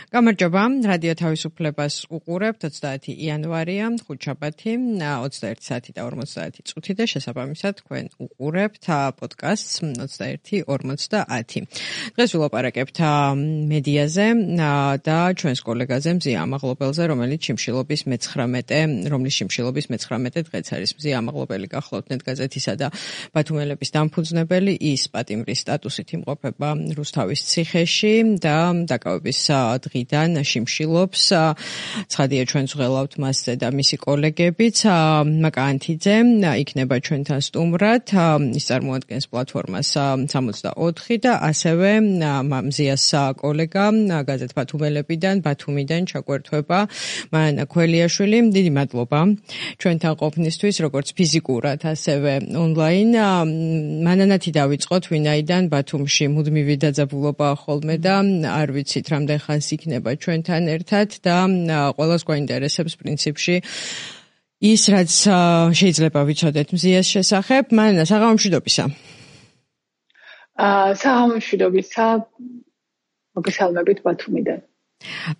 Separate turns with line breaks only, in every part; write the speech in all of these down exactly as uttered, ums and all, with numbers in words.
გამარჯობა, რადიო თავისუფლებას უყურებთ, ოცდაათი იანვარია, ხუთშაბათი, ოცდაერთი საათი და ორმოცდაათი წუთი და შესაბამისად თქვენ უყურებთ პოდკასტს ოცდაერთი ორმოცდაათი. დღეს ვილაპარაკებთ მედიაზე და ჩვენს კოლეგაზე მზია ამაღლობელზე, რომელიც შიმშილობის მეცხრამეტე, რომლის შიმშილობის მეცხრამეტე დღეც არის. მზია ამაღლობელი გახლავთ ნეტგაზეთისა და ბათუმელების დამფუძნებელი, ის პატიმრის სტატუსით იმყოფება რუსთავის ციხეში და დაკავების დღიდან შიმშილობს. ცხადია ჩვენს ვღელავთ მასზე და მისი კოლეგებიც. მაკა ანთიძე იქნება ჩვენთან სტუმრად. ის წარმოადგენს პლატფორმას სამოცდაოთხი და ასევე მზიას კოლეგა გაზეთ ბათუმელებიდან, ბათუმიდან ჩაგვერთვება მანანა ქველიაშვილი. დიდი მადლობა ჩვენთან ყოფნისთვის, როგორც ფიზიკურად, ასევე ონლაინ. მანანათი დავიწყოთ, ვინაიდან ბათუმში მუდმივი დაძაბულობაა ხოლმე და არ ვიცით რამდენ ხანს იქნება ჩვენთან ერთად და ყველას გვაინტერესებს პრინციპში ის, რაც შეიძლება ვიცოდეთ მზიას შესახებ. მანანა, საღამომშვიდობისა.
აა საღამომშვიდობისა. მოგესალმებით ბათუმიდან.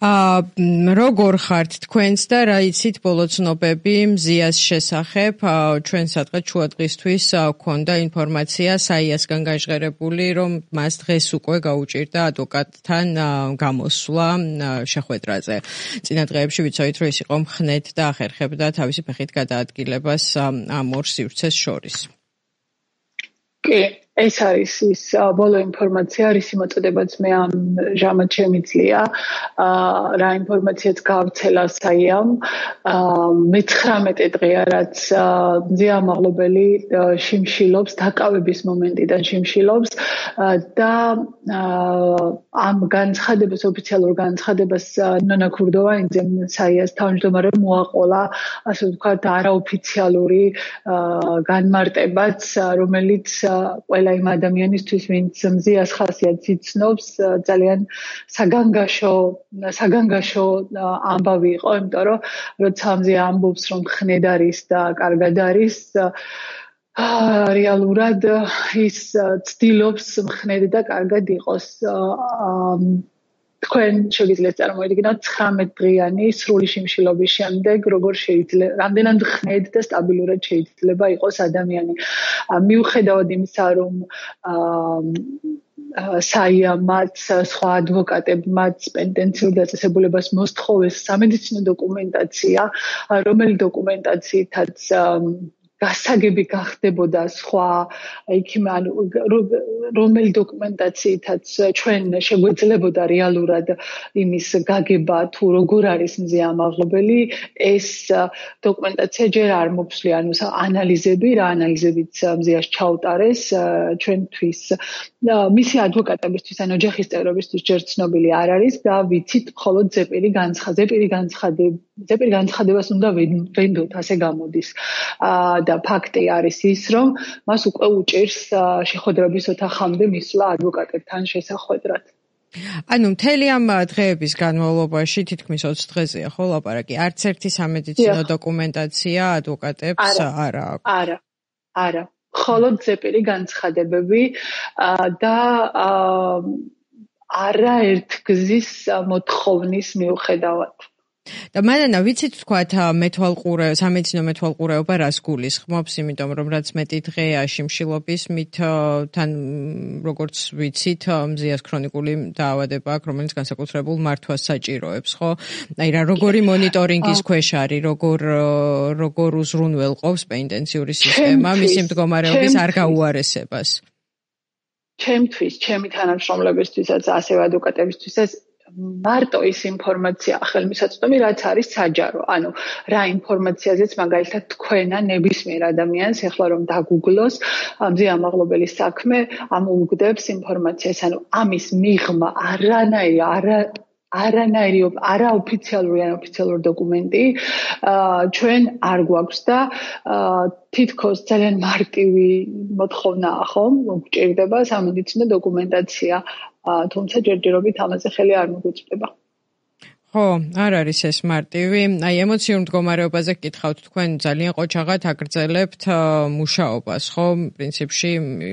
აა როგორ ხართ თქვენც და რა იცით ბოლო ცნობები მზიას შესახებ? ჩვენ სადღაც შუადღისთვის გვქონდა ინფორმაცია საიასგან გაჟღერებული, რომ მას დღეს უკვე გაუჭირდა ადვოკატთან გამოსვლა შეხვედრაზე. წინა დღეებში ვიცოდით, რომ ის იყო მხნედ და ახერხებდა თავისი ფეხით გადაადგილებას ამ ორ სივრცეს შორის.
კი, ეს არის ის ბოლო ინფორმაცია, რის მოწოდებაც მე ამ ჟამად შემიძლია. რა ინფორმაციაც გავრცელა საიამ. მეცხრამეტე დღეა, რაც მზია ამაღლობელი შიმშილობს, დაკავების მომენტიდან შიმშილობს და ამ განცხადებას, ოფიციალურ განცხადებას ნონა ქურდოვაინძემ საიას თავმჯდომარემ მოაყოლა, ასე ვთქვათ, არაოფიციალური განმარტებაც, რომელიც ყველა იმ ადამიანისთვის, ვინც მზიას ხასიათს იცნობს, ძალიან საგანგაშო საგანგაშო ამბავი იყო, იმიტომ რომ როცა მზია ამბობს, რომ ხნედ არის და კარგად არის, რეალურად ის ცდილობს მხნედ და კარგად იყოს. თქვენ შეგიძლიათ წარმოიდგინოთ ცხრამეტდღიანი სრული შიმშილობის შემდეგ როგორ შეიძლება, რამდენად ხნედ და სტაბილურად შეიძლება იყოს ადამიანი. მიუხედავად იმისა, რომ საიამაც, სხვა ადვოკატებმაც პენტენციურ დაწესებულებას მოსთხოვეს სამედიცინო დოკუმენტაცია, რომელი დოკუმენტაციითაც გასაგები გახდებოდა სხვა იქიმე, ანუ რომელი დოკუმენტაციითაც ჩვენ შეგვეძლებოდა რეალურად იმის გაგება თუ როგორ არის მზია ამაღლობელი, ეს დოკუმენტაცია ჯერ არ მოფსვლია, ანუ ანალიზები, რა ანალიზებიც მზიას ჩაუტარეს ჩვენთვის. მისი ადვოკატებისთვის, ან ოჯახის წევრებისთვის ჯერ ცნობილი არ არის და ვიცით მხოლოდ ზეპირი განცხადება, ზეპირი განცხადება, ზეპირი განცხადებას უნდა ვენდოთ, ასე გამოდის. და ფაქტი არის ის, რომ მას უკვე უჭირს შეხვედრების ოთახამდე მისვლა ადვოკატებთან შესახვედრად.
ანუ მთელი ამ დღეების განმავლობაში, თითქმის ოცი დღეზეა ხო ლაპარაკი, არც ერთი სამედიცინო დოკუმენტაცია ადვოკატებს არ აქვს.
არა, არა. მხოლოდ ზეპირი განცხადებები და არაერთგზის მოთხოვნის მიუხედავად.
და მანანა ვიცით თქვათ მეთვალყურე სამედიცინო მეთვალყურეობა რას გულისხმობს, იმიტომ რომ რაც მეტი დღეა შიმშილობის, მით თან როგორც ვიცით მზიას ქრონიკული დაავადება აქვს, რომელიც განსაკუთრებულ მართვას საჭიროებს, ხო? აი რა როგორი მონიტორინგის ქვეშ არის, როგორ როგორ უზრუნველყოფს პენტენციური სისტემა მისი მდგომარეობის არ გაუარესებას.
ჩემთვის, ჩემი თანამშრომლებისთვისაც, ასევე ადვოკატებისთვისაც მარტო ის ინფორმაცია ხელმისაწვდომი, რაც არის საჯარო. ანუ რა ინფორმაციაზეც მაგალითად თქვენა ნებისმიერ ადამიანს ეხლა რომ დაგუგლოს მზია ამაღლობელის საქმე, ამოუგდებს ინფორმაციას. ანუ ამის მიღმა არანაირი არა არანაირი არაოფიციალური ან ოფიციალური დოკუმენტი ჩვენ არ გვაქვს და თითქოს ძალიან მარტივი მოთხოვნაა ხომ, გვჭირდება სამედიცინო დოკუმენტაცია, თუმცა ჯერჯერობით ამაზე ხელი არ მოგვიწვდება.
ხო, არ არის ეს მარტივი. აი ემოციურ მდგომარეობაზე გკითხავთ, თქვენ ძალიან ყოჩაღად აგრძელებთ მუშაობას, ხო? პრინციპში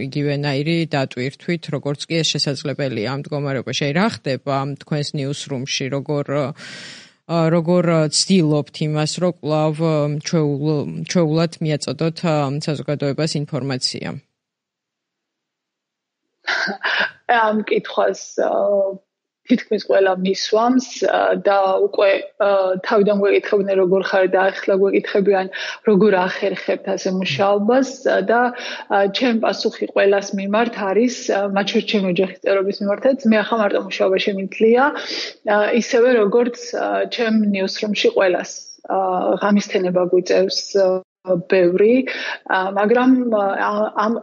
იგივენაირი დატვირთვით, როგორც კი ეს შესაძლებელია ამ მდგომარეობაში. აი რა ხდება თქვენს ნიუსრუმში, როგორ როგორ ცდილობთ იმას, რომ კვლავ ჩვეულად მიაწოდოთ საზოგადოებას ინფორმაცია?
ამ კითხვას თითქმის ყველა მისვამს და უკვე თავიდან გვეკითხებდნენ როგორ ხარ და ახლა გვეკითხებიან როგორ ახერხებთ ასე მუშაობას და ჩემ პასუხი ყველას მიმართ არის მათ შორის ჩემი ოჯახის წევრების მიმართაც მე ახლა მარტო მუშაობა შემიძლია ისევე როგორც ჩემ ნიუსრუმში ყველას ღამისთენება გვიწევს ბევრი მაგრამ ამ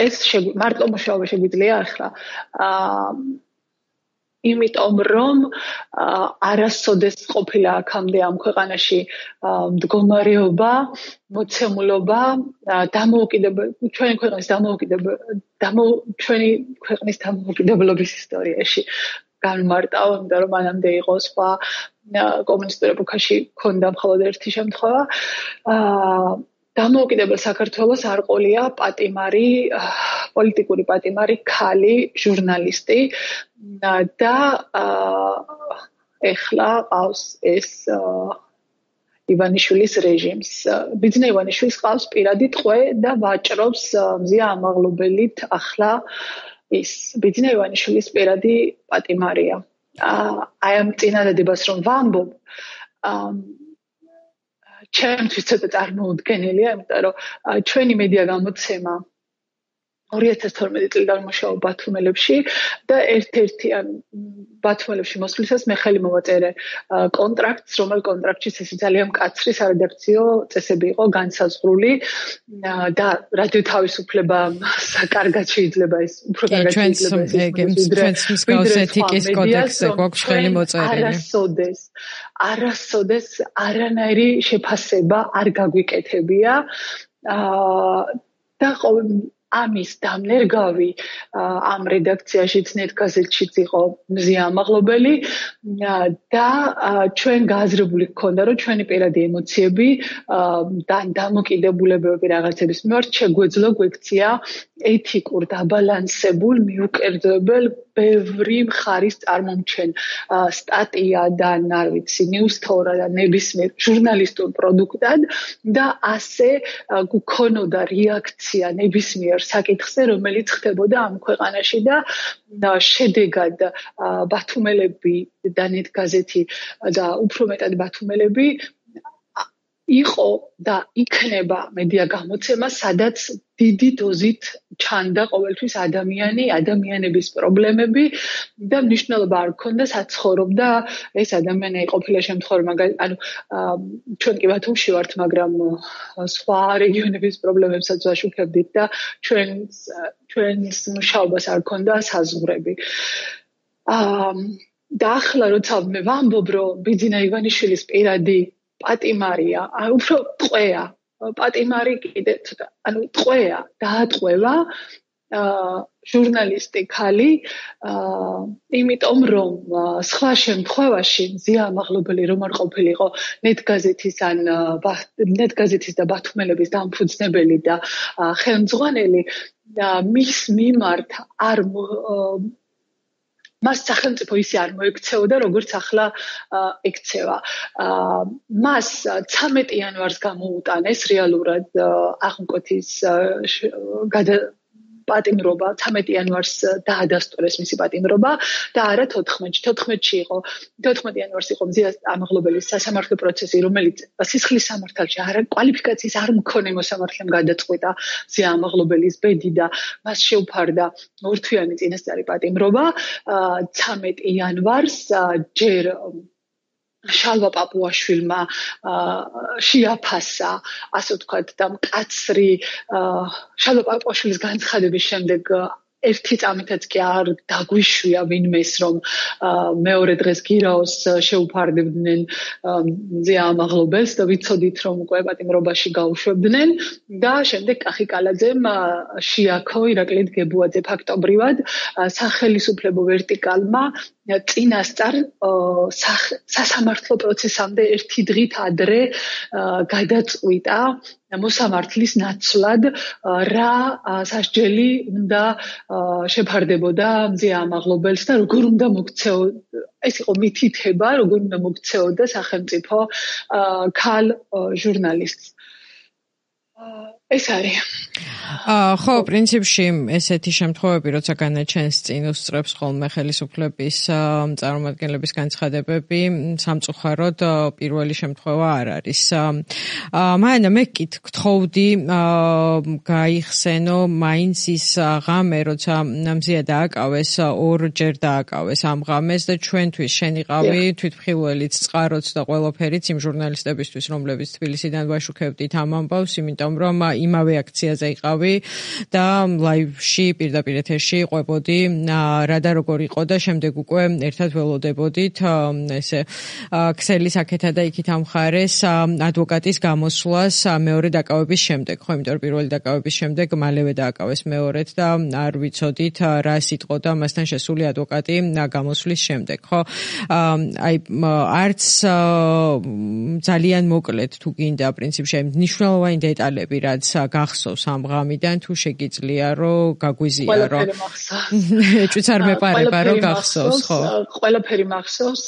ეს მარტო მუშაობა შეგვიძლია ახლა იმიტომ რომ არასოდეს ყოფილა აქამდე ამ ქვეყანაში მდგომარეობა, მოცემულობა, დამოუკიდებელი ჩვენი ქვეყნის დამოუკიდებელი ჩვენი ქვეყნის დამოუკიდებლობის ისტორიაში განმარტავ, იმიტომ რომ მანამდე იყო სხვა კომუნისტურ ეპოქაში ქონდა მხოლოდ ერთი შემთხვევა. დამოუკიდებელ საქართველოს არ ყოლია პატიმარი, პოლიტიკური პატიმარი, ქალი, ჟურნალისტი და ეხლა ყავს ეს ივანიშვილის რეჟიმს. ბიძინა ივანიშვილს ყავს პირადი ტყვე და ვაჭრობს მზია ამაღლობელით ახლა ის ბიძინა ივანიშვილის პირადი პატიმარია. აი ამ წინადადებას რომ ვამბობ ჩემთვის ცოტა წარმოუდგენელია, იმიტომ რომ ჩვენი მედია გამოცემა ორი ათას თორმეტი წლიდან მუშაობ ბათუმელებში და ერთ-ერთი ან ბათუმელებში მოსვლისას მე ხელი მოვაწერე კონტრაქტს, რომელ კონტრაქტში ესე ძალიან მკაცრი სარედაქციო წესები იყო განსაზღვრული და რადიო თავისუფლება საკარგად შეიძლება ეს უფრო კარგად შეიძლება ეს
ჩვენს მსგავს ეთიკის კოდექსზე გვაქვს ხელი მოწერილი.
არასოდეს არასოდეს არანაირი შეფასება არ გაგვიკეთებია და ამის დამნერგავი ამ რედაქციაშიც ნეტგაზეთშიც იყო მზია ამაღლობელი და ჩვენ გააზრებული გქონდა რომ ჩვენი პირადი ემოციები და დამოკიდებულებები რაღაცების მიმართ შეგვეძლო გვექცია ეთიკურ დაბალანსებულ მიუკერძოებელ ბევრი მხარის წარმომჩენ სტატია და არ ვიცი ნიუსთორა და ნებისმიერ ჟურნალისტურ პროდუქტად და ასე გქონოდა რეაქცია ნებისმიერ საკითხზე რომელიც ხდებოდა ამ ქვეყანაში და შედეგად ბათუმელები და ნეტგაზეთი და უფრო მეტად ბათუმელები იყო და იქნება მედია გამოცემა სადაც დიდი დოზით ჩანდა ყოველთვის ადამიანი, ადამიანების პრობლემები და მნიშვნელობა არ ქონდა საცხოვრობდა ეს ადამიანი ყოფილა შემთხვევა მაგალითად ანუ ჩვენ კი ბათუმში ვართ, მაგრამ სხვა რეგიონების პრობლემებსაც ვაშუქებდით და ჩვენ ჩვენს მუშაობას არ ქონდა საზღვრები. აა და ახლა როცა მე ვამბობ რომ ბიძინა ივანიშვილის პირადი პატიმარია, უფრო ტყვეა პატიმარი კიდე ცოტა, ანუ ტყვეა, დაატყვევა ჟურნალისტი ქალი, იმიტომ რომ სხვა შემთხვევაში მზია ამაღლობელი რომ არ ყოფილიყო ნეტგაზეთის ან ნეტგაზეთის და ბათუმელების დამფუძნებელი და ხელმძღვანელი მის მიმართ არ მას სახელმწიფო ისე არ მოექცეოდა, როგორც ახლა ექცევა. მას ცამეტი იანვარს გამოუტანეს რეალურად აღმკვეთის პატიმრობა, ცამეტი იანვარს დაადასტურეს მისი პატიმრობა და არა თოთხმეტში. თოთხმეტში იყო, თოთხმეტი იანვარს იყო მზია ამაღლობელის სასამართლო პროცესი, რომელიც სისხლის სამართალში არა კვალიფიკაციის არ მქონე მოსამართლემ გადაწყვიტა მზია ამაღლობელის ბედი და მას შეუფარდა ორთვიანი წინასწარი პატიმრობა. ცამეტი იანვარს ჯერ შალვა პაპუაშვილმა შეაფასა, ასე ვთქვათ, და მკაცრი შალვა პაპუაშვილის განცხადების შემდეგ ერთი წამითაც კი არ დაგვიშვია ვინმეს რომ მეორე დღეს გირაოს შეუფარდებდნენ მზია ამაღლობელს და ვიცოდით რომ უკვე პატიმრობაში გაუშვებდნენ და შემდეგ კახი კალაძემ შეაქო ირაკლი დგებუაძე ფაქტობრივად სახელისუფლებო ვერტიკალმა წინასწარ სასამართლო პროცესამდე ერთი დღით ადრე გადაწყვიტა მოსამართლის ნაცვლად რა სასჯელი უნდა შეფარდებოდა მზე ამაღლობელს და როგორ უნდა მოქცეოდა ეს იყო მითითება როგორ უნდა მოქცეოდა სახელმწიფო ქალ ჟურნალისტს ეს არის
ხო, პრინციპში ესეთი შემთხვევები, როცა განაჩენს წინ უსწრებს ხოლმე ხელისუფლების წარმომადგენლების განცხადებები, სამწუხაროდ პირველი შემთხვევა არ არის. მაგრამ მე გთხოვდი გაიხსენო მაინც ის ღამე, როცა მზია დააკავეს, ორჯერ დააკავეს ამ ღამეს და ჩვენთვის შენიყავი თვითმხილველიც, წყაროც და ყველაფერიც იმ ჟურნალისტებისთვის, რომლებიც თბილისიდან ვაშუქებდით ამ ამბავს, იმიტომ რომ იმავე აქციაზე იყავი და ლაივში პირდაპირ ეთერში ყვებოდი რა და როგორ იყო და შემდეგ უკვე ერთად ველოდებოდით ესე ქსელის აქეთა და იქით ამხარეს ადვოკატის გამოსვლას მეორე დაკავების შემდეგ ხო იმიტომ რომ პირველი დაკავების შემდეგ მალევე დააკავეს მეორედ და არ ვიცოდით რა სიტყოდა მასთან შესული ადვოკატი გამოსვლის შემდეგ ხო აი არც ძალიან მოკლედ თუ გინდა პრინციპში მნიშვნელოვანი დეტალები რაც გახსოვს ამ ღამიდან თუ შეგიძლია რომ გაგვიზია რომ ეჭვიც არ მეპარება რომ გახსოვს ხო
ყველაფერი მახსოვს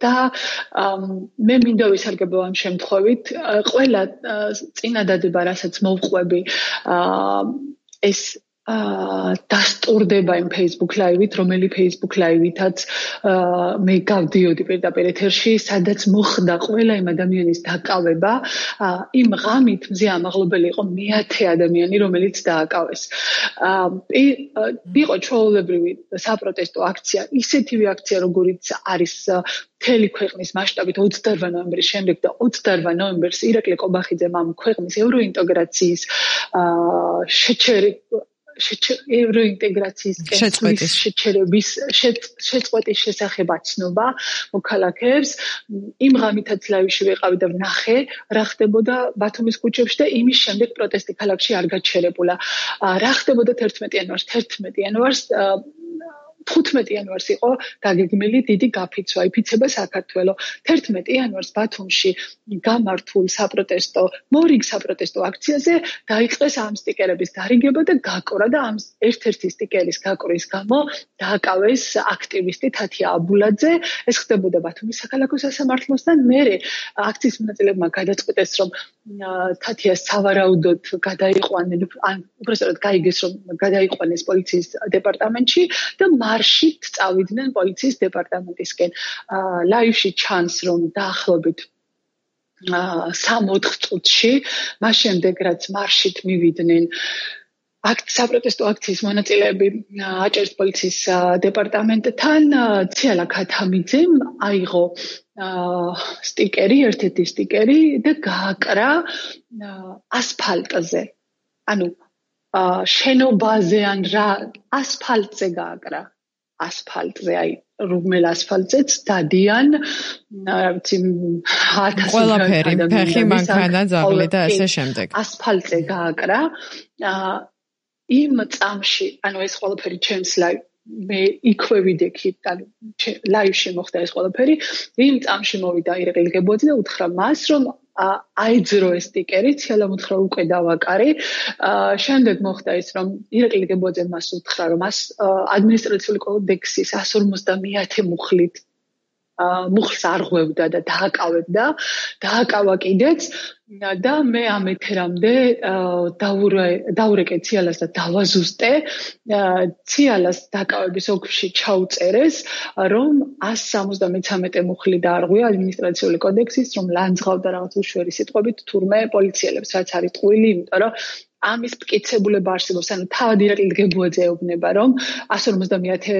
და მე მინდა ვისარგებლო ამ შემთხვევით ყველა წინადადება რასაც მოვყვები ეს დასტურდება იმ Facebook Live-ით, რომელი Facebook Live-ითაც მე გავდიოდი პირდაპირ ეთერში, სადაც მოხდა ყველა იმ ადამიანის დაკავება, იმ ღამით მზე ამაღლობელი იყო მეათე ადამიანი, რომელიც დააკავეს. იყო ჩვეულებრივი საპროტესტო აქცია, ისეთივე აქცია, როგორიც არის მთელი ქვეყნის მასშტაბით ოცდაოთხ ნოემბრის შემდეგ და ოცდაოთხ ნოემბერს ირაკლი ყობახიძემ ამ ქვეყნის ევროინტეგრაციის შეჩერი ევროინტეგრაციის შეჩერების შეწყვეტის შესახებ აცნობა მოქალაქეებს იმ ღამითაც ლაივში ვიყავი და ვნახე რა ხდებოდა ბათუმის ქუჩებში და იმის შემდეგ პროტესტი ქალაქში არ გაჩერებულა რა ხდებოდა თერთმეტი იანვარს თერთმეტი იანვარს თხუთმეტი იანვარს იყო გაგეგმილი დიდი გაფიცვა, იფიცება საქართველოს. თერთმეტი იანვარს ბათუმში გამართულ საპროტესტო, მორიგ საპროტესტო აქციაზე დაიწყეს ამ სტიკერების დარიგება და გაკვრა და ამ ერთ-ერთი სტიკერის გაკვრის გამო დააკავეს აქტივისტი თათია აბულაძე. ეს ხდებოდა ბათუმის საქალაქო სასამართლოსთან. მერე აქციის მონაწილეებმა გადაწყვიტეს, რომ თათიას სავარაუდოდ გადაიყვანენ, ან უბრალოდ გაიგეს, რომ გადაიყვანეს პოლიციის დეპარტამენტში და მარშით წავიდნენ პოლიციის დეპარტამენტისკენ. ლაივში ჩანს, რომ დაახლოებით სამ-ოთხ წუთში, მას შემდეგ რაც მარშით მივიდნენ აქტ საპროტესტო აქციის მონაწილეები აჭარის პოლიციის დეპარტამენტთან, ციალა ქათამიძემ აიღო სტიკერი, ერთ-ერთი სტიკერი და გააკრა ასფალტზე. ანუ შენობაზე ან რა ასფალტზე გააკრა. ასფალტზე, აი, რომელ ასფალტზეც დადიან, რა ვიცი,
ყველაფერი, ფეხი, მანქანა, ძაღლი და ასე შემდეგ.
ასფალტზე გააკრა. იმ წამში, ანუ ეს ყველაფერი ჩემს ლაივ მე იქვე ვიდექით, ანუ ლაივში მოხდა ეს ყველაფერი. იმ წამში მოვიდა ირაკლი გებოძე და უთხრა მას, რომ აიძრო ეს სტიკერი, ციალა უთხრა უკვე დავაკარი. შემდეგ მოხდა ის, რომ ირაკლი გებოძე მას უთხრა, რომ მას ადმინისტრაციული კოდექსის εκατს ორმოცდამეათე მუხლით მუხლს არღვევდა და დააკავებდა, დააკავა კიდეც და მე ამ ეთერამდე დაურეკე ციალას და დავაზუსტე. ციალას დაკავების ოლქში ჩაუწერეს, რომ εκατს სამოცდამეცამეტე მუხლი დაარღვია ადმინისტრაციული კოდექსის, რომ ლანძღავდა რაღაც უშუერი სიტყვებით თურმე პოლიციელებს, რაც არის ტყუილი, იმიტომ რომ ამის მტკიცებულება არსებობს, ანუ თავად ირაკლი გებოძე ეუბნება, რომ εκατს ორმოცდამეათე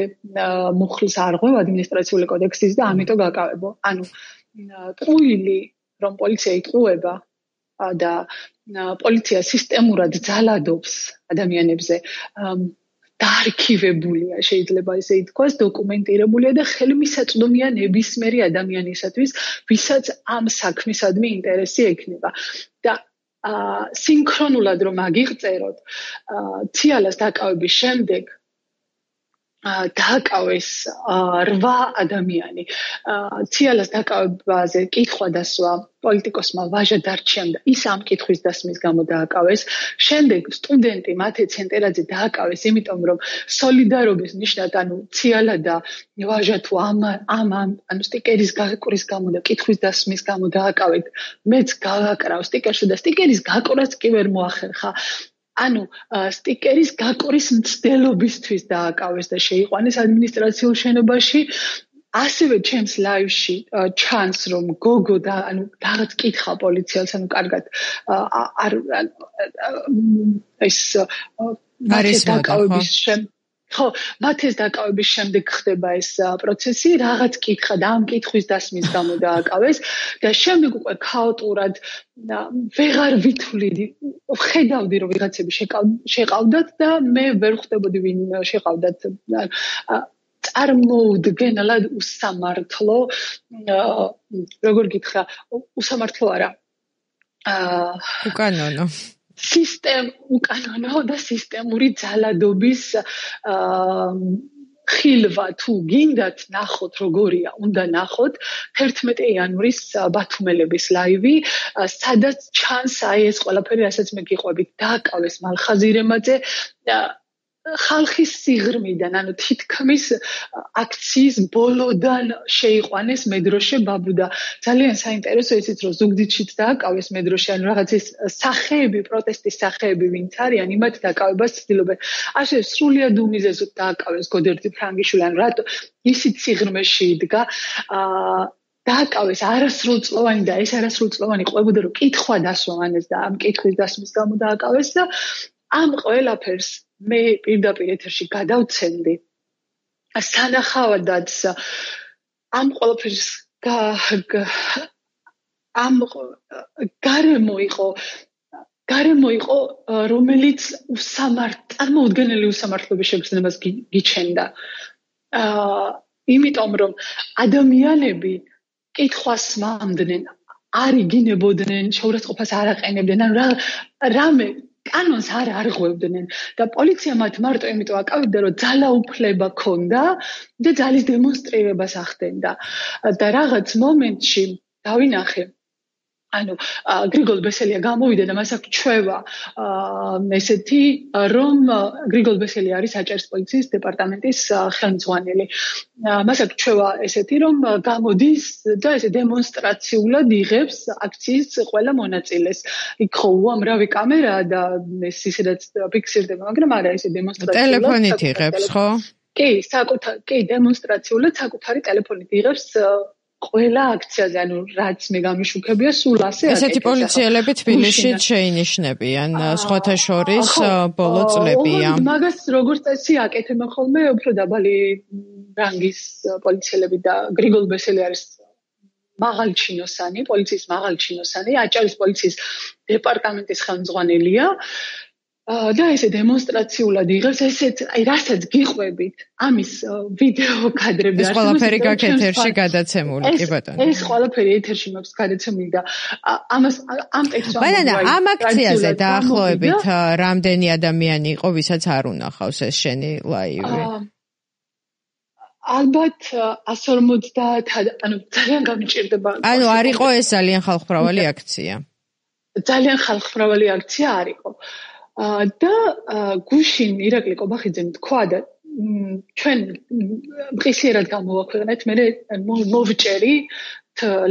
მუხლს არღვევ ადმინისტრაციული კოდექსის და ამიტომ გაკავებო. ანუ ტყუილი, რომ პოლიცია იტყუება და პოლიცია სისტემურად ძალადობს ადამიანებზე, დაარქივებულია, შეიძლება ესე ითქვას, დოკუმენტირებულია და ხელმისაწვდომია ნებისმიერი ადამიანისათვის, ვისაც ამ საქმისადმი ინტერესი ექნება. და სინქრონულად რომ აგიღწეროთ, ციალას დაკავების შემდეგ დააკავეს რვა ადამიანი. ციალას დააკავებაზე კითხვა დასვა პოლიტიკოსმა ვაჟა დარჩიამ და ის ამ კითხვის დასმის გამო დააკავეს. შემდეგ სტუდენტი მათე ცენტერაძე დააკავეს, იმიტომ რომ სოლიდარობის ნიშნად, ანუ ციალა და ვაჟა თუ ამ ამ ანუ სტიკერის გაკურის გამო და კითხვის დასმის გამო დააკავეთ, მეც გავაკრავ სტიკერში და სტიკერის გაკურაც კი ვერ მოახერხა. ანუ სტიკერის გაკურის მცდელობისთვის დააკავეს და შეიყვანეს ადმინისტრაციულ შენობაში. ასევე ჩემს ლაივში ჩანს რომ გოგო და ანუ რაღაც კითხა პოლიციელს, ანუ კარგად არ ეს არის დაკავების შემდეგ ხო, მათეს დაკავების შემდეგ ხდება ეს პროცესი, რაღაც კითხა და ამ კითხვის დასმის გამო დააკავეს და შემდეგ უკვე ქაოტურად ვეღარ ვითვლიდი, ხედავდი რომ ვიღაცები შეყავდათ და მე ვერ ხვდებოდი ვინ შეყავდათ. წარმოუდგენლად უსამართლო, როგორ გითხრა, უსამართლო არა.
უკანონო.
სისტემ უკანონო და სისტემური ძალადობის ხილვა თუ გინდათ ნახოთ როგორია, უნდა ნახოთ თერთმეტი იანვრის ბათუმელების ლაივი, სადაც ჩანს აი ეს ყველაფერი, რასაც მე გიყვებით, დააკავეს მალხაზირემაძე ხალხის სიღრმიდან, ანუ თითქმის აქციის ბოლოდან შეიყვანეს მედროშე ბაბუდა. ძალიან საინტერესო ისიც, რომ ზუგდიდშიც დააკავეს მედროშე, ანუ რაღაც ის სახეები, პროტესტის სახეები ვინც არიან, იმათ დააკავებას ცდილობენ. ასე სრულიად უმიზეზოდ დააკავეს გოდერძი ფრანგიშვილი, ანუ რატო ისიც სიღრმეში იდგა. დააკავეს არასრულწლოვანი და ეს არასრულწლოვანი ყვებოდა, რომ კითხვა დასვამანეს და ამ კითხვის დასმის გამო დააკავეს და ამ ყველაფერს მე პირდაპირ ეთერში გადავცემდი. სანახავადაც ამ ყველაფერს ამ გარემო იყო გარემო იყო, რომელიც უსამართ, წარმოუდგენელი უსამართლობის შეგრძნებას გიჩენდა. აა, იმიტომ რომ ადამიანები კითხვას მამდნენ, არ იგინებოდნენ, შეურაცხყოფას არ აყენებდნენ, ანუ რამე კანონს არ არღვევდნენ და პოლიცია მათ მარტო იმიტომ აკავებდა, რომ ძალაუფლება ქონდა და ძალის დემონსტრირებას ახდენდა. და რაღაც მომენტში დავინახე, ანუ გრიგოლ ბესელია გამოვიდა და მას აქვს ჩვევა ესეთი, რომ გრიგოლ ბესელი არის აჭარის პოლიციის დეპარტამენტის ხელმძღვანელი. მას აქვს ჩვევა ესეთი, რომ გამოდის და ესე დემონსტრაციულად იღებს აქციის ყველა მონაწილეს. იქ ხო უამრავი კამერაა და ეს ისედაც ფიქსირდება, მაგრამ არა ესე დემონსტრაციულად.
ტელეფონით იღებს, ხო?
კი, საკუთარ, კი, დემონსტრაციულად საკუთარი ტელეფონით იღებს ყველა აქციაზე, ანუ რაც მე გამიშუქებია, სულ ასე.
ესეთი პოლიციელები თბილისშიც შეინიშნებიან, სხვათა შორის ბოლო წლებია.
მაგას როგორც წესი აკეთებენ ხოლმე უფრო დაბალი რანგის პოლიციელები და გრიგოლ ბესელი არის მაღალჩინოსანი, პოლიციის მაღალჩინოსანი, აჭარის პოლიციის დეპარტამენტის ხელმძღვანელია. და ესე დემონსტრაციულად იღებს, ესეც, აი, რასაც გიყვებით, ამის ვიდეო კადრები
არის. ეს ყველაფერი გაქვს ეთერში გადაცემული, კი ბატონო.
ეს ყველაფერი ეთერში მაქვს გადაცემული და ამას ამ ტექსტს
ბატონო, ამ აქციაზე დაახლოებით რამდენი ადამიანი იყო, ვისაც არ უნახავს ეს შენი ლაივი?
ალბათ εκατს ორმოცდაათ, ანუ ძალიან გამიჭირდება.
ანუ არ იყო ეს ძალიან ხალხმრავალი აქცია.
ძალიან ხალხმრავალი აქცია არ იყო. და გუშინ ირაკლი კობახიძემ თქვა და ჩვენ მყისიერად გამოვაქვეყნეთ, მე მოვჭერი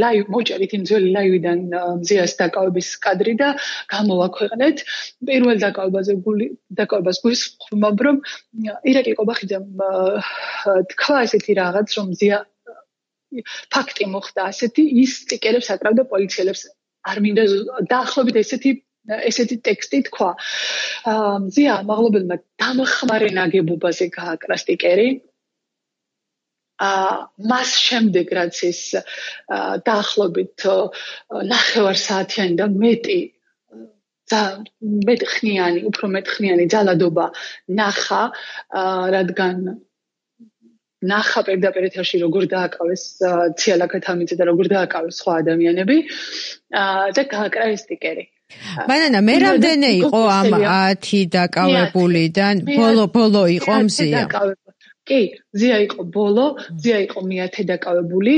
ლაივ მოჭერით იმ ძველი ლაივიდან მზიას დაკავების კადრი და გამოვაქვეყნეთ. პირველ დაკავებაზე დაკავებას გვისხმობ, რომ ირაკლი კობახიძემ თქვა ესეთი რაღაც, რომ მზია ფაქტი მოხდა ასეთი, ის სტიკერებს აკრავდა პოლიციელებს. არ მინდა დაახლოებით ესეთი ესეთი ტექსტი თქვა. მზია მაღლობელმა დამხმარე ნაგებობაზე გააკრა სტიკერი. მას შემდეგ რაც ის დაახლოებით ნახევარ საათიანი და მეტი მეტხნიანი, უფრო მეტხნიანი ძალადობა ნახა, რადგან ნახა პირდაპირ ეთერში როგორ დააკავეს ციალა ქათამიძე და როგორ დააკავეს სხვა ადამიანები და გააკრა ეს სტიკერი.
ბანანა, მე რამდენი იყო ამ ათი დაკავებულიდან? ბოლო ბოლო იყო მზია.
კი, ზია იყო ბოლო, ზია იყო მეათე დაკავებული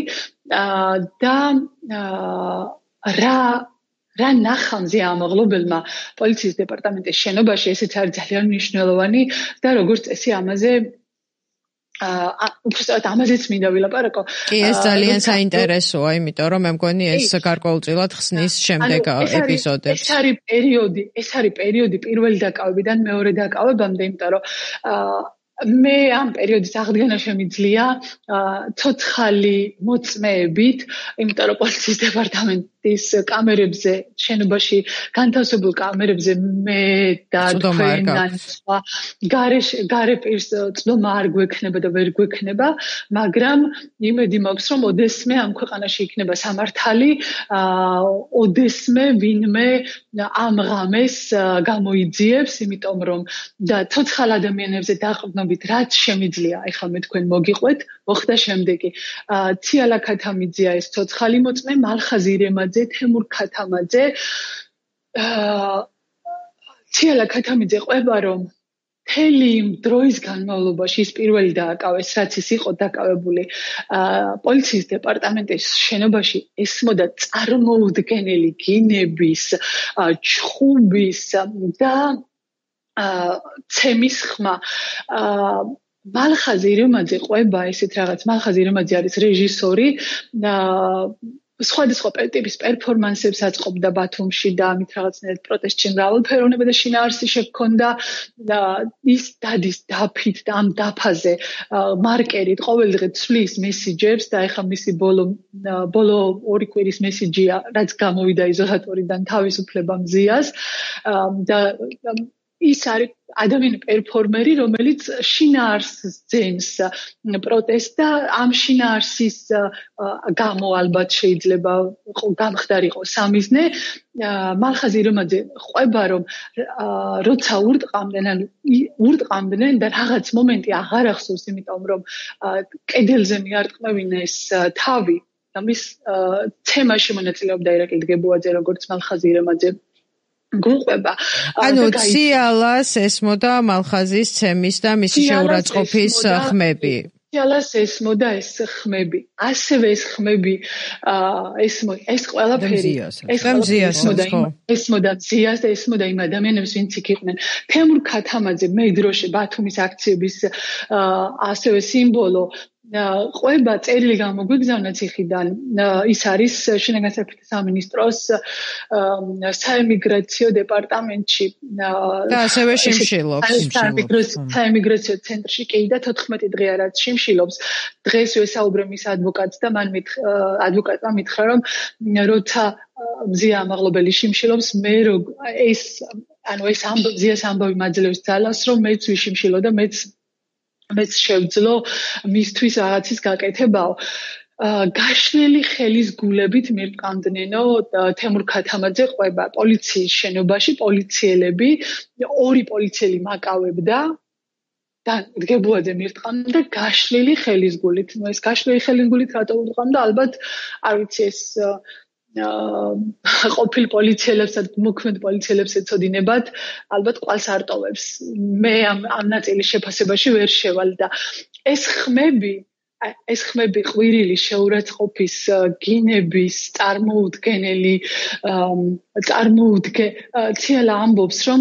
და რა რა ნახამზე ამაღლობელმა პოლიციის დეპარტამენტის შენობაში ესეც არის ძალიან მნიშვნელოვანი და როგორც წესი ამაზე აა უბრალოდ ამაზეც მინდა ვილაპარაკო.
კი, ეს ძალიან საინტერესოა, იმიტომ რომ მე მგონი ეს გარკვეულწილად ხსნის შემდეგ ეპიზოდებს.
ეს არის პერიოდი, ეს არის პერიოდი პირველი დაკავებიდან მეორე დაკავებამდე, იმიტომ რომ აა მე ამ პერიოდის აღდგენა შემიძლია ცოცხალი მოწმეებით, იმიტომ რომ პოლიციის დეპარტამენტის კამერებზე, შენობაში განთავსებულ კამერებზე მე და თქვენთან სხვა გარე პირს წვდომა არ გვექნება და ვერ გვექნება, მაგრამ იმედი მაქვს, რომ ოდესმე ამ ქვეყანაში იქნება სამართალი, ოდესმე ვინმე ამ ღამეს გამოიძიებს, იმიტომ რომ და ცოცხალ ადამიანებზე დაყრდნობით რაც შემიძლია, ეხლა მე თქვენ მოგიყვეთ, მოხდა შემდეგი. ციალა ქათამიძეა ეს ცოცხალი მოწმე, მალხაზ ირემაძე, თემურ ქათამაძე. ციალა ქათამიძე ყვება, რომ მთელი იმ დროის განმავლობაში ის პირველი დააკავეს, რაც ის იყო დაკავებული პოლიციის დეპარტამენტის შენობაში, ესმოდა წარმოუდგენელი გინების, ჩხუბის და ცემის ხმა. მალხაზ ირემაძე ყვება ესეთ რაღაც, მალხაზ ირემაძე არის რეჟისორი, სხვადასხვა ტიპის პერფორმანსებს აწყობდა ბათუმში და ამით რაღაცნაირად პროტესტში მრავალფეროვნება და შინაარსი შექონდა და ის დადის დაფით და ამ დაფაზე მარკერით ყოველდღე ცვლის მესიჯებს და ეხლა მისი ბოლო ბოლო ორი კვირის მესიჯია, რაც გამოვიდა იზოლატორიდან თავისუფლება მზიას და ის არის ადამიანი პერფორმერი, რომელიც შინაარსს ძენს პროტესტს და ამ შინაარსის გამო ალბათ შეიძლება გამხდარიყო სამიზნე. მალხაზ ირემაძე ყვება, რომ როცა ურტყამდნენ, ანუ ურტყამდნენ და რაღაც მომენტი აღარ ახსოვს, იმიტომ რომ კედელზე მიარტყმევინეს თავი და მის თემაში მონაწილეობდა ირაკლი დგებუაძე, როგორც მალხაზ ირემაძე გუყვება.
ანუ ციალას ესმოდა მალხაზის ცემის და მისი შეურაცხყოფის ხმები.
ციალას ესმოდა ეს ხმები. ასევე ეს ხმები ეს ეს ყველაფერი
ეს მზიასაც ხო?
ესმოდა მზიას და ესმოდა იმ ადამიანებს, ვინც იქ იყვნენ. თემურ ქათამაძე მე დროში ბათუმის აქციების ასევე სიმბოლო ყვება წერილი გამოგვიგზავნა ციხიდან. ის არის შინაგან საქმეთა სამინისტროს საემიგრაციო დეპარტამენტში
და ასევე შიმშილობს.
საემიგრაციო ცენტრში კი და თოთხმეტი დღეა რაც შიმშილობს. დღეს ვესაუბრე მის ადვოკატს და მან ადვოკატმა მითხრა, რომ როცა მზია ამაღლობელი შიმშილობს, მე ეს ანუ ეს მზიას ამბავი მაძლევს ძალას, რომ მეც ვიშიმშილო და მეც მეც შევძლო მისთვის რაღაცის გაკეთებაო. გაშლილი ხელის გულებით მირტყამდნენო თემურ ქათამაძე ყვება პოლიციის შენობაში, პოლიციელები, ორი პოლიციელი მაკავებდა და დგებუაძე მირტყამდა გაშლილი ხელის გულით. ნუ ეს გაშლილი ხელის გულით რატო ურტყამდა? ალბათ არ ვიცი, ეს ყოფილ პოლიციელებსა და მოქმედ პოლიციელებს ეცოდინებათ, ალბათ ყვალს არ ტოვებს. მე ამ ამ ნაწილის შეფასებაში ვერ შევალ და ეს ხმები ეს ხმები ყვირილი შეურაცხყოფის გინების წარმოუდგენელი წარმოუდგე ციალა ამბობს, რომ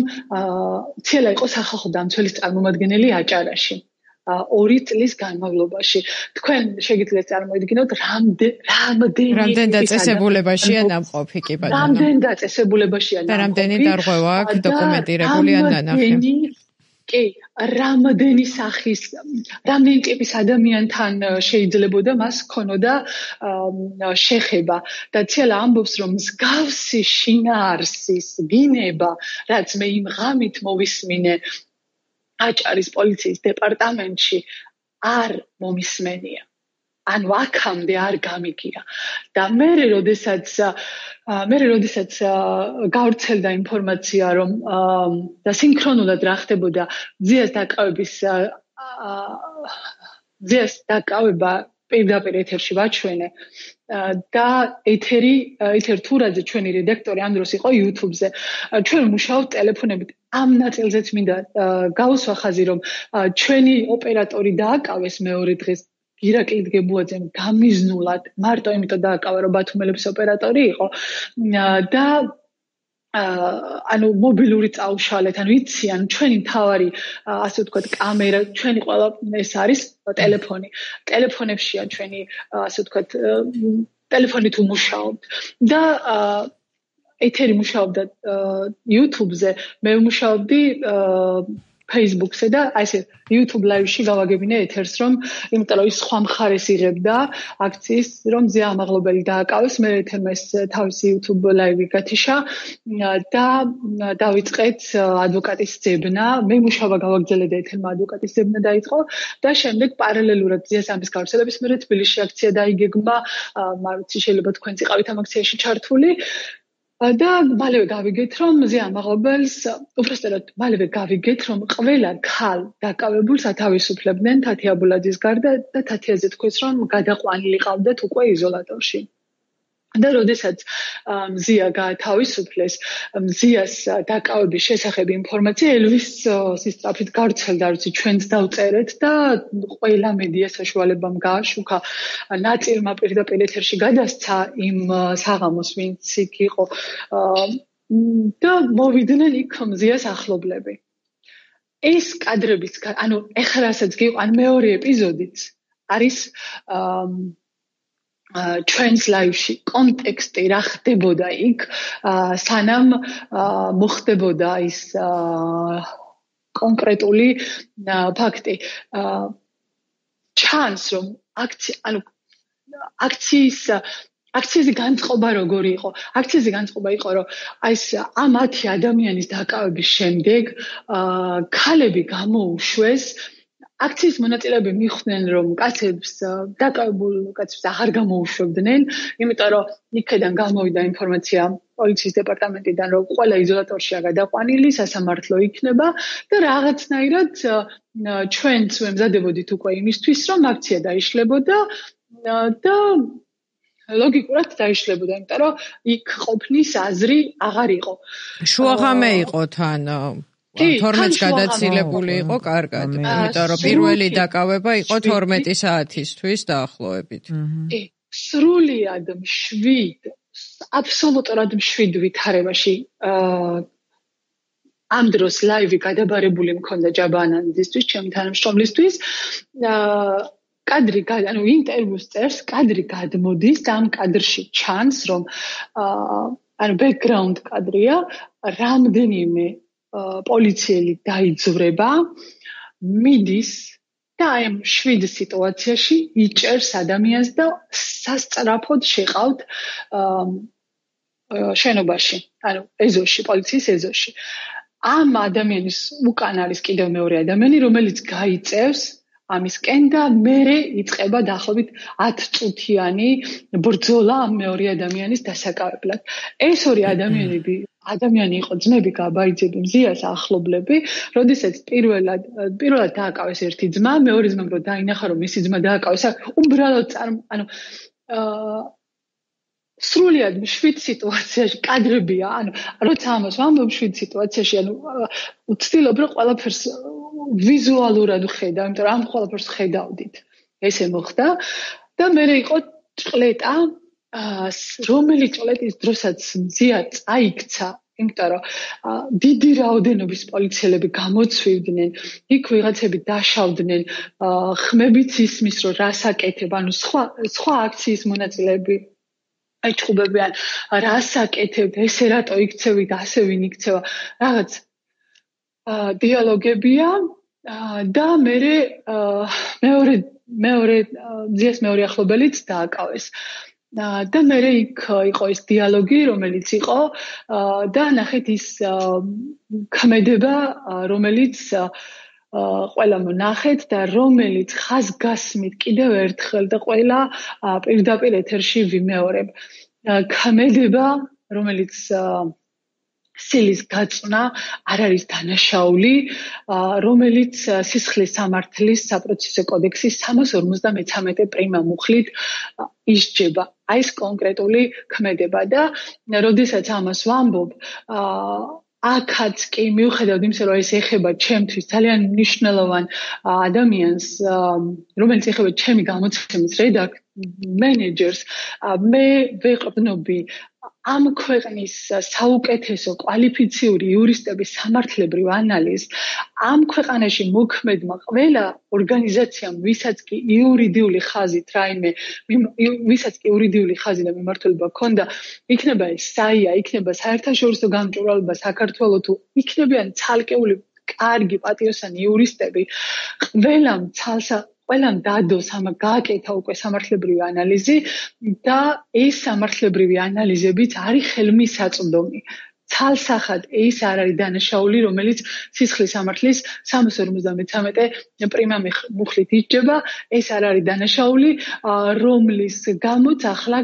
ციალა იყო სახალხო დამცველის წარმომადგენელი აჭარაში ორი წლის განმავლობაში. თქვენ შეგიძლიათ წარმოიდგინოთ, რამდენი
რამდენი დაწესებულებაშია ნამყოფი კი ბატონო.
რამდენი დაწესებულებაშია ნამყოფი.
და რამდენი დარღვევა აქვს დოკუმენტირებული ან დანახი.
კი, რამდენი სახის, რამდენი ტიპის ადამიანთან შეიძლებოდა მას ქონოდა შეხება და ციალა ამბობს, რომ მსგავსი შინაარსის გინება, რაც მე იმ ღამით მოვისმინე აჭარის პოლიციის დეპარტამენტში, არ მომისმენია. ანუ აქამდე არ გამიგია. და მე როდესაც მე როდესაც გავრცელდა ინფორმაცია, რომ და სინქრონულად რა ხდებოდა მზიას დაკავების მზიას დაკავება პირდაპირ ეთერში ვაჩვენე და ეთერი ეთერ თურაძე ჩვენი რედაქტორი ამ დროს იყო YouTube-ზე. ჩვენ მუშაობთ ტელეფონებით. ამ ნაწილზეც მინდა გავუსვა ხაზი, რომ ჩვენი ოპერატორი დააკავეს მეორე დღეს ირაკლი დგებუაძემ გამიზნულად, მარტო იმიტომ დააკავა, რომ ბათუმელების ოპერატორი იყო და ანუ მობილური წაუშალეთ, ანუ იციან ჩვენი მთავარი ასე ვთქვათ კამერა, ჩვენი ყველა ეს არის ტელეფონი. ტელეფონებშია ჩვენი ასე ვთქვათ ტელეფონით უმუშაობთ და ეთერი მუშაობდა YouTube-ზე, მე ვმუშაობდი Facebook-ზე და აი ესე YouTube live-ში გავაგებინე ეთერს, რომ იმიტომ რომ ის სხვა მხარეს იღებდა აქციის, რომ ზია ამაღლობელი დააკავეს, მე ეთერმა ეს თავისი YouTube live-ი გათიშა და დავიწყეთ ადვოკატის ძებნა, მე მუშაობა გავაგრძელე და ეთერმა ადვოკატის ძებნა დაიწყო და შემდეგ პარალელურად ზიას ამის გავრცელების მერე თბილისში აქცია დაიგეგმა, მარცი შეიძლება თქვენც იყავით ამ აქციაში ჩართული. და მალევე გავიგეთ, რომ ზია ამაღლობელს, უბრალოდ მალევე გავიგეთ, რომ ყველა ქალ დაკავებულს ათავისუფლებდნენ თათი აბულაძის გარდა და თათიაზე თქვეს, რომ გადაყვანილი ყავდათ უკვე იზოლატორში. და როდესაც მზია გაათავისუფლეს, მზიას დაკავების შესახებ ინფორმაცია ელვის სისწრაფით გავრცელდა, როცა ჩვენც დავწერეთ და ყველა მედია საშუალებამ გააშუქა. ნაწილმა პირდაპირ ეთერში გადასცა იმ საღამოს, ვინც იქ იყო და მოვიდნენ იქ მზიას ახლობლები. ეს კადრებიც, ანუ ეხლასაც გიყვან მეორე ეპიზოდიც არის ჩვენს ლაივში კონტექსტი რა ხდებოდა იქ, სანამ მოხდებოდა ის კონკრეტული ფაქტი. ჩანს, რომ აქცია, ანუ აქციის აქციაზე განწყობა როგორი იყო? აქციაზე განწყობა იყო, რომ აი ეს ამ ათი ადამიანის დაკავების შემდეგ ქალები გამოუშვეს. აქციის მონაწილეები მიხვდნენ, რომ კაცებს დაკავებულ კაცებს აღარ გამოუშვებდნენ, იმიტომ რომ იქიდან გამოვიდა ინფორმაცია პოლიციის დეპარტამენტიდან, რომ ყველა იზოლატორშია გადაყვანილი, სასამართლო იქნება და რაღაცნაირად ჩვენც ვემზადებოდით უკვე იმისთვის, რომ აქცია დაიშლებოდა და ლოგიკურად დაიშლებოდა, იმიტომ რომ იქ ყოფნის აზრი აღარ იყო.
შუაღამე იყო თან თორმეტს გადაცილებული იყო კარგად, იმიტომ რომ პირველი დაკავება იყო თორმეტი საათისთვის დაახლოებით.
კი, სრულიად მშვიდ, აბსოლუტურად მშვიდ ვითარებაში ამ დროს ლაივი გადაბარებული მქონდა ჯაბანანძისთვის, ჩემი თანამშრომლისთვის. კადრი, ანუ ინტერვიუს წერს, კადრი გადმოდის და ამ კადრში ჩანს, რომ ანუ ბექგრაუნდ კადრია, რამდენიმე პოლიციელი დაიძვრება, მიდის და აი ამ შვიდ სიტუაციაში იჭერს ადამიანს და სასწრაფოდ შეყავთ შენობაში, ანუ ეზოში, პოლიციის ეზოში. ამ ადამიანის უკან არის კიდევ მეორე ადამიანი, რომელიც გაიწევს ამისკენ და მერე იწყება დაახლოებით ათი წუთიანი ბრძოლა ამ მეორე ადამიანის დასაკავებლად. ეს ორი ადამიანები ადამიანი იყო ძმები გაბაიძები, მზიას ახლობლები, როდესაც პირველად პირველად დააკავეს ერთი ძმა, მეორე ძმამ რო დაინახა, რომ მისი ძმა დააკავეს, უბრალოდ ანუ სრულიად მშვიდ სიტუაციაში კადრებია, ანუ როცა ამას ვამბობ მშვიდ სიტუაციაში, ანუ ვცდილობ რომ ყველაფერს ვიზუალურად ვხედავ, იმიტომ რომ ამ ყველაფერს ხედავდით. ესე მოხდა და მე იყო ჭყლეტა, რომელი ჭყლეტის დროსაც მზია წაიქცა, იმიტომ რომ დიდი რაოდენობის პოლიციელები გამოცვივდნენ, იქ ვიღაცები დაშავდნენ, ხმებიც ისმის რომ რას აკეთებ, ანუ სხვა სხვა აქციის მონაწილეები აიჩხუბებიან, რას აკეთებ, ესე რატო იქცევით, ასე ვინ იქცევა, რაღაც დიალოგებია და მე მეორე მეორე ძიეს მეორე ახლობელიც დააკავეს. და მე იქ იყო ეს დიალოგი, რომელიც იყო და ნახეთ ის ქმედება, რომელიც ყველა მონახეთ და რომელიც ხაზგასმით კიდევ ერთხელ და ყველა პირდაპირ ეთერში ვიმეორებ. ქმედება, რომელიც სილის გაწვნა არ არის დანაშაული, რომელიც სისხლის სამართლის საპროცესო კოდექსის სამას ორმოცდამეცამეტე პრიმა მუხლით ისჯება. აი ეს კონკრეტული ქმედება და როდესაც ამას ვამბობ, აქაც კი მიუხედავად იმისა, რომ ეს ეხება ჩემთვის ძალიან მნიშვნელოვან ადამიანს, რომელიც ეხება ჩემი გამოცემის რედაქ მენეჯერს, მე ვეყრდნობი ამ ქვეყნის საუკეთესო კვალიფიციური იურისტების სამართლებრივ ანალიზს, ამ ქვეყანაში მოქმედმა ყველა ორგანიზაციამ, ვისაც კი იურიდიული ხაზით რაიმე, ვისაც კი იურიდიული ხაზი და მიმართულება ჰქონდა, იქნება ეს საია, იქნება საერთაშორისო გამჭვირვალება საქართველოს თუ იქნებიან ცალკეული კარგი პატიოსანი იურისტები, ყველამ ცალსა ყველამ დადოს ამა გააკეთა უკვე სამართლებრივი ანალიზი და ეს სამართლებრივი ანალიზებიც არის ხელმისაწვდომი. ცალსახად ეს არ არის დანაშაული, რომელიც სისხლის სამართლის სამას ორმოცდამეცამეტე პრიმა მუხლით იჭება, ეს არ არის დანაშაული, რომლის გამოც ახლა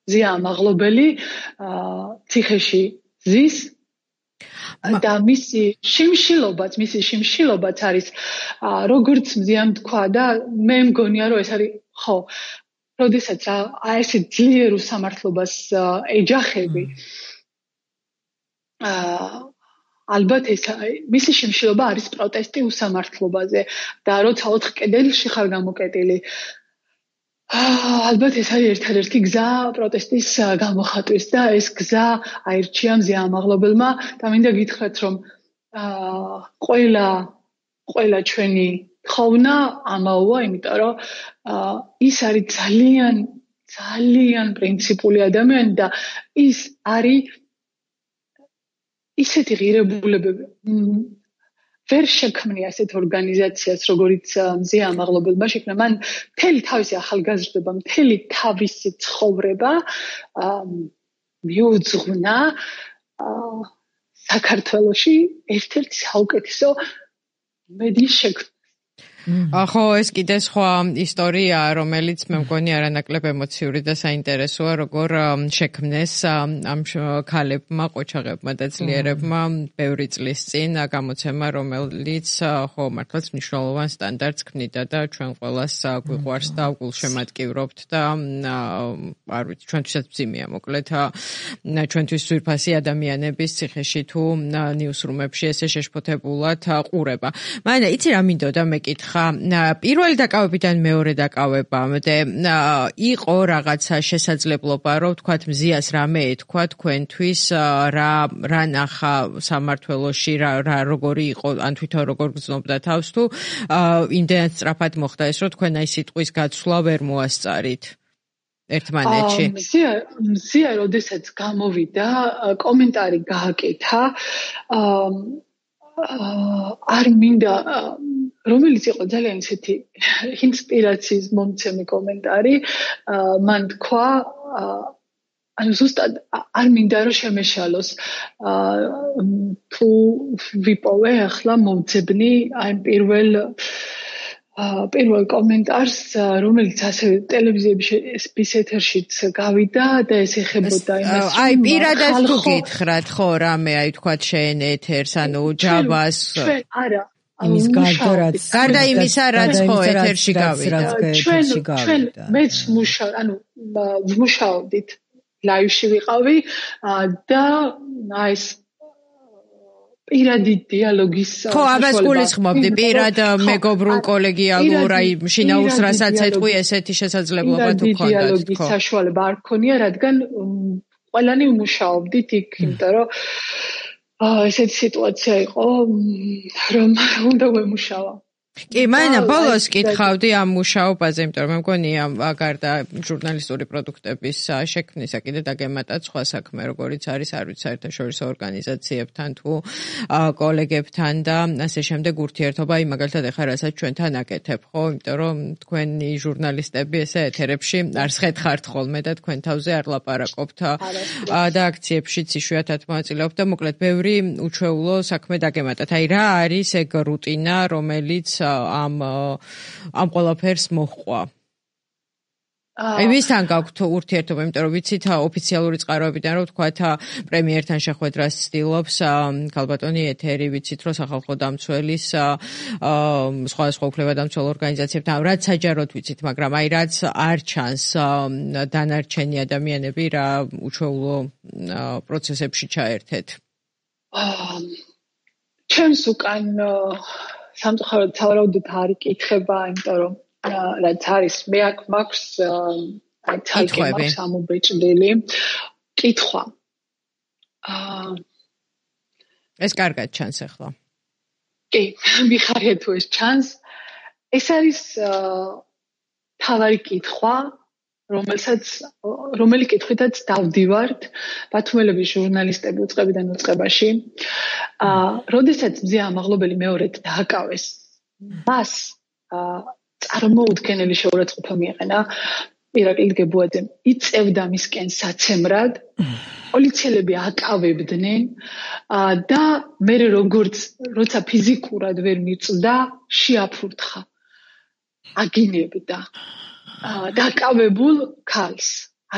ზია ამაღლობელი ციხეში ზის და მისი შიმშილობაც, მისი შიმშილობაც არის როგორც მზიამ თქვა და მე მგონია რომ ეს არის ხო, როდესაც აი ესე ძლიერ უსამართლობას ეჯახები ალბათ ეს მისი შიმშილობა არის პროტესტი უსამართლობაზე და როცა ოთხ კედელში ხარ გამოკეტილი ალბათ ეს არის ერთადერთი გზა პროტესტის გამოხატვის და ეს გზა აირჩია მზია ამაღლობელმა და მინდა გითხრათ რომ ყველა ყველა ჩვენი ხოვნა ამაოა, იმიტომ რომ ის არის ძალიან ძალიან პრინციპული ადამიანი და ის არის ისეთი ღირებულებები ვერ შექმნია ასეთ ორგანიზაციას, როგორიც მზია ამაღლობელმა შექმნა. მან მთელი თავისი ახალგაზრდობა, მთელი თავისი ცხოვრება მიუძღვნა საქართველოში ერთ-ერთი საუკეთესო მედიის შექმნას.
ხო, ეს კიდე სხვა ისტორიაა, რომელიც მე მგონი არანაკლებ ემოციური და საინტერესოა, როგორ შექმნეს ამ ქალებმა, ყოჩაღებმა და ძლიერებმა ბევრი წლის წინ გამოცემა, რომელიც ხო მართლაც მნიშვნელოვან სტანდარტს ქმნიდა და ჩვენ ყველას გვიყვარს და გულშემატკივრობთ და არ ვიცი, ჩვენთვისაც მძიმეა მოკლედ ჩვენთვის ძვირფასი ადამიანების ციხეში თუ ნიუსრუმებში ესე შეშფოთებულად ყურება. მაგრამ იცი რა მინდოდა მეკითხა პირველი დაკავებიდან მეორე დაკავებამდე იყო რაღაცა შესაძლებლობა, რომ თქვათ მზიას რამე ეთქვა თქვენთვის, რა რა ნახა სამმართველოში, რა რა როგორი იყო, ან თვითონ როგორ გრძნობდა თავს თუ იმდენად სწრაფად მოხდა ეს, რომ თქვენ აი სიტყვის გაცვლა ვერ მოასწარით ერთმანეთში.
მზია მზია როდესაც გამოვიდა, კომენტარი გააკეთა, არ მინდა რომელიც იყო ძალიან ისეთი ინსპირაციის მომცემი კომენტარი, მან თქვა, ანუ ზუსტად არ მინდა რომ შემეშალოს, თუ ვიპოვე ახლა მომძებნი აი პირველ პირველ კომენტარს, რომელიც ასევე ტელევიზიების ეთერშიც გავიდა და ეს ეხებოდა იმას,
აი პირადად თუ გითხრათ, ხო, რამე აი თქვათ შენ ეთერს, ანუ ჯაბას
არა
იმის გარდა რაც
გარდა იმისა რაც ხო ეთერში გავიდა
ჩვენ ჩვენ მეც მუშაობ ანუ ვმუშაობდით ლაივში ვიყავი და აი ეს პირადი დიალოგის
ხო ამას გულისხმობდი პირად მეგობრულ კოლეგიალურ აი შინაურს რასაც ეთყვი ესეთი შესაძლებლობა თუ ქონდათ ხო
დიალოგის საშუალება არ ქონია რადგან ყველანი ვმუშაობდით იქ იმიტომ რომ ესეთი სიტუაცია იყო, რომ უნდა ვემუშავა.
კი, მაინა ბოლოს კითხავდი ამ მუშაობაზე, იმიტომ რომ მე მგონია გარდა ჟურნალისტური პროდუქტების შექმნისა კიდე დაგემატათ სხვა საქმე, როგორიც არის არ ვიცი საერთაშორისო ორგანიზაციებთან თუ კოლეგებთან და ასე შემდეგ ურთიერთობა, აი მაგალითად ეხლა რასაც ჩვენთან აკეთებ, ხო, იმიტომ რომ თქვენი ჟურნალისტები ესე ეთერებში არ სხეთხართ ხოლმე და თქვენ თავზე არ ლაპარაკობთ და აქციებშიც იშვიათად მონაწილეობთ და მოკლედ ბევრი უჩვეულო საქმე დაგემატათ. აი რა არის ეგ რუტინა, რომელიც ამ ამ ყველაფერს მოჰყვა? აი ვისთან გაქვთ ურთიერთობა, იმიტომ რომ ვიცით ოფიციალური წყაროებიდან რომ თქვათ პრემიერთან შეხვედრას ცდილობს ქალბატონი ეთერი, ვიცით რომ სახალხო დამცველის სხვადასხვა უფლებადამცველ ორგანიზაციებთან რაც საჯაროდ ვიცით, მაგრამ აი რაც არ ჩანს დანარჩენი ადამიანები რა უჩვეულო პროცესებში ჩაერთეთ.
ჩემს უკან სამწუხაროდ სავარაუდოდ არ იკითხება, იმიტომ რომ რაც არის მე აქ მაქვს აი თალკი მაქვს ამობეჭდილი კითხვა.
ეს კარგად ჩანს ახლა.
კი, მიხარია თუ ეს ჩანს. ეს არის თავარი კითხვა, რომელსაც რომელი კითხვითაც დავდივართ ბათუმელების ჟურნალისტები უწყებიდან უწყებაში. აა, როდესაც მზია ამაღლობელი მეორედ დააკავეს, მას წარმოუდგენელი შეურაცხყოფა მიეყენა ირაკლი გებუაძემ. იწევდა მისკენ საცემრად, პოლიციელები აკავებდნენ და მე როგორც როცა ფიზიკურად ვერ მიწვდა, შეაფურთხა. აგინებდა. დაკავებულ ქალს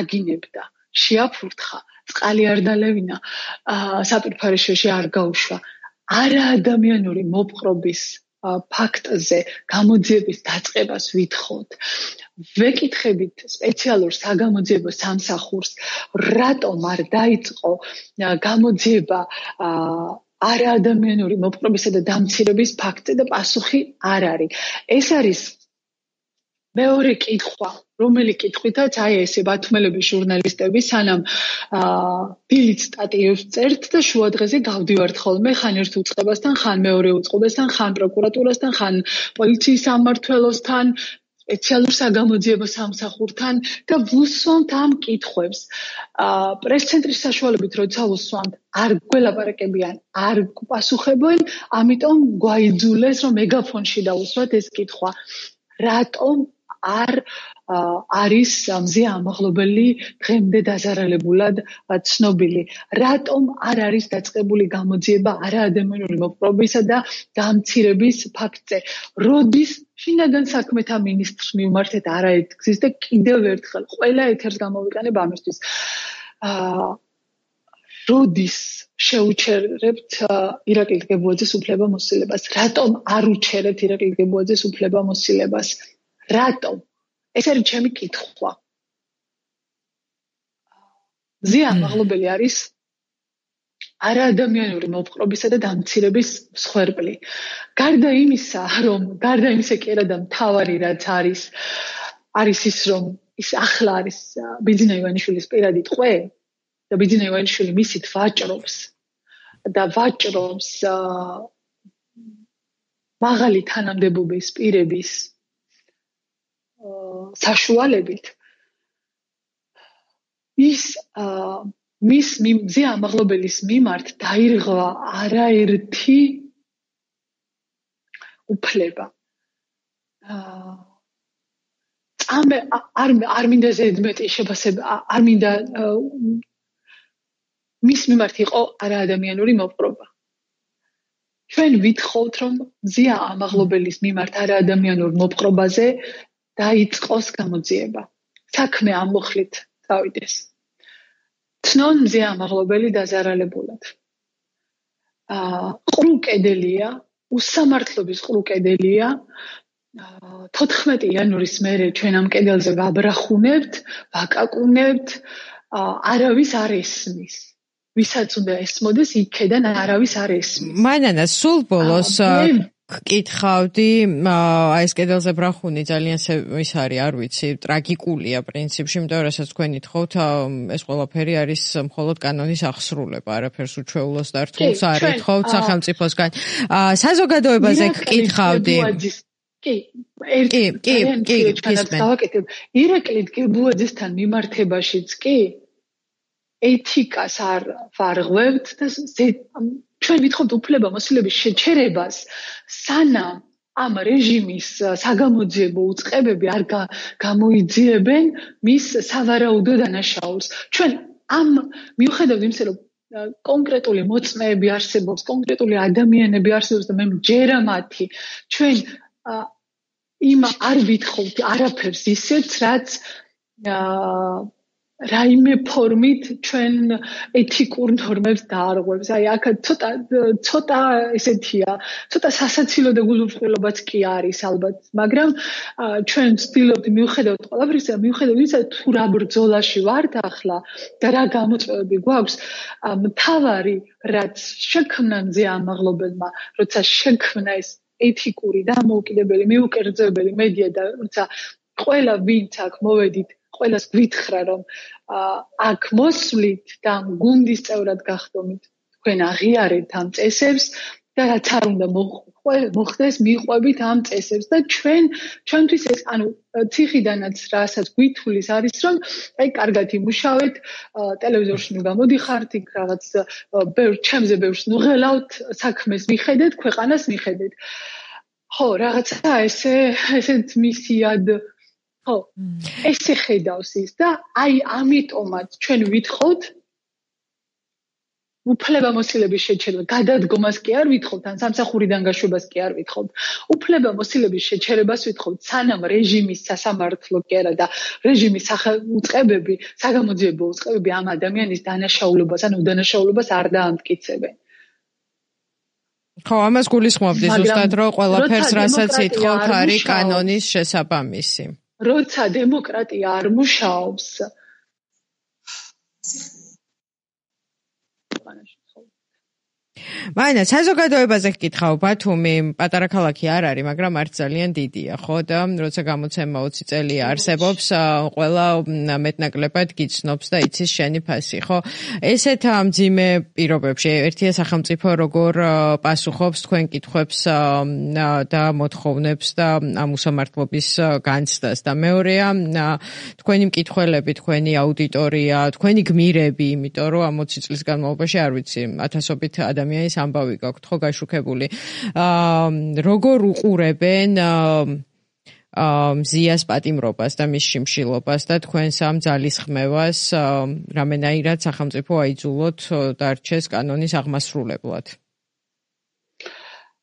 აგინებდა, შეაფურთხა, წყალი არ დალევინა, საპირფარეშოში არ გაუშვა. არაადამიანური მოპყრობის ფაქტზე გამოძიების დაწყებას ვითხოვთ. ვეკითხებით სპეციალურ საგამოძიებო სამსახურს, რატომ არ დაიწყო გამოძიება არაადამიანური მოპყრობისა და დამცირების ფაქტზე და პასუხი არ არის. ეს არის მეორე კითხვა, რომელი კითხვითაც აი ესე ბათუმელების ჟურნალისტები სანამ დილით სტატიებს წერთ და შუადღეზე გავდივართ ხოლმე ხან ერთ უწყებასთან, ხან მეორე უწყებასთან, ხან პროკურატურასთან, ხან პოლიციის სამმართველოსთან, სპეციალურ საგამოძიებო სამსახურთან და ვუსვამთ ამ კითხვებს. პრეს-ცენტრის საშუალებით როცა ვუსვამთ, არ გველაპარაკებიან, არ გპასუხებენ, ამიტომ გვაიძულეს რომ მეგაფონში დავუსვათ ეს კითხვა. რატომ არ არის მზია ამაღლობელი დღემდე დაზარალებულად ცნობილი? რატომ არ არის დაწყებული გამოძიება არაადამიანური მოპყრობისა და დამცირების ფაქტზე? როდის შინაგან საქმეთა მინისტრს მივმართეთ არაერთგზის და კიდევ ერთხელ ყველა ეთერს გამოვიყენებ ამისთვის. როდის შეუჩერებთ ირაკლი გებუაძის უფლებამოსილებას? რატომ არ უჩერებთ ირაკლი გებუაძის უფლებამოსილებას? რატომ? ეს არის ჩემი კითხვა. მზია ამაღლობელი არის არაადამიანური მოპყრობისა და დამცირების მსხვერპლი. გარდა იმისა, რომ გარდა იმისა კი არა და მთავარი რაც არის, არის ის, რომ ის ახლა არის ბიძინა ივანიშვილის პირადი ტყვე და ბიძინა ივანიშვილი მისით ვაჭრობს და ვაჭრობს მაღალი თანამდებობის პირების საშუალებით ის მის მზია ამაღლობელის მიმართ დაირღვა არაერთი უფლება. წამე არ არ მინდა ზედმეტი შეფასება, არ მინდა მის მიმართ იყო არაადამიანური მოპყრობა. ჩვენ ვითხოვთ რომ მზია ამაღლობელის მიმართ არაადამიანურ მოპყრობაზე დაიწყოს გამოძიება. საქმე ამ მუხლით წავიდეს. ცნონ მზია ამაღლობელი დაზარალებულად. ყრუკედელია, უსამართლობის ყრუკედელია. თოთხმეტი იანვრის მერე ჩვენ ამ კედელზე ვაბრახუნებთ, ვაკაკუნებთ, არავის არ ესმის. ვისაც უნდა ესმოდეს, იქედან არავის არ ესმის.
მანანა, სულ ბოლოს გკითხავდი, აი ეს კედელზე ბრახუნი ძალიან ის არის, არ ვიცი, ტრაგიკულია პრინციპში, იმიტომ რომ რასაც თქვენ ითხოვთ, ეს ყველაფერი არის მხოლოდ კანონის აღსრულება, არაფერს უჩვეულოს და რთულს არ ითხოვთ სახელმწიფოსგან. საზოგადოებაზე გკითხავდი.
კი, ერთი კი, კი, გავაკეთებ. ირაკლი გებუაძესთან მიმართებაშიც კი ეთიკას არ ვარღვევთ და ჩვენ ვითხოვთ უფლებამოსილების შეჩერებას, სანამ ამ რეჟიმის საგამოძიებო უწყებები არ გამოიძიებენ მის სავარაუდო დანაშაულს. ჩვენ ამ მიუხედავად იმისა, რომ კონკრეტული მოწმეები არსებობს, კონკრეტული ადამიანები არსებობს და მე მჯერა მათი, ჩვენ იმ არ ვითხოვთ არაფერს ისეთ, რაც რაიმე ფორმით ჩვენ ეთიკურ ნორმებს დაარღვევს. აი აქ ცოტა ცოტა ესეთია, ცოტა სასაცილო და გულუბრყვილობაც კი არის ალბათ, მაგრამ ჩვენ ვცდილობთ მიუხედავად ყველაფრისა, მიუხედავად ისა თუ რა ბრძოლაში ვართ ახლა და რა გამოწვევები გვაქვს, მთავარი რაც შექმნა მზე ამაღლობელმა, როცა შექმნა ეს ეთიკური და მოუკიდებელი, მიუკერძოებელი მედია და როცა ყველა ვინც აქ მოვედით ყველას გვითხრა რომ აქ მოსვლით და გუნდის წევრად გახდომით თქვენ აღიარეთ ამ წესებს და რაც არ უნდა მოხდეს მიყვებით ამ წესებს და ჩვენ ჩვენთვის ეს ანუ ციხიდანაც რასაც გვითulis არის რომ აი კარგად იმუშავეთ ტელევიზორში ნუ გამოდიხართ იქ რაღაც ბევრ ჩემზე ბევრს ნუ ღელავთ საქმეს მიხედეთ ქვეყანას მიხედეთ ხო რაღაცა ესე ესეთ მისიად ხო, ესე ხედავს ის და აი ამიტომაც ჩვენ ვითხოვთ უფლებამოსილების შეჩერება, გადადგომას კი არ ვითხოვთ, ან სამსახურიდან გაშვებას კი არ ვითხოვთ. უფლებამოსილების შეჩერებას ვითხოვთ, სანამ რეჟიმის სასამართლო კი არა და რეჟიმის უწყებები, საგამოძიებო უწყებები ამ ადამიანის დანაშაულობას, ან უდანაშაულობას არ დაამტკიცებენ.
ხო, ამას გულისხმობდი ზუსტად, რომ ყველაფერს რასაც ითხოვთ არის კანონის შესაბამისი.
როცა დემოკრატია არ მუშაობს
მაინც საზოგადოებაზე გკითხავ, ბათუმი პატარა ქალაქი არ არის, მაგრამ არც ძალიან დიდია, ხო და როცა გამოცემა ოცი წელი არსებობს, ყველა მეტნაკლებად გიცნობს და იცის შენი ფასი, ხო? ესეთ მძიმე პირობებში ერთია სახელმწიფო როგორ პასუხობს თქვენ კითხვებს და მოთხოვნებს და ამ უსამართლობის განცდას და მეორეა თქვენი მკითხველები, თქვენი აუდიტორია, თქვენი გმირები, იმიტომ რომ ამ ოცი წლის განმავლობაში არ ვიცი, ათასობით ადამიანი ის ამბავი გაქვთ ხო გაშუქებული. როგორ უყურებენ მზიას პატიმრობას და მის შიმშილობას და თქვენს ამ ძალისხმევას რამენაირად სახელმწიფო აიძულოთ დარჩეს კანონის აღმასრულებლად.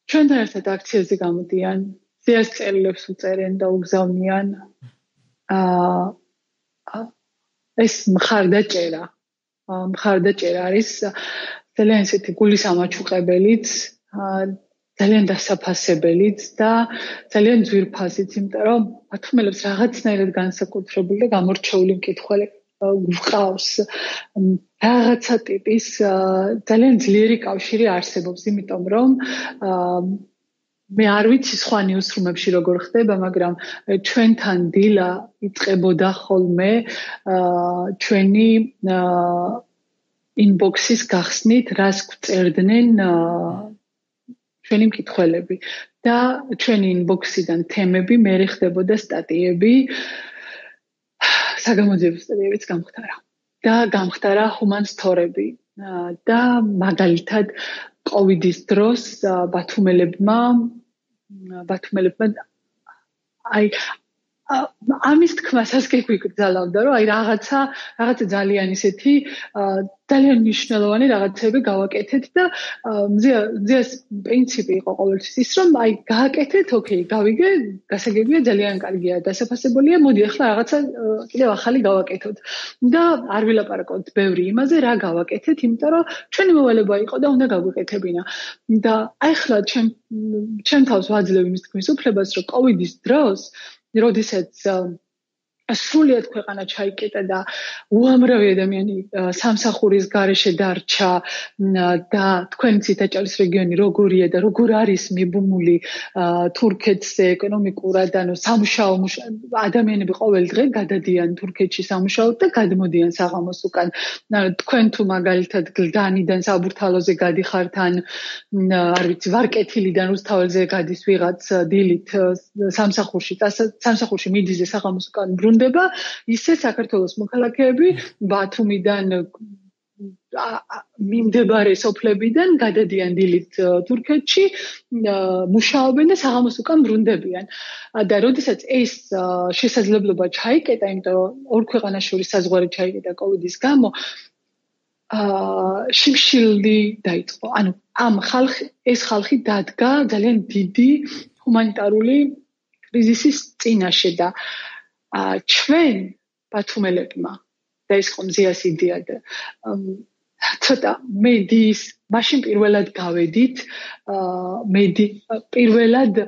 ჩვენთან ერთად აქციაზე გამოდიან, მზიას წერილებს უწერენ და უგზავნიან. ეს მხარდაჭერა. მხარდაჭერა არის ძალიან ისეთი გულის ამაჩუყებელიც, ძალიან დასაფასებელიც და ძალიან ძვირფასიც, იმიტომ რომ ბათუმელებს რაღაცნაირად განსაკუთრებული და გამორჩეული მკითხველი გვყავს. რაღაცა ტიპის ძალიან ძლიერი კავშირი არსებობს, იმიტომ რომ მე არ ვიცი სხვა ნიუსრუმებში როგორ ხდება, მაგრამ ჩვენთან დილა იწყებოდა ხოლმე ჩვენი inbox-ის გახსნით, რას გვწერდნენ ჩვენი მკითხველები და ჩვენი inbox-იდან თემები მერე ხდებოდა სტატიები, საგამოძიებო სტატიებიც გამხდარა. და გამხდარა ჰუმანსთორები და მაგალითად კოვიდის დროს ბათუმელებმა ბათუმელებმა აი ამის თქმასაც კი გვიგრძალავდა, რომ აი რაღაცა რაღაცა ძალიან ისეთი ძალიან მნიშვნელოვანი რაღაცები გავაკეთეთ და მზიას პრინციპი იყო ყოველთვის ის, რომ აი გააკეთეთ, ოკეი, გავიგე, გასაგებია, ძალიან კარგია, დასაფასებულია, მოდი ახლა რაღაცა კიდევ ახალი გავაკეთოთ. და არ ვილაპარაკოთ ბევრი იმაზე, რა გავაკეთეთ, იმიტომ რომ ჩვენი მოვალება იყო და უნდა გაგვეკეთებინა. და აი ახლა ჩემ ჩემ თავს ვაძლევ იმის თქმის უფლებას, რომ კოვიდის დროს როდესაც სრულიად ქვეყანა ჩაიკეტა და უამრავი ადამიანი სამსახურის გარეშე დარჩა და თქვენი ციტაჭალის რეგიონი როგორია და როგორ არის მიბმული თურქეთზე ეკონომიკურად, ანუ სამუშაო ადამიანები ყოველ დღე გადადიან თურქეთში სამუშაოდ და გადმოდიან საღამოს უკან. თქვენ თუ მაგალითად გლდანიდან საბურთალოზე გადიხართ ან არ ვიცი, ვარკეთილიდან რუსთაველზე გადის ვიღაც დილით სამსახურში, სამსახურში მიდიზე საღამოს უკან ბრუნდება, ისე საქართველოს მოქალაქეები ბათუმიდან მიმდებარე სოფლებიდან გადადიან დილით თურქეთში, მუშაობენ და საღამოს უკან ბრუნდებიან. და როდესაც ეს შესაძლებლობა ჩაიკეტა, იმიტომ რომ ორ ქვეყანას შორის საზღვარი ჩაიკეტა კოვიდის გამო, შიმშილი დაიწყო. ანუ ამ ხალხი ეს ხალხი დადგა ძალიან დიდი ჰუმანიტარული კრიზისის წინაშე და ჩვენ ბათუმელებმა და ეს ხომ ზიას იდეა და ცოტა მედიის მაშინ პირველად გავედით მედი პირველად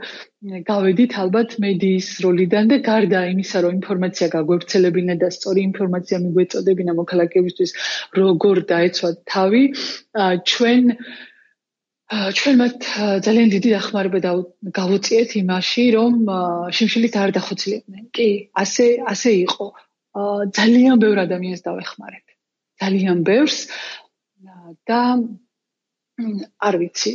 გავედით ალბათ მედიის როლიდან და გარდა იმისა რომ ინფორმაცია გაგვევრცელებინა და სწორი ინფორმაცია მიგვეწოდებინა მოქალაქეებისთვის როგორ დაეცვათ თავი ჩვენ ჩვენ მათ ძალიან დიდი დახმარება გავუწიეთ იმაში რომ შიმშილით არ დახოცლიდნენ კი ასე ასე იყო ძალიან ბევრ ადამიანს დავეხმარეთ ძალიან ბევრს და არ ვიცი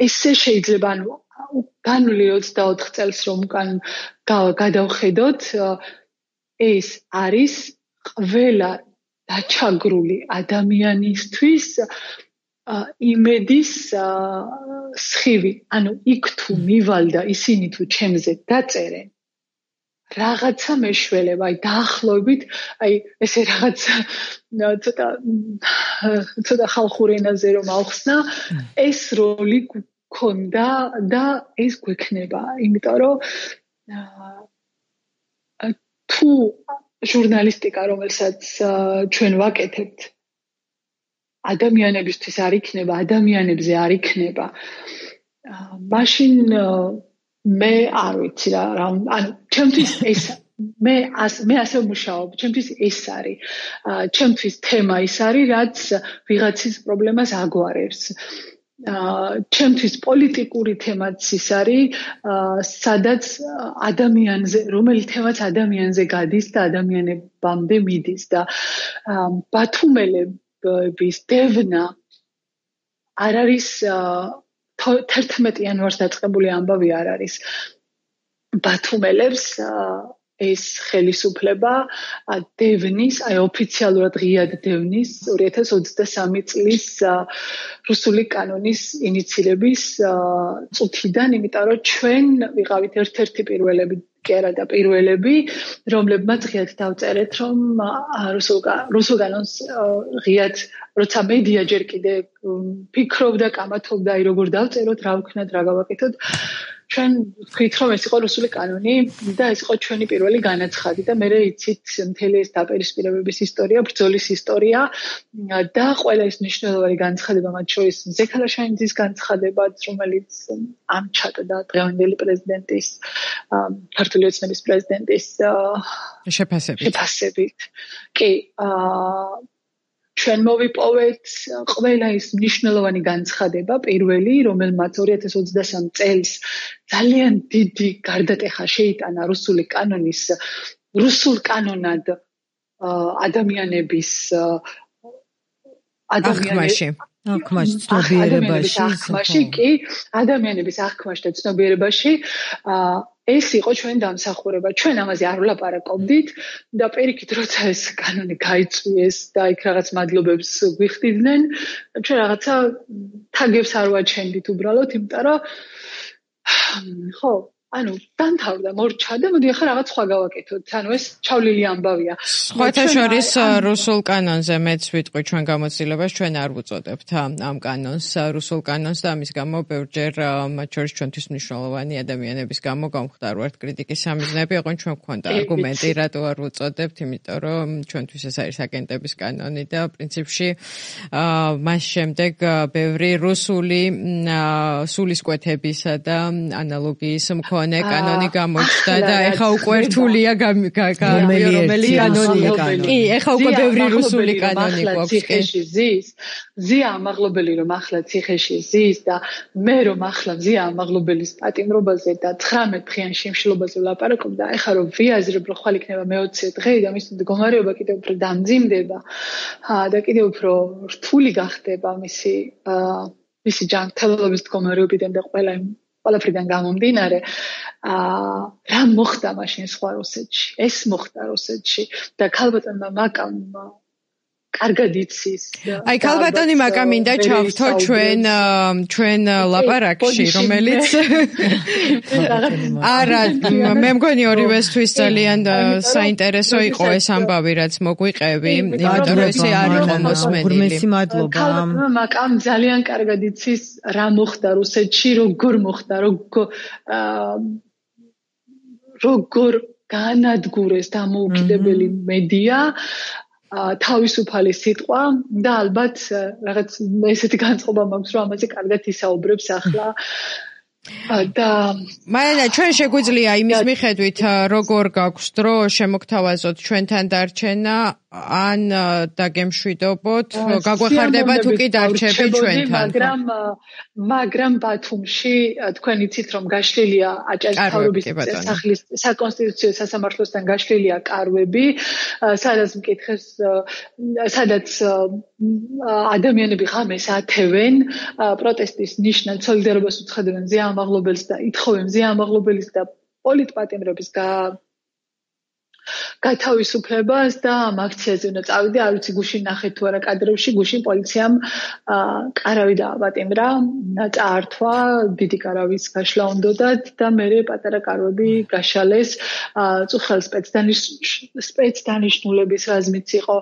ესე შეიძლება ანუ განვლი ოცდაოთხ წელს რომ უკან გადავხედოთ ეს არის ყველა დაჩაგრული ადამიანისთვის იმედის სხივი ანუ იქ თუ მივალ და ისინი თუ ჩემზე დაწერენ რაღაცა მეშველება, აი დაახლოებით, აი ესე რაღაცა ცოტა ცოტა ხალხურ ენაზე რომ ავხსნა, ეს როლი გქონდა და ეს გვექნება, იმიტომ რომ თუ ჟურნალისტიკა, რომელსაც ჩვენ ვაკეთებთ, ადამიანებისთვის არ იქნება, ადამიანებზე არ იქნება, მაშინ მე არ ვიცი რა ანუ ჩემთვის ეს მე მე ასე ვმუშაობ ჩემთვის ეს არის ჩემთვის თემა ის არის რაც ვიღაცის პრობლემას აგვარებს ჩემთვის პოლიტიკური თემაც ის არის სადაც ადამიანზე რომელი თემაც ადამიანზე გადის და ადამიანებამდე მიდის და ბათუმელების დევნა არ არის თერთმეტი იანვარს დაწყებული ამბავი არ არის ბათუმელებს ეს ხელისუფლება დევნის აი ოფიციალურად ღიად დევნის ორი ათას ოცდასამი წლის რუსული კანონის ინიციირების წუთიდან იმიტომ რომ ჩვენ ვიყავით ერთ-ერთი პირველები კი არა და პირველები რომლებმაც ღიად დავწერეთ რომ რუსულ რუსულ კანონს ღიად როცა მედია ჯერ კიდე ფიქრობდა კამათობდა აი როგორ დავწეროთ რა ვქნათ რა გავაკეთოთ ჩვენ ვთქვით რომ ეს იყო რუსული კანონი და ეს იყო ჩვენი პირველი განაცხადი და მე იცით მთელი ეს დაპირისპირებების ისტორია ბრძოლის ისტორია და ყველა ეს მნიშვნელოვანი განცხადება მათ შორის ზექალაშენიძის განცხადებაც რომელიც ამჩატდა დღევანდელი პრეზიდენტის ქართული ოცნების პრეზიდენტის
შეფასებით
შეფასებით კი ჩვენ მოვიპოვეთ ყველა ის მნიშვნელოვანი განცხადება პირველი რომელმაც ორი ათას ოცდასამი წელს ძალიან დიდი გარდატეხა შეიტანა რუსული კანონის რუსულ კანონად ადამიანების
ადამიანებში
აღქმაში ცნობიერებაში
აღქმაში კი ადამიანების აღქმაში და ცნობიერებაში ეს იყო ჩვენ დამსახურება. ჩვენ ამაზე არ ვლაპარაკობდით და პირიქით როცა ეს კანონი გაიწვიეს და იქ რაღაც მადლობებს გვიხდიდნენ, ჩვენ რაღაცა თაგებს არ ვაჩენდით უბრალოდ, იმიტომ რომ ხო, ანუ დამთავრდა, მორჩა და მოდი ახლა რაღაც სხვა გავაკეთოთ. ანუ ეს ჩავლილი ამბავია.
სხვათა შორის რუსულ კანონზე მეც ვიტყვი ჩვენ გამოცდილებას ჩვენ არ ვუწოდებთ ამ კანონს რუსულ კანონს და ამის გამო ბევრჯერ მათ შორის ჩვენთვის მნიშვნელოვანი ადამიანების გამო გამხდარვართ კრიტიკის სამიზნეები, ოღონდ ჩვენ გვქონდა არგუმენტი რატო არ ვუწოდებთ, იმიტომ რომ ჩვენთვის ეს არის აგენტების კანონი და პრინციპში მას შემდეგ ბევრი რუსული სულისკვეთებისა და ანალოგიის მქონე კანონი გამოჩნდა და ეხა უკვე რთულია რომელი კანონია. კი, ეხა უკვე ბევრი რუსული კანონი გვაქვს.
ციხეში ზის, ზია ამაღლობელი რომ ახლა ციხეში ზის და მე რომ ახლა ზია ამაღლობელის პატიმრობაზე და ცხრამეტ დღიან შიმშილობაზე ვლაპარაკობ და ეხა რომ ვიაზრებ რომ ხვალ იქნება მეოცე დღე და მის მდგომარეობა კიდევ უფრო დამძიმდება და კიდევ უფრო რთული გახდება მისი მისი ჯანმრთელობის მდგომარეობიდან და ყველა ყველაფრიდან გამომდინარე, აა რა მოხდა მაშინ სხვა რუსეთში? ეს მოხდა რუსეთში და ქალბატონმა მაკამ კარგად იცის.
აი ქალბატონი მაკამ მინდა ჩავთო ჩვენ ჩვენ ლაპარაკში, რომელიც არა, მე მგონი ორივესთვის ძალიან საინტერესო იყო ეს ამბავი, რაც მოგვიყევი, იმიტომ რომ ესე არ იყო მოსმენილი.
ურმესი მადლობა.
ქალბატონმა მაკამ ძალიან კარგად იცის რა მოხდა რუსეთში, როგორ მოხდა, როგორ როგორ განადგურეს დამოუკიდებელი მედია, თავისუფალი სიტყვა და ალბათ რაღაც ესეთი განწყობა მაქვს, რომ ამაზე კარგად ისაუბრებს ახლა. და
მაინა ჩვენ შეგვიძლია იმის მიხედვით როგორ გაქვს დრო შემოგთავაზოთ ჩვენთან დარჩენა ან დაგემშვიდობოთ გაგვეხარდება თუ კი დარჩები ჩვენთან
მაგრამ მაგრამ ბათუმში თქვენ იცით რომ გაშლილია აჭარის სახლის საკონსტიტუციო სასამართლოსთან გაშლილია კარვები სადაც მკითხეს სადაც ადამიანები ღამეს ათევენ პროტესტის ნიშნად სოლიდარობას უცხადებენ ზეამაღლობელს და ითხოვენ ზეამაღლობელის და პოლიტპატიმრების გათავისუფლებას და ამ აქციაზე უნდა წავიდე, არ ვიცი გუშინ ნახეთ თუ არა კადრებში, გუშინ პოლიციამ კარავი დააპატიმრა, წაართვა, დიდი კარავის გაშლა უნდათ და მერე პატარა კარვები გაშალეს, წუხელ სპეცდანიშნულების რაზმიც იყო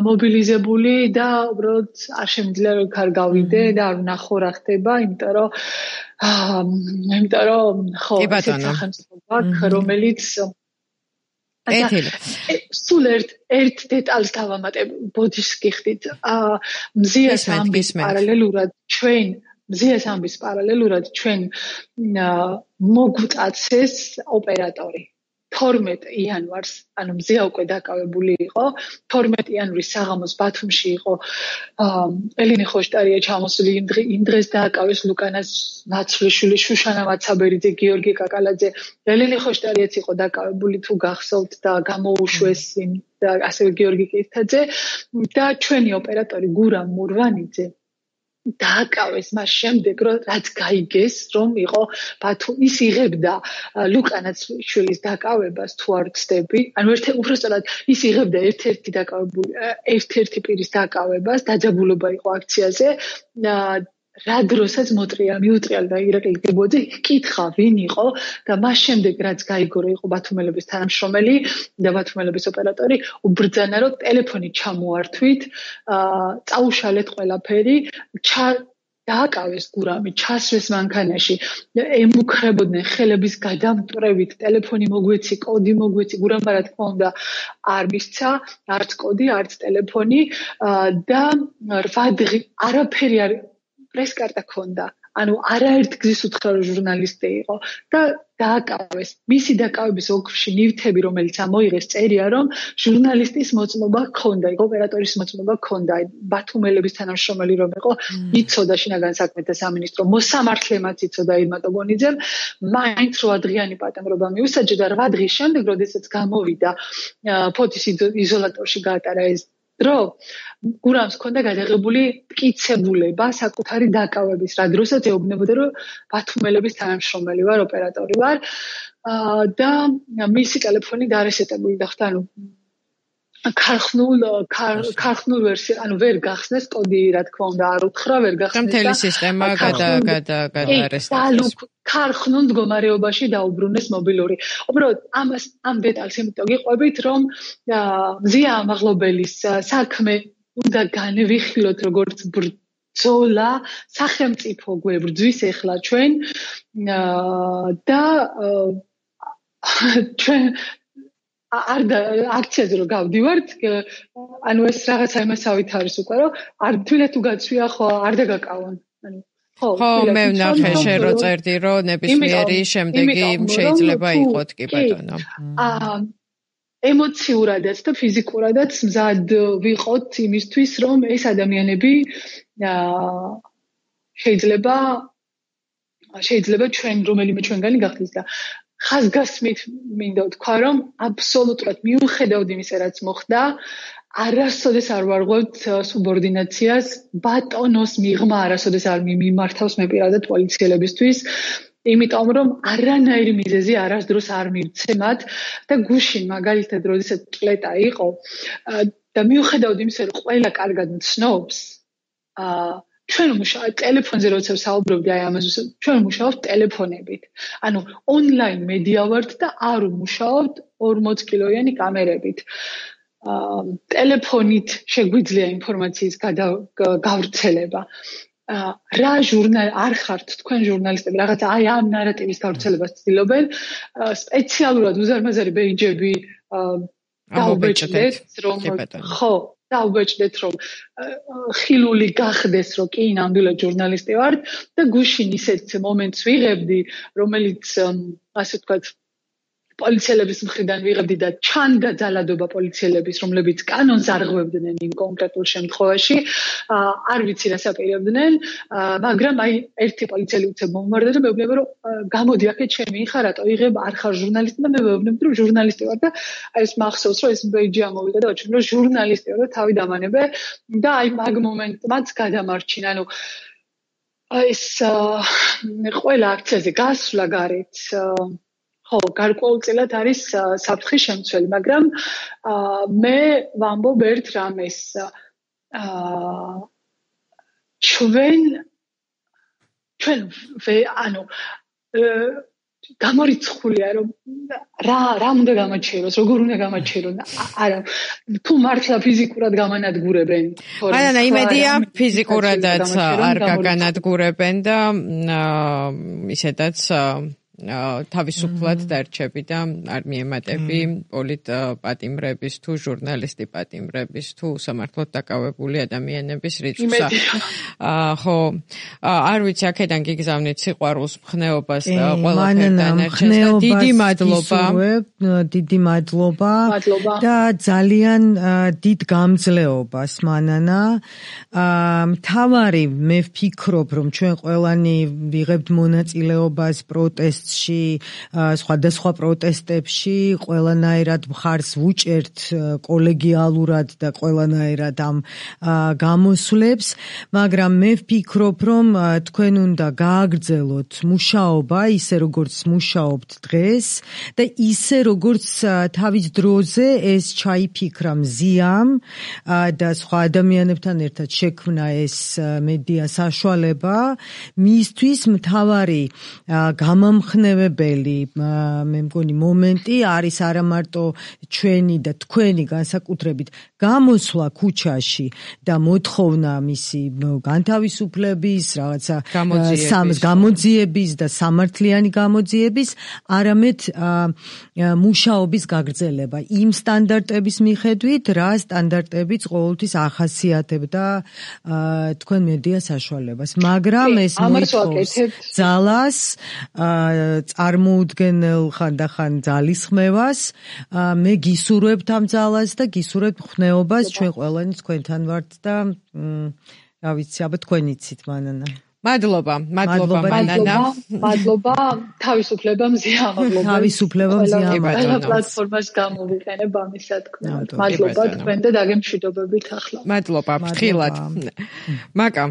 მობილიზებული და უბრალოდ არ შემიძლია რომ ქარ გავიდე და არ ვნახო რა ხდება, იმიტომ რომ იმიტომ რომ ხო ესეც სახელმწიფო გვაქვს, რომელიც ეთილი. სულ ერთ ერთ დეტალს დავამატებ ბოდიშს გიხდით. მზიას ამბის პარალელურად ჩვენ მზიას ამბის პარალელურად ჩვენ მოგვწაცეს ოპერატორი. თორმეტ იანვარს, ანუ მზია უკვე დაკავებული იყო. თორმეტ იანვრის საღამოს ბათუმში იყო ელინე ხოშტარია ჩამოსული იმ დღეს დააკავეს ლუკანას ნაცვლიშვილი, შუშანა მაცაბერიძე, გიორგი კაკალაძე. ელინე ხოშტარიაც იყო დაკავებული თუ გახსოვთ და გამოუშვეს და ასევე გიორგი კირთაძე და ჩვენი ოპერატორი გურამ მურვანიძე დააკავეს მას შემდეგ რომ რაც გაიგეს რომ იყო ბათუმ ის იღებდა ლუკანაც შვილის დაკავებას თუ არ ვცდები ანუ ერთ უბრალოდ ის იღებდა ერთ-ერთი დაკავებული ერთ-ერთი პირის დაკავებას დაძაბულობა იყო აქციაზე რა დროსაც მოტრია მიუტრიალ და ირაკლი გებოძე კითხა ვინ იყო და მას შემდეგ რაც გაიგო რომ იყო ბათუმელების თანამშრომელი და ბათუმელების ოპერატორი უბრძანა რომ ტელეფონი ჩამოართვით წაუშალეთ ყველაფერი დააკავეს გურამი ჩასვეს მანქანაში ემუქრებოდნენ ხელების გადამტვრევით ტელეფონი მოგვეცი კოდი მოგვეცი გურამმა რა თქმა უნდა არ მისცა არც კოდი არც ტელეფონი და რვა დღე არაფერი არ პრესკარტა ქონდა ანუ არაერთ გზის უთხრა ჟურნალისტი იყო და დააკავეს მისი დაკავების ოქროში ნივთები რომელიც ამოიღეს წერია რომ ჟურნალისტის მოწმობა ჰქონდა იყო ოპერატორის მოწმობა ჰქონდა ბათუმელების თანამშრომელი რომ იყო იცოდა შინაგან საქმეთა სამინისტრო მოსამართლემაც იცოდა ირმა ტოგონიძემ მაინც რვა დღიანი პატიმრობა მიუსაჯა და რვა დღის შემდეგ როდესაც გამოვიდა ფოთის იზოლატორში გაატარა ეს დრო გურამს ჰქონდა გადაღებული მტკიცებულება საკუთარი დაკავების რა დროსაც ეუბნებოდა რომ ბათუმელების თანამშრომელი ვარ ოპერატორი ვარ და მისი ტელეფონი დარესეტებული გახდა ანუ ქარხნულ ქარხნულ ვერსია ანუ ვერ გახსნეს კოდი რა თქმა უნდა არ უთხრა ვერ გახსნეს
მთელი სისტემა გადაარესტეს
ქარხნულ მდგომარეობაში დაუბრუნეს მობილური. უბრალოდ ამას ამ დეტალს იმიტომ გიყვებით რომ მზია ამაღლობელის საქმე უნდა განვიხილოთ როგორც ბრძოლა სახელმწიფო გვებრძვის ეხლა ჩვენ და ჩვენ არ აქციაზე რომ გავდივართ ანუ ეს რაღაცა იმასავით არის უკვე რომ არ თვითონ თუ გაცვია ხო არ დაგაკავონ ანუ
ხო მე ვნახე შენ რო წერდი რომ ნებისმიერი შემდეგი შეიძლება იყოთ კი ბატონო
აა ემოციურადაც და ფიზიკურადაც მზად ვიყოთ იმისთვის რომ ეს ადამიანები შეიძლება შეიძლება ჩვენ რომელიმე ჩვენგანი გახდეს და ხაზგასმით მინდა ვთქვა რომ აბსოლუტურად მიუხედავად იმისა რაც მოხდა არასოდეს არ ვარღვევთ სუბორდინაციას ბატონოს მიღმა არასოდეს არ მიმართავს მე პირადად პოლიციელებისთვის იმიტომ რომ არანაირი მიზეზი არასდროს არ მივცემათ და გუშინ მაგალითად როდესაც წლეტა იყო და მიუხედავად იმისა რომ ყველა კარგად მცნობს ჩვენ მუშაობთ ტელეფონზე როცა საუბრობდი აი ამაზე ჩვენ მუშაობთ ტელეფონებით ანუ ონლაინ მედია ვართ და არ მუშაობთ ორმოც კილოიანი კამერებით ტელეფონით შეგვიძლია ინფორმაციის გავრცელება რა ჟურნალ არ ხართ თქვენ ჟურნალისტები რაღაცა აი ამ ნარატივის გავრცელებას ცდილობენ სპეციალურად უზარმაზარი ბეიჯები დაუბეჭდეთ რომ ხო დაუბეჭდეთ რომ ხილული გახდეს რომ კი ნამდვილად ჟურნალისტი ვართ და გუშინ ისეთ მომენტს ვიღებდი რომელიც ასე ვთქვათ პოლიციელების მხრიდან ვიღებდი და ჩანდა ძალადობა პოლიციელების რომლებიც კანონს არღვევდნენ იმ კონკრეტულ შემთხვევაში არ ვიცი რას აპირებდნენ მაგრამ აი ერთი პოლიციელი უცებ მომმარდა და მეუბნება რომ გამოდი აქეთ ჩემი ხარ რატო იღებ არ ხარ ჟურნალისტი და მე მეუბნებდი რომ ჟურნალისტი ვარ და აი ეს მახსოვს რომ ეს ბეიჯი ამოვიდა და ვაჩვენ რომ ჟურნალისტი ვარ და თავი დამანებე და აი მაგ მომენტმაც გადამარჩინა ანუ ეს ყველა აქციაზე გასვლა გარეთ ხო, გარკვეულწილად არის საფრთხის შემცველი, მაგრამ მე ვამბობ ერთ რამეს. ჩვენ ჩვენ ანუ გამორიცხულია რომ რა რა უნდა გამაჩეროს, როგორ უნდა გამაჩერონ. არა, თუ მართლა ფიზიკურად გამანადგურებენ.
არა, იმედია ფიზიკურადაც არ გაგანადგურებენ და ისედაც თავისუფლად დარჩები და არ მიემატები პოლიტ პატიმრების თუ ჟურნალისტი პატიმრების თუ სამართლოდ დაკავებული ადამიანების რიცხვს. ხო, არ ვიცი, აქედან გიგზავნით სიყვარულს, მხნეობას და ყველაფერთან ერთად. დიდი მადლობა.
დიდი მადლობა და ძალიან დიდ გამძლეობას მანანა. მთავარი მე ვფიქრობ, რომ ჩვენ ყველანი ვიღებთ მონაწილეობას პროტესტ სხვადასხვა პროტესტებში ყველანაირად მხარს ვუჭერთ კოლეგიალურად და ყველანაირად ამ გამოსვლებს, მაგრამ მე ვფიქრობ, რომ თქვენ უნდა გააგრძელოთ მუშაობა ისე როგორც მუშაობთ დღეს და ისე როგორც თავის დროზე ეს ჩაიფიქრა მზიამ და სხვა ადამიანებთან ერთად შექმნა ეს მედია საშუალება მისთვის მთავარი გამამხ ნებებელი მე მგონი მომენტი არის არა მარტო ჩვენი და თქვენი განსაკუთრებით გამოსვლა ქუჩაში და მოთხოვნა მისი განთავისუფლების რაღაცა გამოძიების და სამართლიანი გამოძიების არამედ მუშაობის გაგრძელება იმ სტანდარტების მიხედვით რა სტანდარტებიც ყოველთვის ახასიათებდა თქვენ მედია საშუალებას მაგრამ ეს მოითხოვს ძალას წარმოუდგენელ ხანდახან ძალისხმევას მე გისურვებთ ამ ძალას და გისურვებთ ხნეობას ჩვენ ყველანი თქვენთან ვართ და რა ვიცი აბა თქვენ იცით მანანა
მადლობა მადლობა მანანა
მადლობა თავისუფლება მზია მადლობა
თავისუფლება მზია
ყველა პლატფორმას გამოვიყენებ ამის სათქმელად მადლობა თქვენ და დაგემშვიდობებით ახლა
მადლობა ფრთხილად მაკა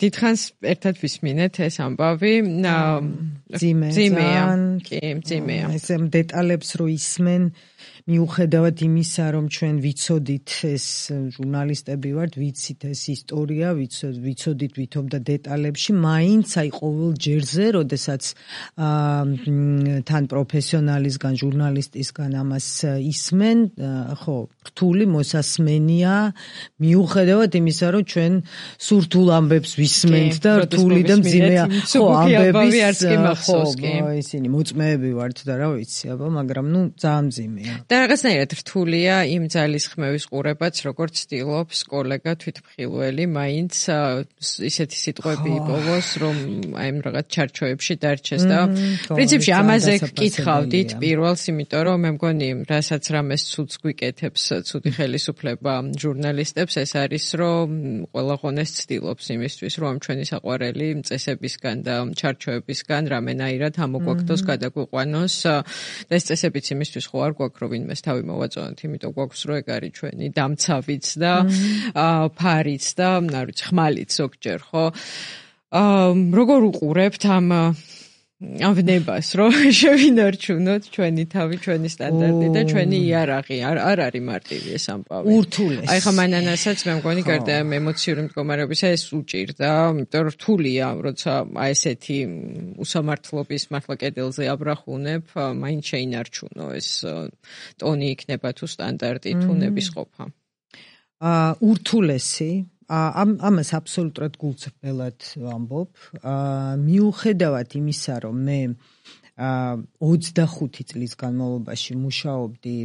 დიდხანს ერთად ვისმინეთ ეს ამბავი ძიმეა კი ძიმეა
ეს დეტალებს რო ისმენ მიუხედავად იმისა, რომ ჩვენ ვიცოდით ეს ჟურნალისტები ვართ, ვიცით ეს ისტორია, ვიცოდით ვითომ და დეტალებში, მაინც აი ყოველ ჯერზე, როდესაც თან პროფესიონალისგან, ჟურნალისტისგან ამას ისმენ, ხო, რთული მოსასმენია, მიუხედავად იმისა, რომ ჩვენ სურთულ ამბებს ვისმენთ და რთული და მძიმეა, ხო, ამბების, ხო, ისინი მოწმეები ვართ და რა ვიცი, აბა, მაგრამ ნუ ძალიან მძიმეა.
და რაღაცნაირად რთულია იმ ძალისხმევის ყურებაც, როგორც ცდილობს კოლეგა თვითმხილველი, მაინც ისეთი სიტყვები იპოვოს, რომ აი ამ რაღაც ჩარჩოებში დარჩეს და პრინციპში ამაზე გკითხავდით პირველს, იმიტომ რომ მე მგონი, რასაც რამეს ცუდს გვიკეთებს ცუდი ხელისუფლება ჟურნალისტებს, ეს არის, რომ ყველა ღონეს ცდილობს იმისთვის, რომ ჩვენი საყვარელი წესებისგან და ჩარჩოებისგან რამენაირად ამოგვაქცოს, გადაგვიყვანოს და ეს წესებიც იმისთვის ხო არ გვაქვს, რომ ვინმეს თავი მოვაწონოთ, იმიტომ გვაქვს რო ეგ არის ჩვენი დამცავიც და ფარიც და არ ვიცი, ხმალიც ზოგჯერ, ხო? როგორ უყურებთ ამ ამ ვნებას, რომ შევინარჩუნოთ ჩვენი თავი, ჩვენი სტანდარტი და ჩვენი იარაღი. არ არ არის მარტივი ეს ამბავი.
ურთულეს.
აი ხა მანანასაც მე მგონი გარდა ემოციური მდგომარეობისა ეს უჭირდა, იმიტომ რომ რთულია, როცა აი ესეთი უსამართლობის მართლა კედელზე აბრახუნებ, მაინც შეინარჩუნო ეს ტონი იქნება თუ სტანდარტი თუ ნებისყოფა.
ურთულესი ამ ამას აბსოლუტურად გულწრფელად ვამბობ. მიუხედავად იმისა, რომ მე ოცდახუთი წლის განმავლობაში მუშაობდი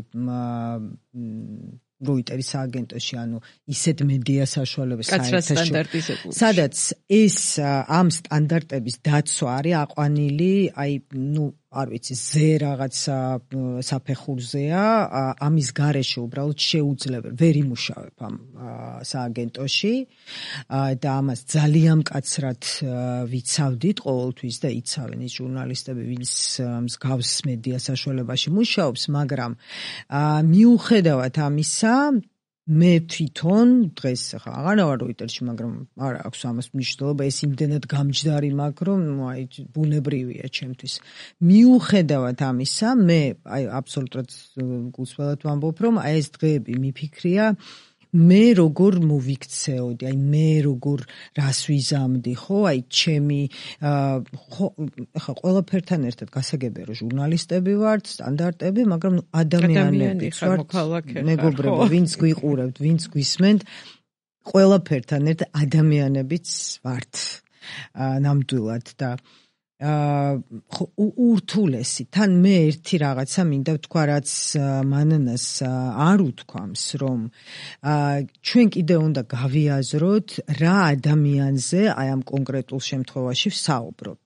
როიტერის აგენტოში, ანუ ისეთ მედია საშუალებას
საერთაშორისო,
სადაც ეს ამ სტანდარტების დაცვა არის აყვანილი, აი, ნუ არ ვიცი, ზე რაღაცა საფეხურზეა, ამის გარეშე უბრალოდ შეუძლებელი ვერ იმუშავებ ამ სააგენტოში და ამას ძალიან მკაცრად ვიცავდით ყოველთვის და იცავენ ის ჟურნალისტები, ვინც მსგავს მედია საშუალებაში მუშაობს, მაგრამ მიუხედავად ამისა მე თვითონ დღეს ხა აღარ ვარ როიტერში, მაგრამ არ აქვს ამას მნიშვნელობა, ეს იმდენად გამჯდარი მაქვს, რომ აი ბუნებრივია ჩემთვის. მიუხედავად ამისა, მე აი აბსოლუტურად გულწრფელად ვამბობ, რომ აი ეს დღეები მიფიქრია მე როგორ მოვიქცეოდი, აი მე როგორ რას ვიზამდი, ხო, აი ჩემი ხა ყველაფერთან ერთად გასაგებია რომ ჟურნალისტები ვართ, სტანდარტები, მაგრამ ადამიანები ვართ, მეგობრები, ვინც გვიყურებთ, ვინც გვისმენთ, ყველაფერთან ერთად ადამიანებიც ვართ ნამდვილად და ურთულესი. თან მე ერთი რაღაცა მინდა ვთქვა, რაც მანანას არ უთქვამს, რომ ჩვენ კიდე უნდა გავიაზროთ რა ადამიანზე აი ამ კონკრეტულ შემთხვევაში ვსაუბრობთ.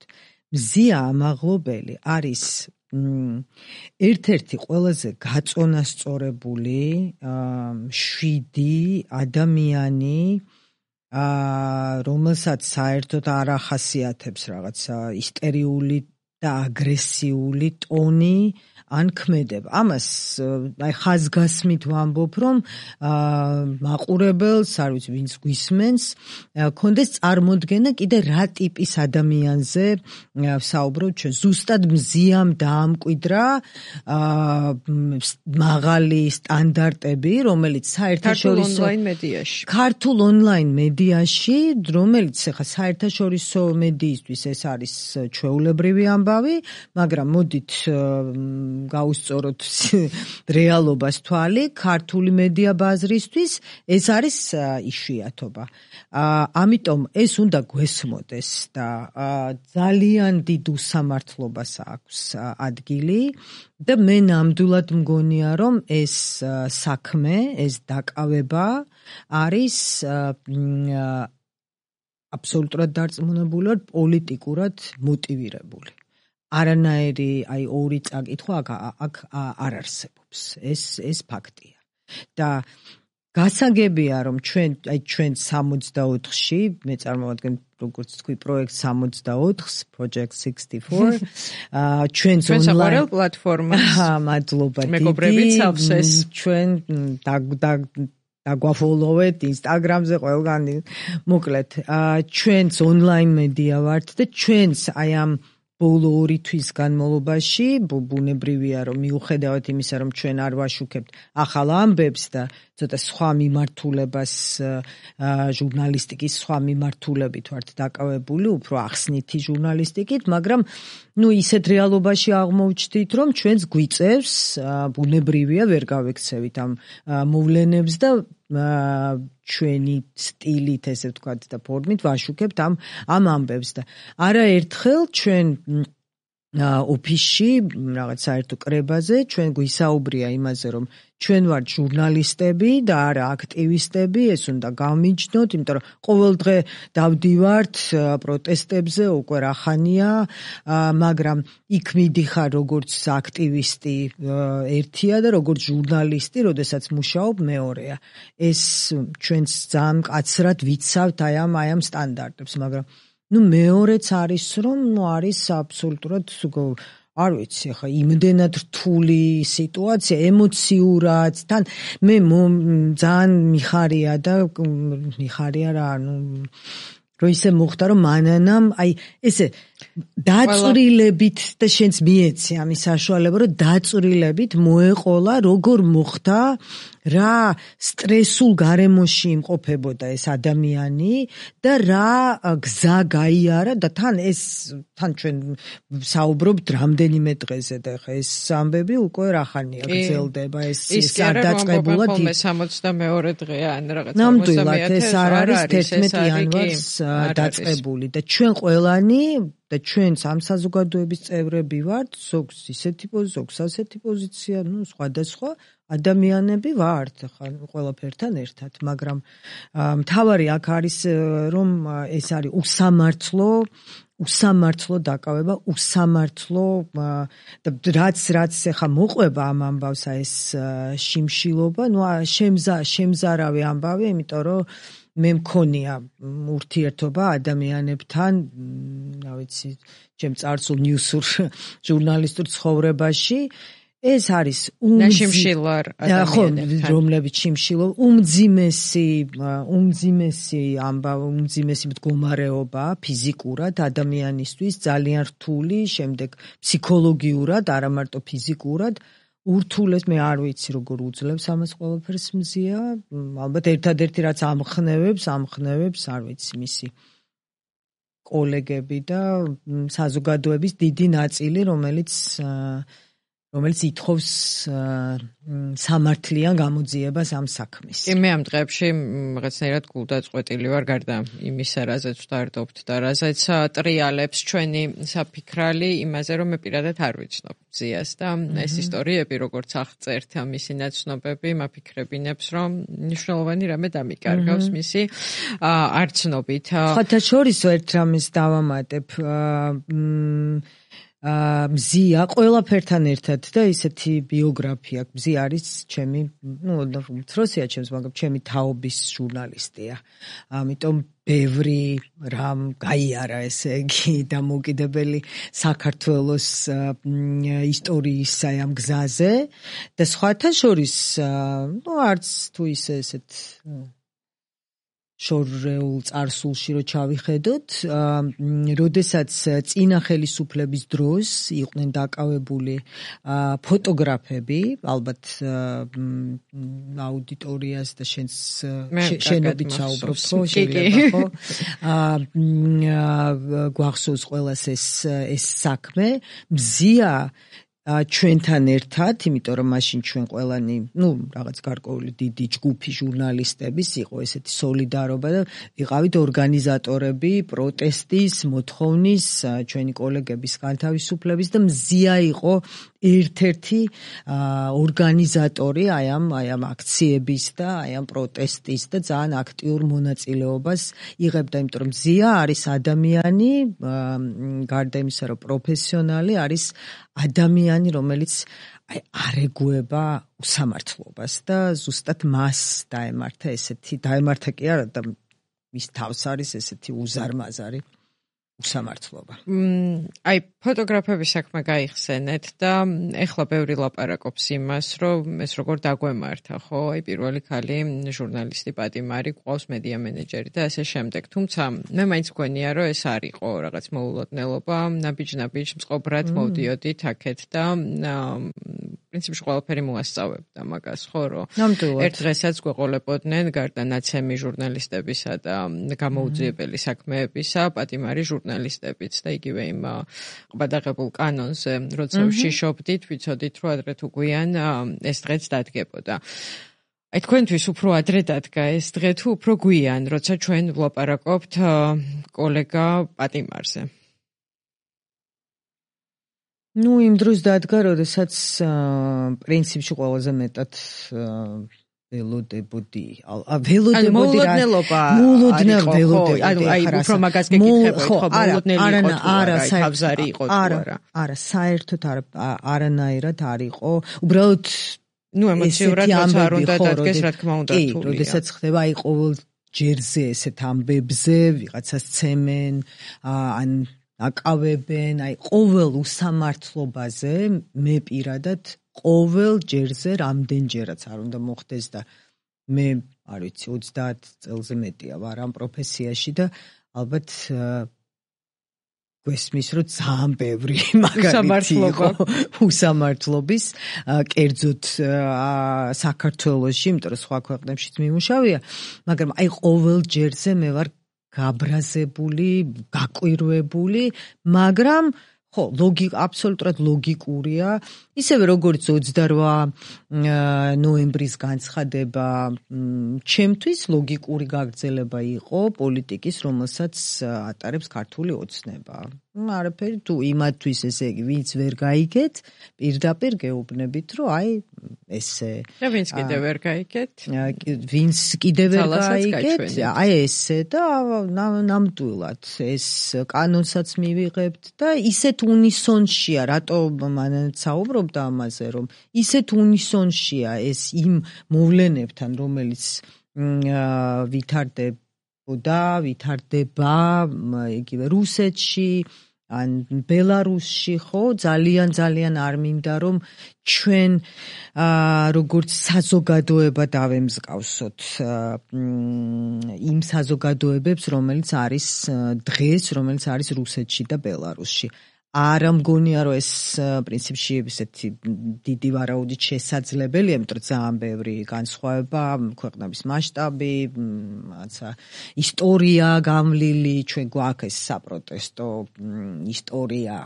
მზია ამაღლობელი არის ერთ-ერთი ყველაზე გაწონასწორებული შვიდი ადამიანი, რომელსაც საერთოდ არ ახასიათებს რაღაცა ისტერიული და აგრესიული ტონი ან ქმედება. ამას აი ხაზგასმით ვამბობ, რომ მაყურებელს, არ ვიცი, ვინც გვისმენს, კონდეს წარმოდგენა კიდე რა ტიპის ადამიანზე ვსაუბრობთ ჩვენ. ზუსტად მზიამ დაამკვიდრა მაღალი სტანდარტები, რომელიც საერთაშორისო
ონლაინ მედიაში.
ქართულ ონლაინ მედიაში, რომელიც ხა საერთაშორისო მედიისთვის ეს არის ჩვეულებრივი ამბავი, მაგრამ მოდით გავუსწოროთ რეალობას თვალი, ქართული მედია ბაზრისთვის ეს არის იშვიათობა. ამიტომ ეს უნდა გვესმოდეს და ძალიან დიდ უსამართლობას აქვს ადგილი და მე ნამდვილად მგონია, რომ ეს საქმე, ეს დაკავება არის აბსოლუტურად დარწმუნებული ვარ, პოლიტიკურად მოტივირებული. არანაირი აი ორი წაკითხვა აქ არ არსებობს. ეს ეს ფაქტია. და გასაგებია, რომ ჩვენ აი ჩვენ სამოცდაოთხში, მე წარმოვადგენ როგორც თქვი პროექტ სამოცდაოთხს, Project sixty-four, ჩვენს
ონლაინ პლატფორმას.
მადლობა დიდი.
მეგობრებიც ავსეს.
ჩვენ დაგვაფოლოვეთ Instagram-ზე ყველგან. მოკლედ, ჩვენს ონლაინ მედია ვართ და ჩვენს აი ამ ბოლო ორი თვის განმავლობაში ბუნებრივია, რომ მიუხედავად იმისა, რომ ჩვენ არ ვაშუქებთ ახალ ამბებს და ცოტა სხვა მიმართულებას, ჟურნალისტიკის სხვა მიმართულებით ვართ დაკავებული, უფრო ახსნითი ჟურნალისტიკით, მაგრამ ნუ ისეთ რეალობაში აღმოვჩდით, რომ ჩვენს გვიწევს, ბუნებრივია, ვერ გავექცევით ამ მოვლენებს და ჩვენი სტილით, ესე ვთქვათ და ფორმით ვაშუქებთ ამ ამ ამბებს და არაერთხელ ჩვენ ოფისში რაღაც საერთო კრებაზე ჩვენ გვისაუბრია იმაზე, რომ ჩვენ ვართ ჟურნალისტები და არა აქტივისტები, ეს უნდა გავმიჯნოთ, იმიტომ რომ ყოველ დღე დავდივართ პროტესტებზე, უკვე რა ხანია, მაგრამ იქ მიდიხარ როგორც აქტივისტი ერთია და როგორც ჟურნალისტი, როდესაც მუშაობ მეორეა. ეს ჩვენს ძალიან მკაცრად ვიცავთ აი ამ აი ამ სტანდარტებს, მაგრამ ნუ მეორეც არის, რომ ნუ არის აბსოლუტურად არ ვიცი, ხა იმდენად რთული სიტუაცია, ემოციურად, თან მე ძალიან მიხარია და მიხარია რა, ნუ რომ ისე მოხდა, რომ მანანამ, აი, ესე დაწვრილებით და შენც მიეცი ამის საშუალება, რომ დაწვრილებით მოეყოლა როგორ მოხდა რა სტრესულ გარემოში იმყოფებოდა ეს ადამიანი და რა გზა გაიარა და თან ეს თან ჩვენ საუბრობთ რამდენიმე დღეზე და ხა ეს ამბები უკვე რახანია გრძელდება ეს სადაწყებულად
ის სამოცდამეორე დღეა ან რაღაც
ნამდვილად ეს არ არის თერთმეტი იანვარს დაწყებული და ჩვენ ყველანი და ჩვენც ამ საზოგადოების წევრები ვართ, ზოგს ისეთი პოზიცია, ზოგს ასეთი პოზიცია, ну, სხვადასხვა ადამიანები ვართ, ხა ყველაფერთან ერთად, მაგრამ მთავარი აქ არის რომ ეს არის უსამართლო, უსამართლო დაკავება, უსამართლო და რაც რაც ახლა მოყვება ამ ამბავსა ეს შიმშილობა, ну, შემზა შემზარავი ამბავი, იმიტომ რომ მე მქონია ურთიერთობა ადამიანებთან, რა ვიცი, ჩემ წარსულ ნიუსურ ჟურნალისტურ ცხოვრებაში, ეს არის
უმძიმესარ ადამიანებთან,
რომლებიც შიმშილო, უმძიმესი, უმძიმესი ამბავი, უმძიმესი მდგომარეობა ფიზიკურად ადამიანისთვის, ძალიან რთული, შემდეგ ფსიქოლოგიურად, არა მარტო ფიზიკურად ურთულეს მე არ ვიცი როგორ უძლებს ამას ყველაფერს მზია, ალბათ ერთადერთი რაც ამხნევებს, ამხნევებს, არ ვიცი, მისი კოლეგები და საზოგადოების დიდი ნაწილი, რომელიც რომელიც ითხოვს სამართლიან გამოძიებას ამ საქმის.
კი, მე ამ დღეებში რაღაცნაირად გულდაწყვეტილი ვარ გარდა იმისა, რაზეც ვდარდობთ და რაზეც ტრიალებს ჩვენი საფიქრალი, იმაზე, რომ მე პირადად არ ვიცნობ მზიას და ეს ისტორიები, როგორც აღწერთ მისი ნაცნობები, მაფიქრებინებს, რომ მნიშვნელოვანი რამე დამიკარგავს მისი არცნობით.
ხათაშორისო ერთ რამეს დავამატებ, მზია ყველაფერთან ერთად და ისეთი ბიოგრაფია. მზია არის ჩემი, ну, თროსია ჩემს, მაგრამ ჩემი თაობის ჟურნალისტია. ამიტომ ბევრი რამ გაიარა, ესე იგი, დამოუკიდებელი საქართველოს ისტორიისა ამ გზაზე და სხვათა შორის, ну, არც თუ ისე ესეთ შორეულ წარსულში რო ჩავიხედოთ, როდესაც წინა ხელისუფლების დროს იყვნენ დაკავებული ფოტოგრაფები, ალბათ აუდიტორიას და შენს შენობით საუბრობ, ხო, შეიძლება, ხო? გვახსოვს ყველას ეს ეს საქმე, მზია ჩვენთან ერთად, იმიტომ რომ მაშინ ჩვენ ყველანი, ну, რაღაც გარკვეული დიდი ჯგუფი ჟურნალისტების იყო ესეთი სოლიდარობა და ვიყავით ორგანიზატორები პროტესტის, მოთხოვნის, ჩვენი კოლეგების განთავისუფლების და მზია იყო ერთ-ერთი ორგანიზატორი აი ამ აი ამ აქციების და აი ამ პროტესტის და ძალიან აქტიურ მონაწილეობას იღებდა, იმიტომ რომ მზია არის ადამიანი, გარდა იმისა, რომ პროფესიონალი, არის ადამიანი, რომელიც აი არ ეგუება უსამართლობას და ზუსტად მას დაემართა ესეთი, დაემართა კი არა და მის თავს არის ესეთი უზარმაზარი უსამართლობა.
აი ფოტოგრაფების საქმე გაიხსენეთ და ეხლა ბევრი ლაპარაკობს იმას, რომ ეს როგორ დაგვემართა, ხო? აი პირველი ქალი ჟურნალისტი პატიმარი გვყავს მედია მენეჯერი და ასე შემდეგ. თუმცა მე მაინც მგონია, რომ ეს არ იყო რაღაც მოულოდნელობა, ნაბიჯ-ნაბიჯ მწყობრად მოვდიოდით აქეთ და პრინციპში ყველაფერი მოასწავებდა მაგას, ხო, რომ ერთ დღესაც გვეყოლებოდნენ გარდა ნაცემი ჟურნალისტებისა და გამოუძიებელი საქმეებისა, პატიმარი ჟურნალისტებიც და იგივე იმ ყბადაღებულ კანონზე, როცა ვშიშობდით, ვიცოდით, რომ ადრე თუ გვიან ეს დღეც დადგებოდა. აი თქვენთვის უფრო ადრე დადგა ეს დღე თუ უფრო გვიან, როცა ჩვენ ვლაპარაკობთ კოლეგა პატიმარზე.
ну, იმ დროს დადგა, როდესაც პრინციპში ყველაზე მეტად ველოდებოდი. ა ველოდებოდი რა.
მოულოდნელობა
მოულოდნელობა ველოდებოდი.
ანუ აი უფრო მაგას გეკითხებოდი, ხო, მოულოდნელი იყო თუ არა, თავზარი იყო თუ
არა. არა, საერთოდ არა, არანაირად არ იყო. უბრალოდ
ну, ემოციურად როცა არ უნდა დადგეს, რა თქმა უნდა,
თულია. კი, როდესაც ხდება აი ყოველ ჯერზე ესეთ ამბებზე, ვიღაცას ცემენ, ან აკავებენ, აი ყოველ უსამართლობაზე მე პირადად ყოველ ჯერზე რამდენჯერაც არ უნდა მოხდეს და მე არ ვიცი ოცდაათ წელზე მეტია ვარ ამ პროფესიაში და ალბათ გვესმის რომ ძალიან ბევრი მაგალითი იყო უსამართლობის კერძოდ საქართველოში, იმიტომ რომ სხვა ქვეყნებშიც მიმუშავია, მაგრამ აი ყოველ ჯერზე მე ვარ გაბრაზებული, გაკვირვებული, მაგრამ ხო, ლოგიკა აბსოლუტურად ლოგიკურია, ისევე როგორც ოცდაოთხ ნოემბრის განცხადება ჩემთვის ლოგიკური გაგრძელება იყო პოლიტიკის, რომელსაც ატარებს ქართული ოცნება. არაფერი თუ იმათთვის ესე იგი ვინც ვერ გაიგეთ, პირდაპირ გეუბნებით, რომ აი ესე
და ვინც კიდევ ვერ გაიგეთ,
ვინც კიდევ ვერ გაიგეთ, აი ესე და ნამდვილად ეს კანონსაც მივიღებთ და ისეთ უნისონშია, რატო მანაც საუბრობდა ამაზე, რომ ისეთ უნისონშია ეს იმ მოვლენებთან, რომელიც ვითარდებოდა, ვითარდება იგივე რუსეთში, ან ბელარუსში, ხო, ძალიან ძალიან არ მინდა რომ ჩვენ როგორც საზოგადოება დავემსგავსოთ იმ საზოგადოებებს, რომელიც არის დღეს, რომელიც არის რუსეთში და ბელარუსში. არ მგონია რომ ეს პრინციპში ესეთი დიდი ვარაუდით შესაძლებელია, იმიტომ რომ ძალიან ბევრი განსხვავება, ქვეყნების მასშტაბი, რაღაცა ისტორია გამლილი, ჩვენ გვაქვს ეს საპროტესტო ისტორია,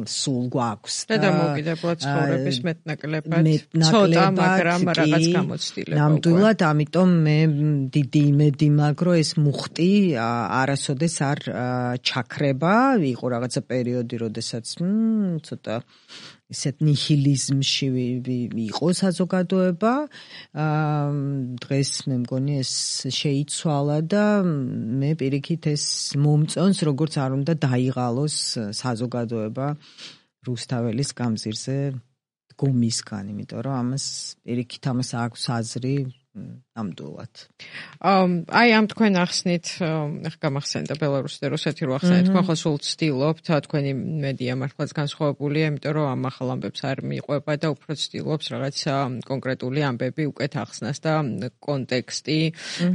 სულ გვაქვს
და დამოუკიდებლად ცხოვრების მეტნაკლებად ცოტა, მაგრამ რაღაც გამოცდილება.
ნამდვილად, ამიტომ მე დიდი იმედი მაქვს, რომ ეს მუხტი არასოდეს არ ჩაქრება, იყო რაღაცა პერიოდი, როდესაც ცოტა ისეთ ნიჰილიზმში იყო საზოგადოება. დღეს მე მგონი ეს შეიცვალა და მე პირიქით ეს მომწონს, როგორც არ უნდა დაიღალოს საზოგადოება რუსთაველის გამზირზე დგომისგან, იმიტომ რომ ამას პირიქით ამას აქვს აზრი ნამდვილად.
აი ამ თქვენ ახსნით, ახ გამახსენდა ბელარუსი და რუსეთი რო ახსენეთ, თქვენ ხო სულ ცდილობთ, თქვენი მედია მართლაც განსხვავებულია, იმიტომ რომ ამ ახალ ამბებს არ მიყვება და უფრო ცდილობს რაღაც კონკრეტული ამბები უკეთ ახსნას და კონტექსტი,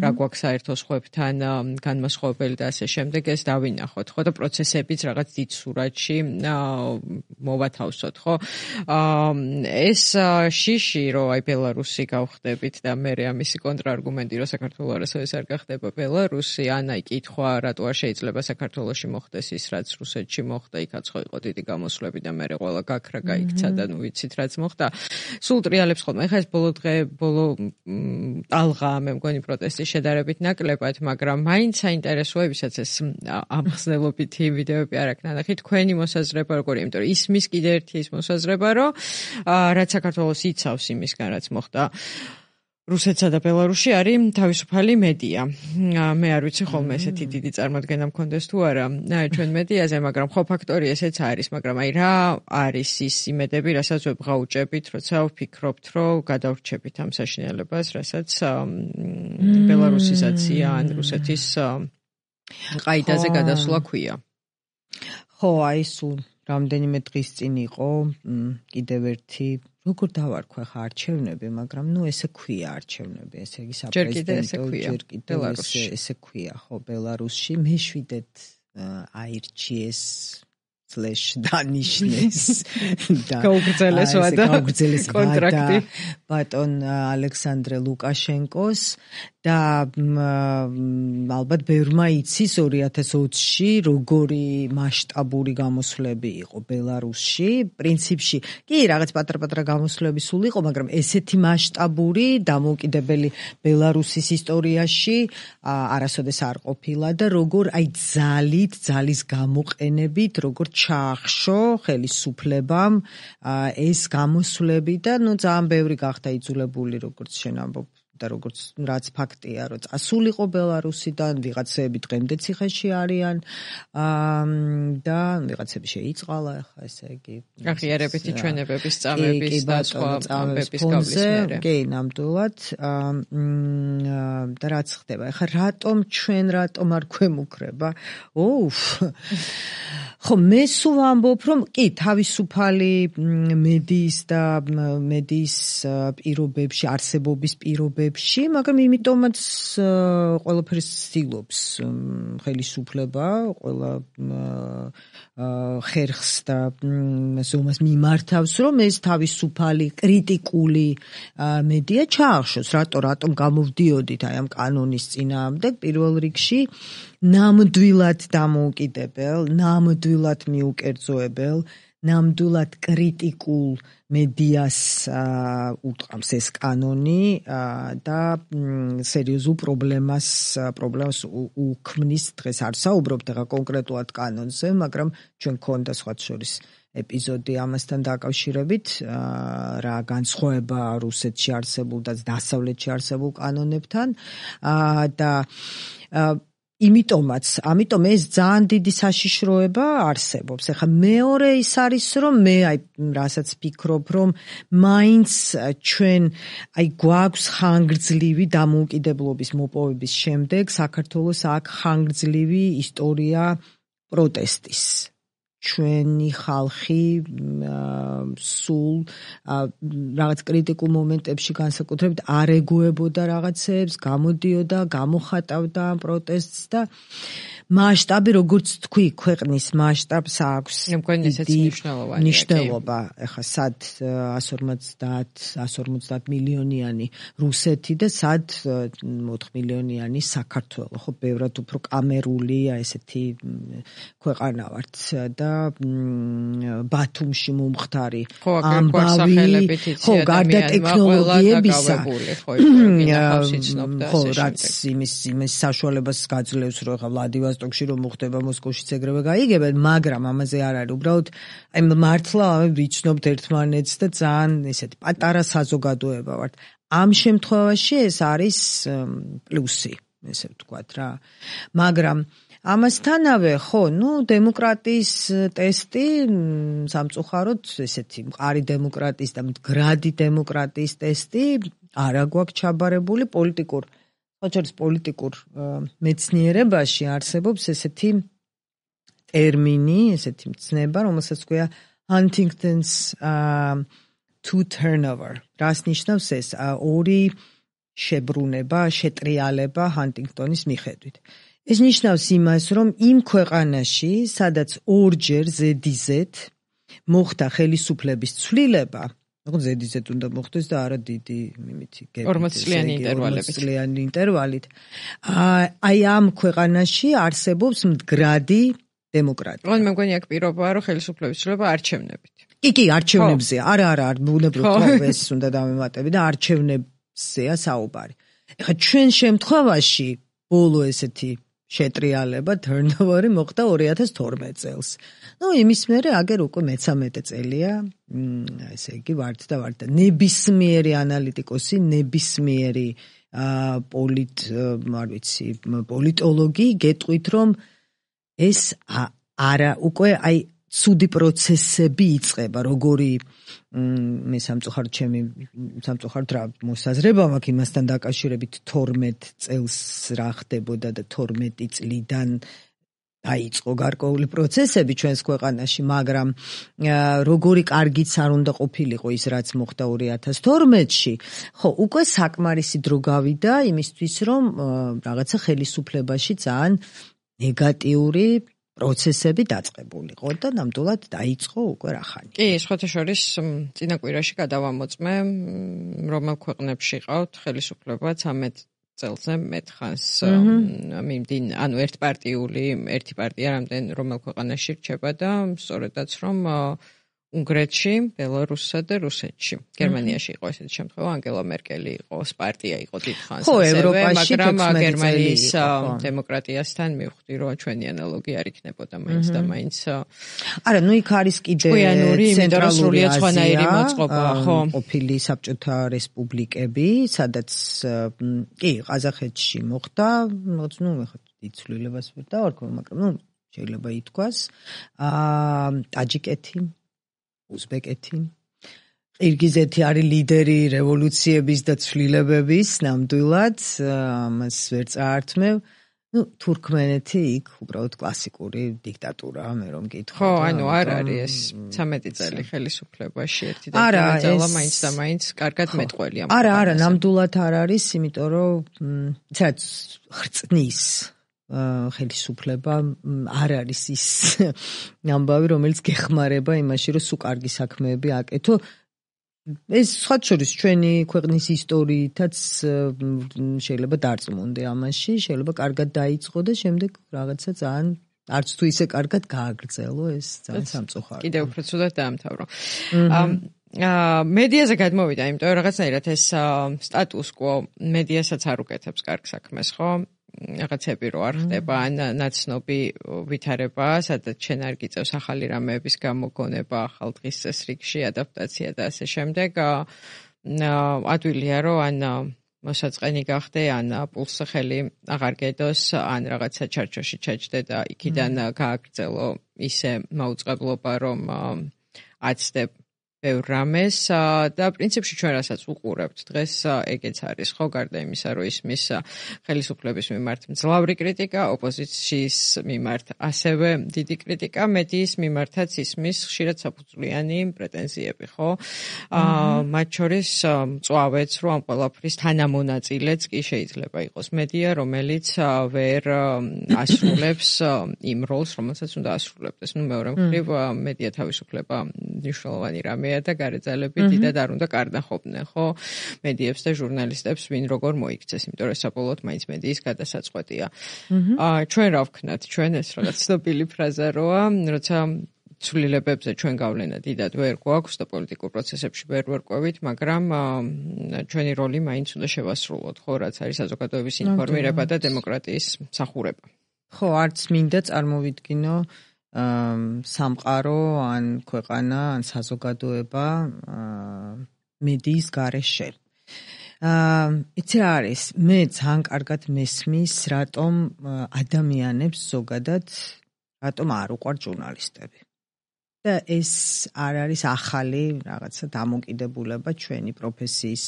რა გვაქვს საერთო სხვებთან განმასხვავებელი და ასე შემდეგ, ეს დავინახოთ, ხო და პროცესებიც რაღაც დიდ სურათში მოვათავსოთ, ხო? ეს შიში, რომ აი ბელარუსი გავხდებით და მე ამისი კონტრარგუმენტი, რომ საქართველოს არასოდეს არ გახდება ბელარუსი, ან აი კითხვა, რატო არ შეიძლება საქართველოში მოხდეს ის, რაც რუსეთში მოხდა, იქაც ხო იყო დიდი გამოსვლები და მერე ყველა გაქრა გაიქცა და ნუ ვიცით რაც მოხდა. სულ ტრიალებს ხოლმე. ეხლა ეს ბოლო დღე, ბოლო ტალღა მე მგონი პროტესტის შედარებით ნაკლებად, მაგრამ მაინც საინტერესოებისაც ეს ამხსნელობითი ვიდეოები არ აქვს ნანახი. თქვენი მოსაზრება როგორია, იმიტომ რომ ისმის კიდე ერთი ის მოსაზრება, რომ რაც საქართველოს იცავს იმისგან, რაც მოხდა რუსეთსა და ბელარუსში არის თავისუფალი მედია. მე არ ვიცი ხოლმე ესეთი დიდი წარმოდგენა მქონდეს თუ არა ჩვენ მედიაზე, მაგრამ ხო ფაქტორი ესეც არის, მაგრამ აი რა არის ის იმედები, რასაც ვებღაუჭებით, როცა ვფიქრობთ, რომ გადავრჩებით ამ საშინელებას, რასაც ბელარუსიზაცია ან რუსეთის ყაიდაზე გადასვლა ქვია.
ხო, აი სულ რამდენიმე დღის წინ იყო კიდევ ერთი როგორ დავარქვა ხა არჩევნები, მაგრამ ნუ ესე ქვია არჩევნები, ესე იგი საპრეზიდენტო, ჯერ კიდევ ესე ესე ქვია, ხო, ბელარუსში მეშვიდეთ აირჩიეს სლეშ დანიშნეს და
გაუგრძელეს ვადა
კონტრაქტი ბატონ ალექსანდრე ლუკაშენკოს და ალბათ ბევრმა იცის ორი ათას ოცში როგორი მასშტაბური გამოსვლები იყო ბელარუსში. პრინციპში კი რაღაც პატარ-პატარა გამოსვლები სულ იყო, მაგრამ ესეთი მასშტაბური დამოუკიდებელი ბელარუსის ისტორიაში არასოდეს არ ყოფილა და როგორ აი ძალით, ძალის გამოყენებით, როგორ ჩაახშო ხელისუფლებამ ეს გამოსვლები და ნუ ძალიან ბევრი გახდა იძულებული, როგორც შენ ამბობ და როგორც რაც ფაქტია, რომ წასულიყო ბელარუსიდან, ვიღაცები დღემდე ციხეში არიან და ვიღაცები შეიწყალა, ახლა ესე იგი
აღიარებითი ჩვენებების წამების და სხვა ამბების გავლის მერე.
კი, ნამდვილად და რაც ხდება, ახლა რატომ ჩვენ რატომ არ გვემუქრება? ოუ ხო, მე სულ ვამბობ, რომ კი, თავისუფალი მედიის და მედიის პირობებში, არსებობის პირობებში, მაგრამ იმიტომაც ყველაფერს ცდილობს ხელისუფლება, ყველა ხერხს და ზომას მიმართავს, რომ ეს თავისუფალი კრიტიკული მედია ჩაახშოს. რატო, რატომ გამოვდიოდით აი ამ კანონის წინააღმდეგ პირველ რიგში ნამდვილად დამოუკიდებელ, ნამდვილად მიუკერძოებელ, ნამდვილად კრიტიკულ მედიას უტყამს ეს კანონი და სერიოზულ პრობლემას პრობლემას უქმნის. დღეს არ საუბრობთ ახლა კონკრეტულად კანონზე, მაგრამ ჩვენ გქონდა სხვა შორის ეპიზოდი ამასთან დაკავშირებით, რა განსხვავება რუსეთში არსებულ და დასავლეთში არსებულ კანონებთან და იმიტომაც, ამიტომ ეს ძალიან დიდი საშიშროება არსებობს. ეხლა მეორე ის არის, რომ მე აი რასაც ფიქრობ, რომ მაინც ჩვენ აი გვაქვს ხანგრძლივი დამოუკიდებლობის მოპოვების შემდეგ საქართველოს აქ ხანგრძლივი ისტორია პროტესტის. ჩვენი ხალხი სულ რაღაც კრიტიკულ მომენტებში განსაკუთრებით არ ეგუებოდა რაღაცებს, გამოდიოდა, გამოხატავდა ამ პროტესტს და მასშტაბი, როგორც თქვი, ქვეყნის მასშტაბს აქვს მნიშვნელობა. ეხლა სად εκατს ორმოცდაათ, εκατს ორმოცდაათ მილიონიანი რუსეთი და სად ოთხ მილიონიანი საქართველო. ხო, ბევრად უფრო კამერული ესეთი ქვეყანა ვართ და ბათუმში მომხდარი ამბავი, ხო, გარდა ტექნოლოგიებისა, ხო, რაც იმის იმის საშუალებას გაძლევს, რომ ხა ვლადივოსტოკში რომ მოხდება მოსკოვშიც ეგრევე გაიგებენ, მაგრამ ამაზე არ არის. უბრალოდ აი მართლა ვიცნობთ ერთმანეთს და ძალიან ესეთი პატარა საზოგადოება ვართ. ამ შემთხვევაში ეს არის პლუსი, ესე ვთქვათ რა. მაგრამ ამასთანავე, ხო, ნუ დემოკრატიის ტესტი სამწუხაროდ ესეთი მყარი დემოკრატიის და მდგრადი დემოკრატიის ტესტი არა გვაქვს ჩაბარებული პოლიტიკურ, ხოჭერის პოლიტიკურ მეცნიერებაში არსებობს ესეთი ტერმინი, ესეთი მცნება, რომელსაც ქვია Huntington's two turnover. რას ნიშნავს ეს? ორი შებრუნება, შეტრიალება ჰანტინგტონის მიხედვით. ეს ნიშნავს იმას, რომ იმ ქვეყანაში, სადაც ორჯერ ზედიზედ მოხდა ხელისუფლების ცვლილება, ну ზედიზედ უნდა მოხდეს და არა დიდი იმითი
ორმოც წლიანი ინტერვალებით.
ორმოც წლიანი ინტერვალით. აი ამ ქვეყანაში არსებობს მდგრადი დემოკრატია.
მე მგონი აქ პირობაა, რომ ხელისუფლების ცვლილება არჩევნებით.
კი, კი, არჩევნებზეა. არა, არა, არ ბუნებრივად ეს უნდა დავემატები და არჩევნებზეა საუბარი. ეხლა ჩვენ შემთხვევაში ბოლო ესეთი შეტრიალება turnover-ი მოხდა ორი ათას თორმეტ წელს. ნუ იმის მერე აგერ უკვე მეცამეტე წელია, ესე იგი ვართ და ვართ. ნებისმიერი ანალიტიკოსი, ნებისმიერი პოლიტ, არ ვიცი, პოლიტოლოგი გეტყვით, რომ ეს არა უკვე აი ცუდი პროცესები იწყება, როგორი მე სამწუხაროდ ჩემი სამწუხაროდ რა მოსაზრება მაქვს იმასთან დაკავშირებით თორმეტ წელს რა ხდებოდა და თორმეტი წლიდან დაიწყო გარკვეული პროცესები ჩვენს ქვეყანაში, მაგრამ როგორი კარგიც არ უნდა ყოფილიყო ის რაც მოხდა ორი ათას თორმეტში, ხო, უკვე საკმარისი დრო გავიდა იმისთვის, რომ რაღაცა ხელისუფლებაში ძალიან ნეგატიური პროცესები დაწყებულიყო და ნამდვილად დაიწყო უკვე რახანი.
კი, სხვათა შორის წინა კვირაში გადავამოწმე, რომელ ქვეყნებში ყავთ ხელისუფლება ცამეტ წელზე მეტხანს მიმდინ, ანუ ერთპარტიული, ერთი პარტია რამდენ რომელ ქვეყანაში რჩება და სწორედაც რომ უნგრეთში, ბელარუსსა და რუსეთში. გერმანიაში იყო ესეთი შემთხვევა, ანგელა მერკელი იყო, პარტია იყო დიდხანს, მაგრამ გერმანიის დემოკრატიასთან მივხვდი, რომ ჩვენი ანალოგი არ იქნებოდა მაინც და მაინც.
არა, ნუ იქ არის კიდე
ცენტრალური აზია,
ხო, ყოფილი საბჭოთა რესპუბლიკები, სადაც კი, ყაზახეთში მოხდა, რაღაც ნუ ეხლა იცვლილებას ვერ დავარქვი, მაგრამ ნუ შეიძლება ითქვას, აა ტაჯიკეთი, უზბეკეთი. ყირგიზეთი არის ლიდერი რევოლუციების და ცვლილებების, ნამდვილად, ამას ვერ წაართმევ. ну თურქმენეთი იქ უბრალოდ კლასიკური დიქტატურაა მე რომ გითხრა.
ხო, ანუ არ არის ეს ცამეტი წელი ხელისუფლებაში ერთი და ძალა მაინც და მაინც კარგად მეტყველია.
არა, არა, ნამდვილად არ არის, იმიტომ რომ ცაც ხრწნის ხელისუფლება არ არის ის ამბავი, რომელიც გეხმარება იმაში, რომ სულ კარგი საქმეები აკეთო. ეს სხვა შორის ჩვენი ქვეყნის ისტორიითაც შეიძლება დარწმუნდე ამაში, შეიძლება კარგად დაიწყო და შემდეგ რაღაცა ძალიან არც თუ ისე კარგად გააგრძელო, ეს ძალიან სამწუხაროა.
კიდევ უფრო ცუდად დაამთავრო. აა მედიაზე გადმოვიდა, იმიტომ რომ რაღაცნაირად ეს სტატუს კვო მედიასაც არ უკეთებს კარგ საქმეს, ხო? რაღაცები რო არ ხდება, ან ნაცნობი ვითარება, სადაც შენ არ გიწევს ახალი რამეების გამოგონება, ახალ დღის წესრიგში ადაპტაცია და ასე შემდეგ. ადვილია რომ ან მოსაწყენი გახდე, ან პულსზე ხელი აღარ გედოს, ან რაღაცა ჩარჩოში ჩაჯდე და იქიდან გააგრძელო ისე მაუწყებლობა, რომ აცდებ ბევრ რამეს და პრინციპში ჩვენ რასაც უყურებთ დღეს ეგეც არის, ხო, გარდა იმისა, რომ ისმის ხელისუფლების მიმართ მძლავრი კრიტიკა, ოპოზიციის მიმართ ასევე დიდი კრიტიკა, მედიის მიმართაც ისმის ხშირად საფუძვლიანი პრეტენზიები, ხო? აა მათ შორის მწვავეც, რომ ამ ყველაფრის თანამონაწილეც კი შეიძლება იყოს მედია, რომელიც ვერ ასრულებს იმ როლს, რომელსაც უნდა ასრულებდეს. ნუ მეორე მხრივ მედია თავისუფლება მნიშვნელოვანი რამე და გარეძალები დიდად არ უნდა კარნახობდნენ, ხო? მედიებს და ჟურნალისტებს ვინ როგორ მოიქცეს, იმიტომ რომ საბოლოოდ მაინც მედიის გადასაწყვეტია. აა ჩვენ რა ვქნათ, ჩვენ ეს რაღაც ცნობილი ფრაზა როა, როცა ცვლილებებზე ჩვენ გავლენა დიდად ვერ გვაქვს და პოლიტიკურ პროცესებში ვერ ვერკვევით, მაგრამ ჩვენი როლი მაინც უნდა შევასრულოთ, ხო, რაც არის საზოგადოების ინფორმირება და დემოკრატიის მსახურება.
ხო, არც მინდა წარმოვიდგინო სამყარო ან ქვეყანა ან საზოგადოება მედიის გარეშე. აა იცი რა არის, მე ძალიან კარგად მესმის, რატომ ადამიანებს ზოგადად რატომ არ უყვართ ჟურნალისტები. და ეს არ არის ახალი რაღაცა დამოკიდებულება ჩვენი პროფესიის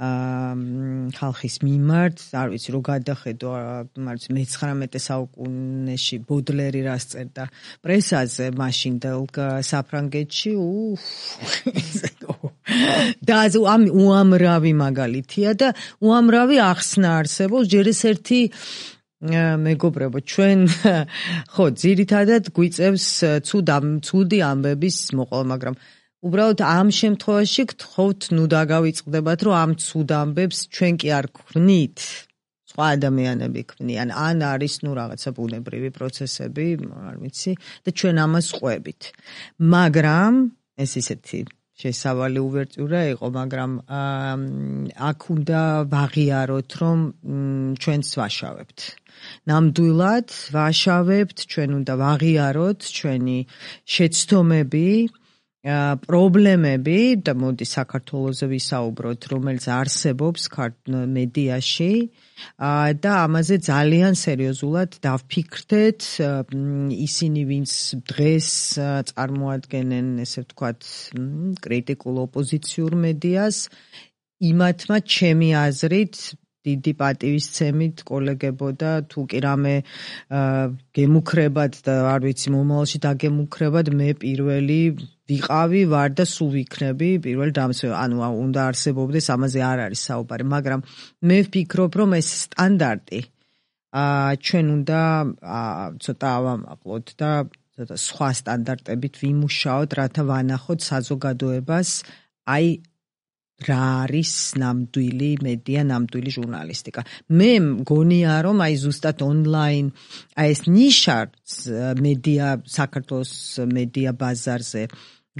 აა ხალხის მიმართ, არ ვიცი რო გადახედო, მარც მეცხრამეტე საუკუნეში ბოდლერი რას წერდა პრესაზე, მაშინდელ საფრანგეთში, უф. და ამ უამრავი მაგალითია და უამრავი ახსნა არსებობს, ჯერ ეს ერთი მეგობრებო, ჩვენ ხო ძირითადად გვიწევს ცუდი ამბების მოყოლა, მაგრამ უბრალოდ ამ შემთხვევაში გთხოვთ, ნუ დაგავიწყდებათ, რომ ამ ცუდ ამბებს ჩვენ კი არ გვქვნით, სხვა ადამიანები ქმნიან, ან არის ნუ რაღაცა ბუნებრივი პროცესები, არ ვიცი, და ჩვენ ამას ყვებით. მაგრამ ეს ისეთი შესავალი უვერტიურა იყო, მაგრამ აქ უნდა ვაღიაროთ, რომ ჩვენც ვაშავებთ. ნამდვილად ვაშავებთ, ჩვენ უნდა ვაღიაროთ ჩვენი შეცდომები, პრობლემები და მოდი საქართველოზე ვისაუბროთ, რომელიც არსებობს მედიაში და ამაზე ძალიან სერიოზულად დავფიქრდეთ. ისინი, ვინც დღეს წარმოადგენენ, ესე ვთქვათ, კრიტიკულ ოპოზიციურ მედიას, იმათმა ჩემი აზრით დიდი პატივისცემით კოლეგებო და თუ კი რამე გემუქრებად და არ ვიცი მომავალში დაგემუქრებად, მე პირველი ვიყავი, ვარ და სულ ვიქნები პირველი დამსვე, ანუ უნდა არსებობდეს, ამაზე არ არის საუბარი, მაგრამ მე ვფიქრობ, რომ ეს სტანდარტი ჩვენ უნდა ცოტა ავამაყლოთ და ცოტა სხვა სტანდარტებით ვიმუშაოთ, რათა ვანახოთ საზოგადოებას, აი რა არის ნამდვილი მედია, ნამდვილი ჟურნალისტიკა. მე მგონია, რომ აი ზუსტად ონლაინ, აი ეს ნიშა მედია, საქართველოს მედია ბაზარზე,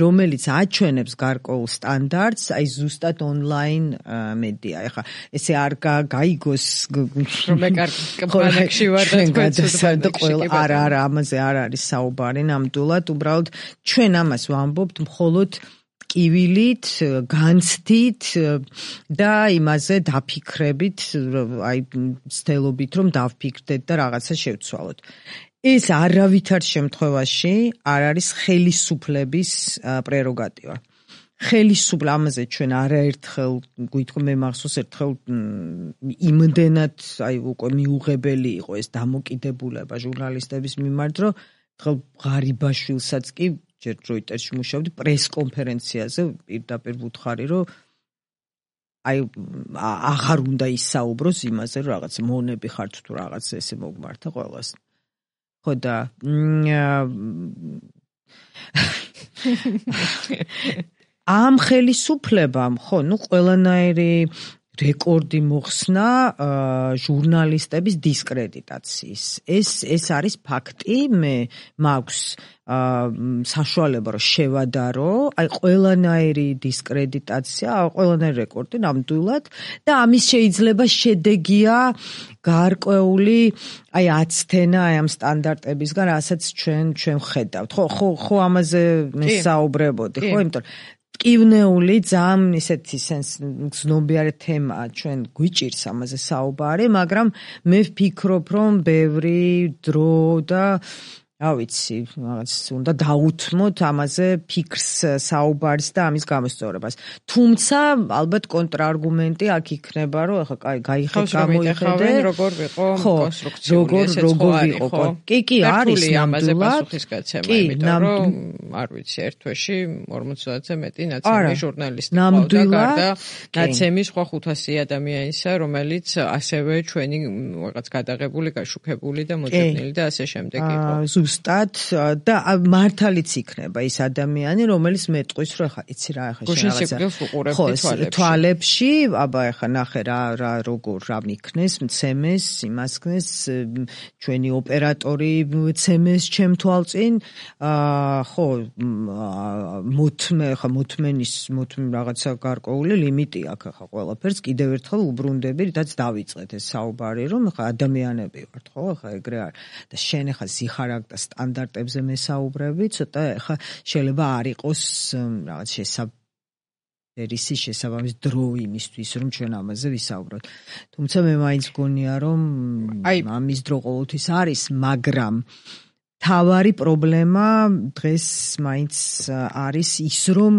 რომელიც აჩვენებს გარკვეულ სტანდარტს, აი ზუსტად ონლაინ მედია. ეხლა ესე არ გაიგოს,
რომ მე კარგ ვარ და თქვენ
ყველა არა, არა, ამაზე არ არის საუბარი, ნამდვილად, უბრალოდ ჩვენ ამას ვამბობთ მხოლოდ კივილით, განცდით და იმაზე დაფიქრებით, აი ცდილობით, რომ დავფიქრდეთ და რაღაცა შევცვალოთ. ეს არავითარ შემთხვევაში არ არის ხელისუფლების პრეროგატივა. ხელისუფლ ამაზე ჩვენ არაერთხელ გვითხრა მე მახსოვს ერთხელ იმდენად აი უკვე მიუღებელი იყო ეს დამოკიდებულება ჟურნალისტების მიმართ რომ ერთხელ ღარიბაშვილსაც კი ჯერ როიტერში მუშაობდი პრეს კონფერენციაზე პირდაპირ ვუთხარი რომ აი აღარ უნდა ისაუბროს იმაზე რომ რაღაც მონები ხართ თუ რაღაც ესე მოგმართა ყველას ხო და ამ ხელისუფლებამ ხო ნუ ყველანაირი რეკორდი მოხსნა ჟურნალისტების დისკრედიტაციის ეს ეს არის ფაქტი მე მაქვს საშუალება რომ შევადარო აი ყველანაირი დისკრედიტაცია ყველანაირი რეკორდი ნამდვილად და ამის შეიძლება შედეგია გარკვეული აი აცთენა აი ამ სტანდარტებისგან რასაც ჩვენ ჩვენ ხედავთ ხო ხო ხო ამაზე მე საუბრებოდი ხო იმიტომ ტკივნეული ძალიან ისეთი გზნობიარე თემაა ჩვენ გვიჭირს ამაზე საუბარი მაგრამ მე ვფიქრობ რომ ბევრი დრო და რა ვიცი რაღაც უნდა დაუთმოთ ამაზე ფიქრს საუბარს და ამის გამოსწორებას თუმცა ალბათ კონტრარგუმენტი აქ იქნება რომ ახლა კაი გაიხედე გამოიხედე
როგორ ვიყო კონსტრუქციული ესეც ხო არის ხო
კი კი არის
ამაზე პასუხისგაცემა იმიტომ რომ არ ვიცი ერთ თვეში ორმოცდაათზე მეტი ნაცემი ჟურნალისტი ყავდა გარდა ნაცემის სხვა ხუთასი ადამიანისა რომელიც ასევე ჩვენი რაღაც გადაღებული გაშუქებული და მოწოდნილი და ასე შემდეგ იყო
ზუსტად და მართალიც იქნება ის ადამიანი რომელიც მეტყვის რომ ახლა იცი რა ახლა
რაღაცა
თვალებში აბა ახლა ნახე რა რა როგორ რა მიქნეს მცემეს იმას ქნეს ჩვენი ოპერატორი მცემეს ჩემ თვალწინ ხო მოთმე ახლა მოთმენის მოთმე რაღაცა გარკვეული ლიმიტი აქვს ახლა ყველაფერს კიდევ ერთხელ უბრუნდები რითაც დავიწყეთ ეს საუბარი რომ ახლა ადამიანები ვართ ხო ახლა ეგრე არის და შენ ახლა ზიხარაგ და სტანდარტებზე მესაუბრები, ცოტა ახლა შეიძლება არ იყოს რაღაც შესაბამისი შესაბამის დრო იმისთვის, რომ ჩვენ ამაზე ვისაუბროთ. თუმცა მე მაინც გონია, რომ ამის დრო ყოველთვის არის, მაგრამ თავარი პრობლემა დღეს მაინც არის ის, რომ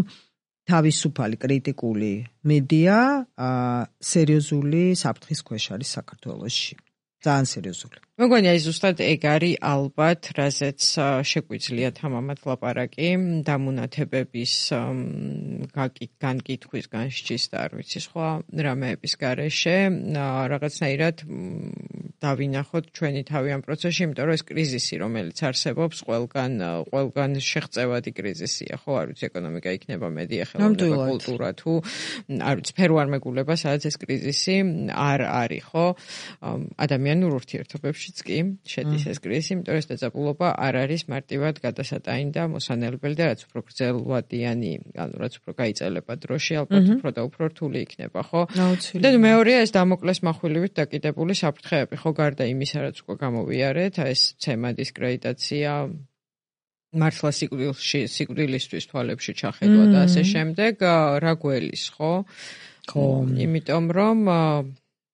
თავისუფალი კრიტიკული მედია სერიოზული საფრთხის ქვეშ არის საქართველოში. ძალიან სერიოზული.
მეგონია ის ზუსტად ეგ არის ალბათ, რაზეც შეგვიძლია თამამად ლაპარაკი დამუნათებების განკითხვის, განსჯის და არ ვიცი სხვა რამეების გარეშე, რაღაცნაირად დავინახოთ ჩვენი თავი ამ პროცესში, იმიტომ რომ ეს კრიზისი, რომელიც არსებობს, ყველგან ყველგან შეღწევადი კრიზისია, ხო, არ ვიცი, ეკონომიკა იქნება, მედია, ხელოვნება, კულტურა თუ არ ვიცი, სფეროარმეგულება, სადაც ეს კრიზისი არ არის, ხო? ადამიანურ ურთიერთობებში კი შედის ეს კრიზისი, იმიტომ რომ ეს დაძაბულობა არ არის მარტივად გადასატანი და მოსანელებელი და რაც უფრო გრძელვადიანი, ანუ რაც უფრო გაიწელება დროში, ალბათ უფრო და უფრო რთული იქნება, ხო? და მეორეა ეს დამოკლეს מחვილივით დაკიდებული საფრთხეები, ხო, გარდა იმისა, რაც უკვე გამოვიარეთ, ეს ცემა დისკრედიტაცია, მართლა სიკვდილში, სიკვდილისთვის თვალებში ჩახედვა და ასე შემდეგ, რა გველის, ხო? ხო, იმიტომ რომ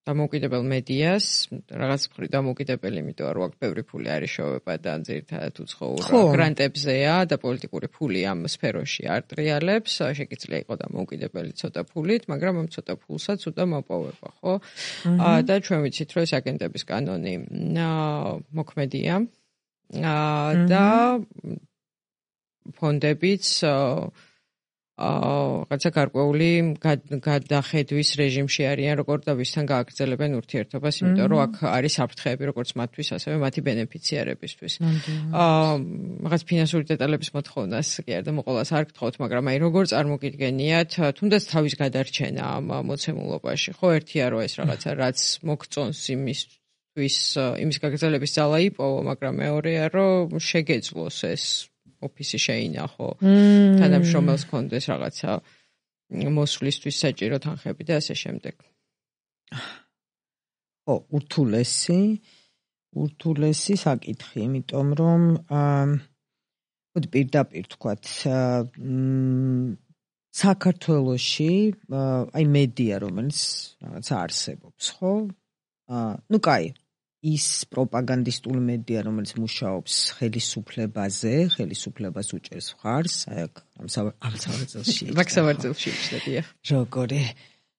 დამოუკიდებელ მედიას, რაღაც მხრივ დამოუკიდებელი, იმიტომ რომ აქ ბევრი ფული არის შოვება და ძირითადად უცხოურ გრანტებზეა და პოლიტიკური ფული ამ სფეროში არ ტრიალებს, შეგიძლია იყო დამოუკიდებელი ცოტა ფულით, მაგრამ ამ ცოტა ფულსაც უნდა მოპოვება, ხო? და ჩვენ ვიცით, რომ ეს აგენტების კანონი მოქმედია და ფონდებიც რაღაცა გარკვეული გადახედვის რეჟიმში არიან, როგორ და ვისთან გააგრძელებენ ურთიერთობას, იმიტომ რომ აქ არის საფრთხეები, როგორც მათთვის, ასევე მათი ბენეფიციარებისთვის. აა რაღაც ფინანსური დეტალების მოთხოვნას კი არ და მოყოლას არ გთხოვთ, მაგრამ აი როგორ წარმოგიდგენიათ, თუნდაც თავის გადარჩენა ამ მოცემულობაში, ხო, ერთია რომ ეს რაღაცა რაც მოგწონს იმისთვის, იმის გაგრძელების ძალა იპოვო, მაგრამ მეორეა რომ შეგეძლოს ეს ოფისი შეინახო, თანამშრომელს კონდეს რაღაცა მოსვლისთვის საჭირო თანხები და ასე შემდეგ.
ხო, ურთულესი, ურთულესი საკითხი, იმიტომ რომ ხოდი პირდაპირ თქვათ, საქართველოში აი მედია, რომელიც რაღაცა არსებობს, ხო? ნუ კაი, ის პროპაგანდისტული მედია, რომელიც მუშაობს ხელისუფლებაზე, ხელისუფლებას უჭერს მხარს, აი ამ სავარცხელში.
მაგ სავარცხელში შედია.
როგორი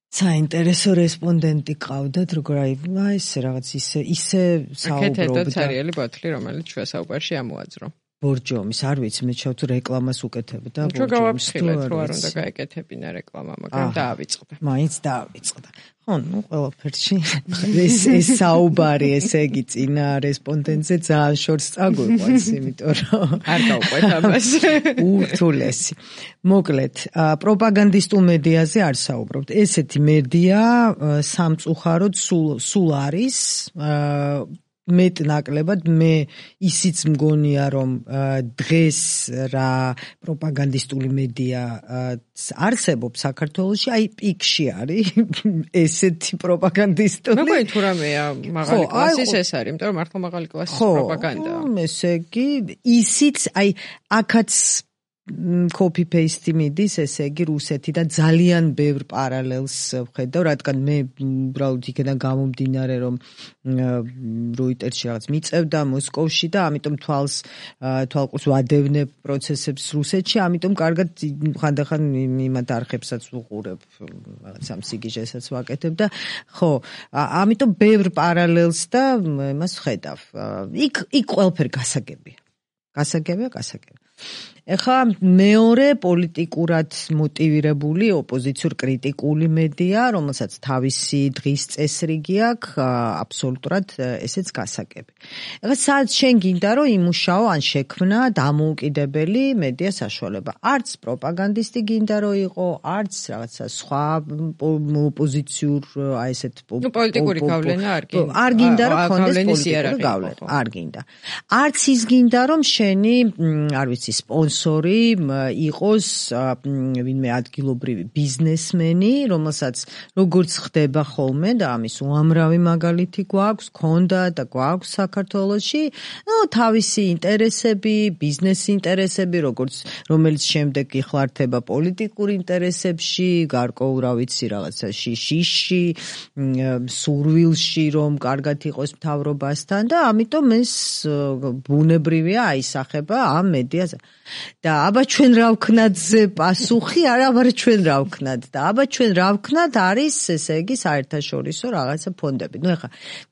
საინტერესო რესპონდენტი ყავდათ, როგორ აი ესე რაღაც ისე ისე საუბრობდა.
აკეთეთ სერიალი ბოთლი, რომელიც ჩვენ საუბარში ამოაძრო.
ბორჯომის, არ ვიცი, მე ჩავთ რეკლამას უკეთებდა
ბორჯომის. ჩვენ გავაფრთხილეთ, რომ არ უნდა გაეკეთებინა რეკლამა, მაგრამ დაავიწყდა.
მაინც დაავიწყდა. ხო, ну, ყველაფერში ეს ეს საუბარი, ესე იგი, წინა რესპონდენტზე ძალიან შორს წაგვიყვანს, იმიტომ რომ
არ გავყვეთ ამას.
ურთულესი. მოკლედ, პროპაგანდისტულ მედიაზე არ საუბრობთ. ესეთი მედია სამწუხაროდ სულ სულ არის მეტ-ნაკლებად მე ისიც მგონია რომ დღეს რა პროპაგანდისტული მედია არსებობს საქართველოში, აი პიკში არის ესეთი პროპაგანდისტული.
მეგონი თუ რამეა მაღალი კლასის ეს არის, იმიტომ რომ მართლა მაღალი კლასის პროპაგანდაა.
ხო, ესე იგი ისიც აი აქაც copy paste მიდის, ესე იგი რუსეთი და ძალიან ბევრ პარალელს ვხედავ, რადგან მე უბრალოდ იქიდან გამომდინარე რომ როიტერში რაღაც მიწევდა მოსკოვში და ამიტომ თვალს თვალყურს ვადევნებ პროცესებს რუსეთში, ამიტომ კარგად ხანდახან იმათ არხებსაც ვუყურებ, რაღაც ამ სიგიჟესაც ვაკეთებ და ხო, ამიტომ ბევრ პარალელს და იმას ვხედავ. იქ იქ ყველაფერი გასაგებია. გასაგებია, გასაგებია. ეხლა მეორე პოლიტიკურად მოტივირებული ოპოზიციურ კრიტიკული მედია, რომელსაც თავისი დღის წესრიგი აქვს, აბსოლუტურად ესეც გასაგები. ეხლა სადაც შენ გინდა რომ იმუშაო ან შექმნა დამოუკიდებელი მედია საშუალება. არც პროპაგანდისტი გინდა რომ იყო, არც რაღაცა სხვა ოპოზიციურ აი ესეთ
პოლიტიკური გავლენა არ გინდა.
არ გინდა რომ ქონდეს პოლიტიკური გავლენა, არ გინდა. არც ის გინდა რომ შენი, არ ვიცი, სპონსორი იყოს ვინმე ადგილობრივი ბიზნესმენი, რომელსაც როგორც ხდება ხოლმე და ამის უამრავი მაგალითი გვაქვს, ქონდა და გვაქვს საქართველოში, ну, თავისი ინტერესები, ბიზნეს ინტერესები, როგორც რომელიც შემდეგ იხლართება პოლიტიკურ ინტერესებში, გარკვეულ რა ვიცი რაღაცაში, შიში, სურვილში, რომ კარგად იყოს მთავრობასთან და ამიტომ ეს ბუნებრივია აისახება ამ მედიაზე. და აბა ჩვენ რა ვქნათზე პასუხი, არა აბა ჩვენ რა ვქნათ და აბა ჩვენ რა ვქნათ არის ესე იგი საერთაშორისო რაღაცა ფონდები. ნუ ეხლა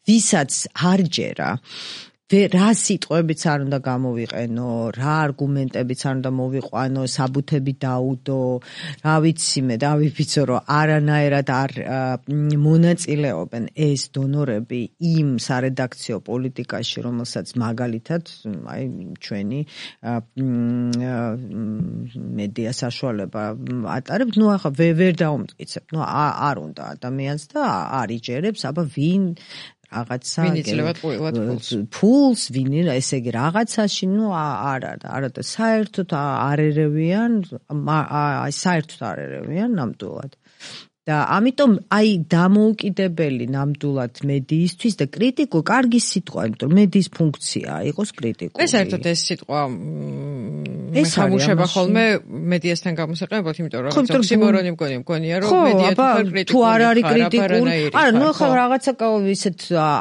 ვისაც არ ჯერა რა სიტყვებიც არ უნდა გამოვიყენო, რა არგუმენტებიც არ უნდა მოვიყვანო, საბუთები დაუდო, რა ვიცი მე, დავიფიცო რომ არანაირად არ მონაწილეობენ ეს დონორები იმ სარედაქციო პოლიტიკაში, რომელსაც მაგალითად აი ჩვენი მედია საშუალება ატარებს, ნუ ახლა ვერ დაუმტკიცებ, ნუ არ უნდა ადამიანს და არ იჯერებს, აბა ვინ რაღაცა ფულს ვინ ესე იგი რაღაცაში, ნუ არა არა და საერთოდ არ ერევიან, აი საერთოდ არ ერევიან ნამდვილად. და ამიტომ აი დამოუკიდებელი ნამდვილად მედიისთვის და კრიტიკო კარგი სიტყვა, იმიტომ რომ მედიის ფუნქციაა იყოს კრიტიკული.
ეს საერთოდ ეს სიტყვა მეხამუშება ხოლმე მედიასთან გამოსაყენებლად, იმიტომ რომ რაღაც ოქსიმორონი მგონია, მგონია რომ მედია
თუ არ არის კრიტიკული, არა, ნუ ახლა რაღაცა ისეთ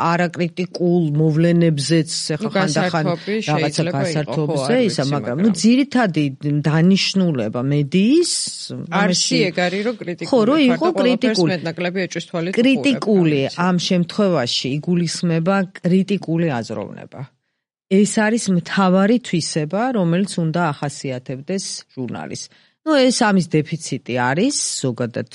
არაკრიტიკულ მოვლენებზეც ახლა ხანდახან რაღაცა გასართობზე ისა, მაგრამ ნუ ძირითადი დანიშნულება მედიის
არსი ეგ არის რომ კრიტიკული.
ხო, რომ იყო კრიტიკული
მეტნაკლები ეჭვის თვალით
კრიტიკული ამ შემთხვევაში იგულისხმება კრიტიკული აზროვნება. ეს არის მთავარი თვისება, რომელიც უნდა ახასიათებდეს ჟურნალისტს. ну ეს ამის დეფიციტი არის ზოგადად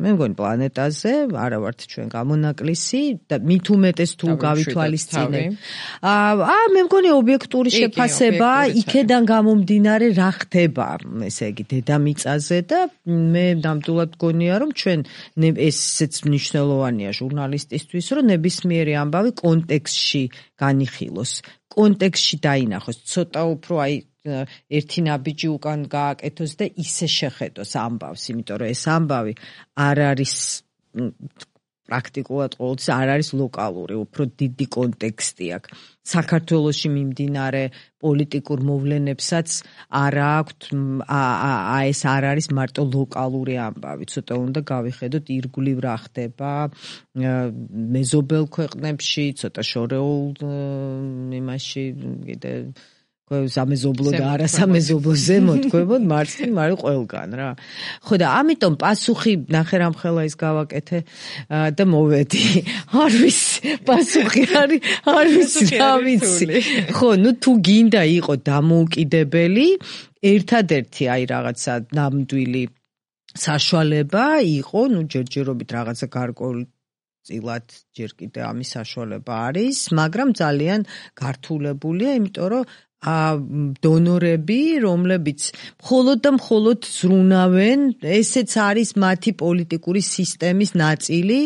მე მგონი პლანეტაზე, არა ვართ ჩვენ გამონაკლისი და მით უმეტეს თუ გავითვალისწინებ. აა მე მგონი ობიექტური შეფასება იქედან გამომდინარე რა ხდება, ესე იგი დედამიწაზე და მე ნამდვილად მგონია რომ ჩვენ ესეც მნიშვნელოვანია ჟურნალისტისთვის, რომ ნებისმიერი ამბავი კონტექსტში განიხილოს, კონტექსტში დაინახოს, ცოტა უფრო აი ერთი ნაბიჯი უკან გააკეთოს და ისე შეხედოს ამბავს, იმიტომ რომ ეს ამბავი არ არის პრაქტიკულად ყოველთვის არ არის ლოკალური, უფრო დიდი კონტექსტი აქვს. საქართველოში მიმდინარე პოლიტიკურ მოვლენებსაც არ აქვთ, აი ეს არ არის მარტო ლოკალური ამბავი, ცოტა უნდა გავიხედოთ ირგვლივ რა ხდება მეზობელ ქვეყნებში, ცოტა შორეულ იმაში კიდე სამეზობლო და არასამეზობლო ზემოთქვებოდ მარცხნივ არის ყველგან რა. ხო და ამიტომ პასუხი ნახერამხელა ის გავაკეთე და მოვედი. არ ვიცი, პასუხი არის, არ ვიცი, რა ვიცი. ხო, ნუ თუ გინდა იყო დამოუკიდებელი, ერთადერთი აი რაღაცა ნამდვილი საშუალება იყო, ნუ ჯერჯერობით რაღაცა გარკვეული წილად ჯერ კიდე ამის საშუალება არის, მაგრამ ძალიან გართულებულია, იმიტომ რომ დონორები, რომლებიც მხოლოდ და მხოლოდ ზრუნავენ, ესეც არის მათი პოლიტიკური სისტემის ნაწილი,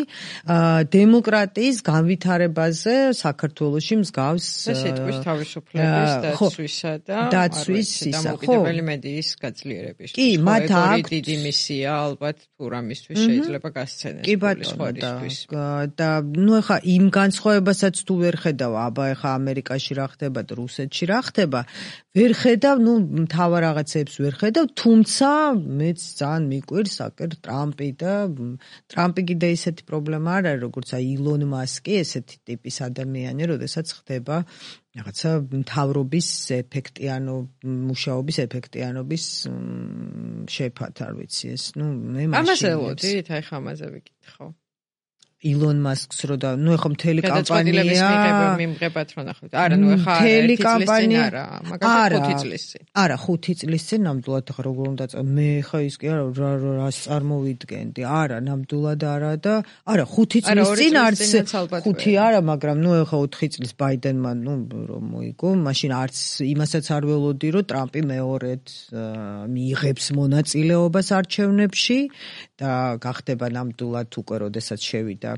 დემოკრატიის განვითარებაზე საქართველოში მსგავს
სიტყვის თავისუფლების დაცვისა და დამოუკიდებელი მედიის გაძლიერების.
კი, მათ აქვს
დიდი მისია ალბათ თუ რამისთვის შეიძლება გასცენეს
პოლისხორისთვის. და ნუ ეხა იმ განსხვავებასაც თუ ვერ ხედავ, აბა ეხა ამერიკაში რა ხდება და რუსეთში რა ხდება ვერ ხედავ, ნუ მთავარ რაღაცებს ვერ ხედავ, თუმცა მეც ძალიან მიკვირს აკერ ტრამპი და ტრამპი კიდე ისეთი პრობლემა არ არის, როგორც აი ილონ მასკი, ესეთი ტიპის ადამიანი, როდესაც ხდება რაღაცა მთავრობის ეფექტიანო მუშაობის ეფექტიანობის შეფათ, არ ვიცი ეს, ნუ მე მაშინ
ამაზე ელოდით, აი ხამაზე ვიკითხო.
ილონ მასკს რო და ნუ ეხა მთელი კამპანია
მიმღებათ რო ნახოთ. არა, ნუ ეხა ერთი წლის წინ არა, მაგრამ ხუთი წლის წინ.
არა, ხუთი წლის წინ ნამდვილად ეხა როგორ უნდა წა მე ეხა ის კი არა რას წარმოვიდგენდი. არა, ნამდვილად არა და არა, ხუთი წლის წინ არც ხუთი არა, მაგრამ ნუ ეხა ოთხი წლის ბაიდენმა ნუ რომ მოიგო, მაშინ არც იმასაც არ ველოდი რომ ტრამპი მეორედ მიიღებს მონაწილეობას არჩევნებში და გახდება ნამდვილად უკვე როდესაც შევიდა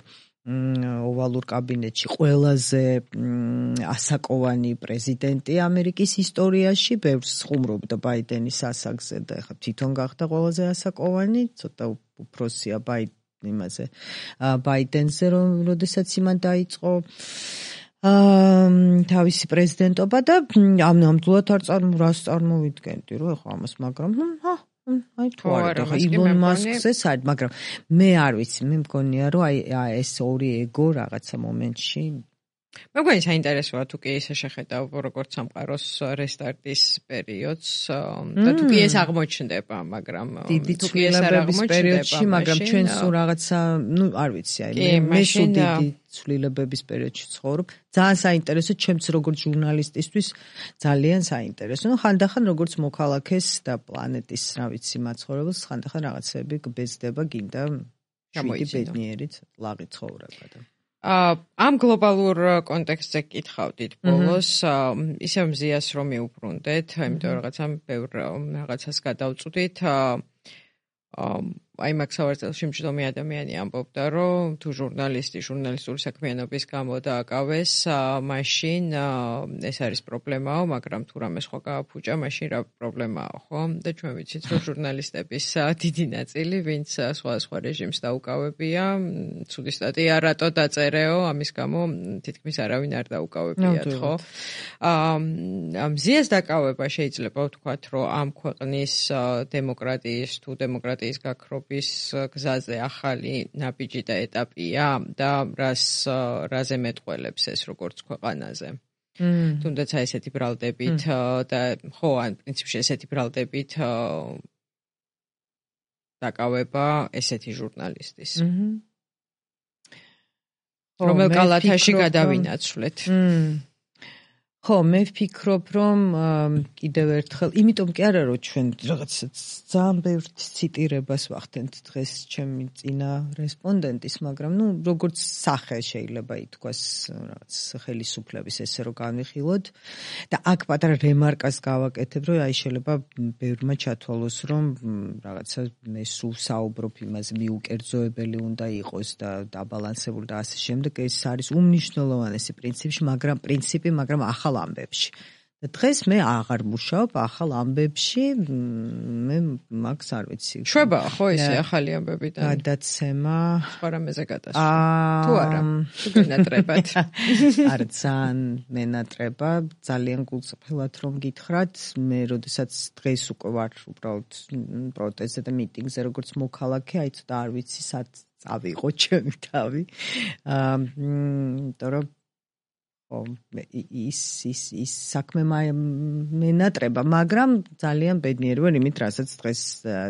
ოვალურ კაბინეტში ყველაზე ასაკოვანი პრეზიდენტი ამერიკის ისტორიაში, ბევრს ხუმრობდა ბაიდენის ასაკზე და ეხლა თვითონ გახდა ყველაზე ასაკოვანი, ცოტა უფროსია იმაზე ბაიდენზე, რომ როდესაც იმან დაიწყო თავისი პრეზიდენტობა და ამ ნამდვილად არ რას წარმოვიდგენდი რომ ეხლა ამას, მაგრამ აი თუ არა და ილონ მასკზე საერთოდ, მაგრამ მე არ ვიცი, მე მგონია რომ აი ეს ორი ეგო რაღაცა მომენტში
მე მგონი საინტერესოა თუ კი ისე შეხედავ როგორც სამყაროს რესტარტის პერიოდს და თუ კი ეს აღმოჩნდება, მაგრამ
თუ კი ეს არ აღმოჩნდება, მაგრამ ჩვენ სულ რაღაცა, ნუ არ ვიცი, აი მე სულ დიდი ცვლილებების პერიოდში ცხოვრობ. ძალიან საინტერესო, ჩემც როგორც ჟურნალისტისთვის ძალიან საინტერესო. ნუ ხანდახან როგორც მოქალაქეს და პლანეტის, რა ვიცი, მაცხოვრებელს ხანდახან რაღაცები გბეზდება, გინდა შვიდი ბედნიერით ლაღი ცხოვრება და
ამ გლობალურ კონტექსტზე კითხავდით ბოლოს, ისევ მზიას რომ მიუბრუნდეთ, იმიტომ რომ რაღაცა ბევრ რაღაცას გადავწვდით. აი მაგ სავარცხელში მჯდომი ადამიანი ამბობდა, რომ თუ ჟურნალისტი ჟურნალისტური საქმიანობის გამო დააკავეს, მაშინ ეს არის პრობლემაო, მაგრამ თუ რამე სხვა გააფუჭა, მაშინ რა პრობლემაო, ხო? და ჩვენ ვიცით, რომ ჟურნალისტების დიდი ნაწილი, ვინც სხვადასხვა რეჟიმს დაუკავებია, ცუდი სტატია რატო დაწერეო, ამის გამო თითქმის არავინ არ დაუკავებიათ, ხო? მზიას დაკავება შეიძლება ვთქვათ, რომ ამ ქვეყნის დემოკრატიის თუ დემოკრატიის გაქრობა გზაზე ახალი ნაბიჯი და ეტაპია და რას რაზე მეტყველებს ეს როგორც ქვეყანაზე. თუნდაც ესეთი ბრალდებით და ხო, ან პრინციპში ესეთი ბრალდებით დაკავება ესეთი ჟურნალისტის. რომელ კალათაში გადავინაცვლეთ.
ხო, მე ვფიქრობ, რომ კიდევ ერთხელ, იმიტომ კი არა, რომ ჩვენ რაღაც ძალიან ბევრ ციტირებას ვახდენთ დღეს ჩემი წინა რესპონდენტის, მაგრამ ნუ როგორც სახე შეიძლება ითქვას, რაღაც ხელისუფლების ესე რომ განვიხილოთ და აქ პატარა რემარკას გავაკეთებ, რომ აი შეიძლება ბევრმა ჩათვალოს, რომ რაღაცა მე სულ საუბრობ იმაზე, მიუკერძოებელი უნდა იყოს და დაბალანსებული და ასე შემდეგ. ეს არის უმნიშვნელოვანესი პრინციპი, მაგრამ პრინციპი, მაგრამ ახალ ამბებში. და დღეს მე აღარ მუშაობ ახალ ამბებში, მე მაგს არ ვიცი.
შვება ხო ისე ახალი ამბებიდან?
გადაცემა
სხვა რამეზე გადასვლა. თუ არა, თუ გენატრებად.
არ ძალიან მენატრება, ძალიან გულწრფელად რომ გითხრათ, მე როდესაც დღეს უკვე ვარ უბრალოდ პროტესტზე და მიტინგზე როგორც მოქალაქე, აი ცოტა არ ვიცი სად წავიღო ჩემი თავი. აა, იმიტომ რომ ო ის ის ის საქმე მენატრება, მაგრამ ძალიან ბედნიერი ვარ იმით, რასაც დღეს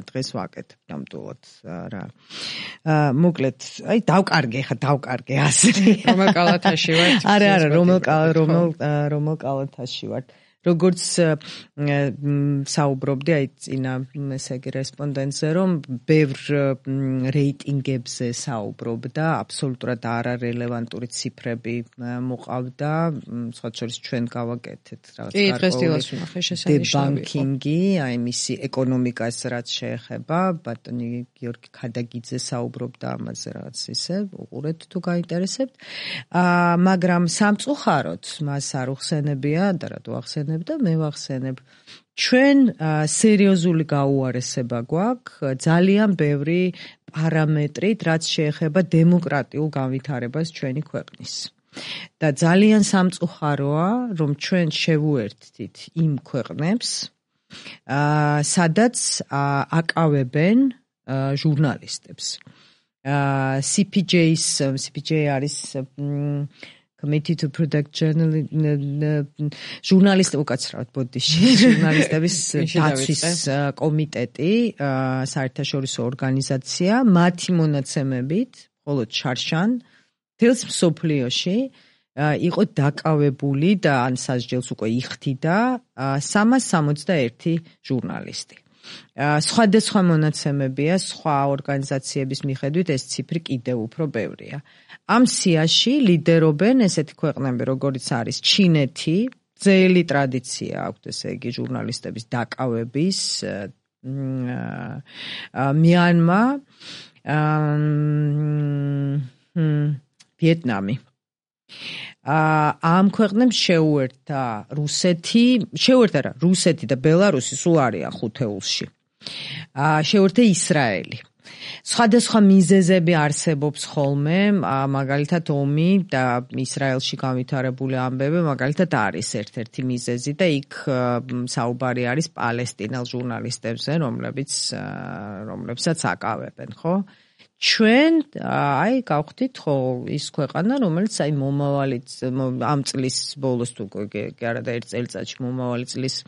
დღეს ვაკეთებ ნამდვილად რა. აა მოკლედ, აი დავკარგე ხა, დავკარგე ასე.
რომელ კალათაში ვარ?
არა, არა, რომელ რომელ რომელ კალათაში ვარ. როგორც საუბრობდი აი წინა ესე იგი რესპონდენტზე, რომ ბევრ რეიტინგებზე საუბრობდა, აბსოლუტურად არარელევანტური ციფრები მოყავდა, სხვა შორის ჩვენ გავაკეთეთ რაღაც
კი, დღეს დილას ვნახე შესანიშნავი.
დებანკინგი, აი მისი ეკონომიკას რაც შეეხება, ბატონი გიორგი ქადაგიძე საუბრობდა ამაზე რაღაც ისე, უყურეთ თუ გაინტერესებთ. აა მაგრამ სამწუხაროდ მას არ უხსენებია და რატო ახსენებ და მე ვახსენებ ჩვენ სერიოზული გაუარესება გვაქვს ძალიან ბევრი პარამეტრით რაც შეეხება დემოკრატიულ განვითარებას ჩვენი ქვეყნის და ძალიან სამწუხაროა რომ ჩვენ შევუერთდით იმ ქვეყნებს სადაც აკავებენ ჟურნალისტებს C P J-ის C P J არის Committee to Protect Journalism ჟურნალისტები უკაცრავად ბოდიში ჟურნალისტების დაცვის კომიტეტი საერთაშორისო ორგანიზაცია მათი მონაცემებით მხოლოდ შარშან თელს მსოფლიოში იყო დაკავებული და ან სასჯელს უკვე იხდიდა სამას სამოცდაერთი ჟურნალისტი სხვადასხვა მონაცემებია სხვა ორგანიზაციების მიხედვით ეს ციფრი კიდევ უფრო ბევრია ამ სიაში ლიდერობენ ესეთი ქვეყნები როგორიც არის ჩინეთი ძელი ტრადიცია აქვს ესე იგი ჟურნალისტების დაკავების მიანმა ვიეტნამი ამ ქვეყნებს შეუერთა რუსეთი შეუერთა რა რუსეთი და ბელარუსი სულ არიან ხუთეულში შეუერთა ისრაელი სხვადასხვა მიზეზები არსებობს ხოლმე, მაგალითად ომი და ისრაელში განვითარებული ამბები, მაგალითად არის ერთ-ერთი მიზეზი და იქ საუბარი არის პალესტინელ ჟურნალისტებზე, რომლებიც რომლებსაც აკავებენ, ხო? ჩვენ აი გავხდით ხო ის ქვეყანა, რომელიც აი მომავალი ამ წლის ბოლოს თუ კი არა და ერთ წელიწადში მომავალი წლის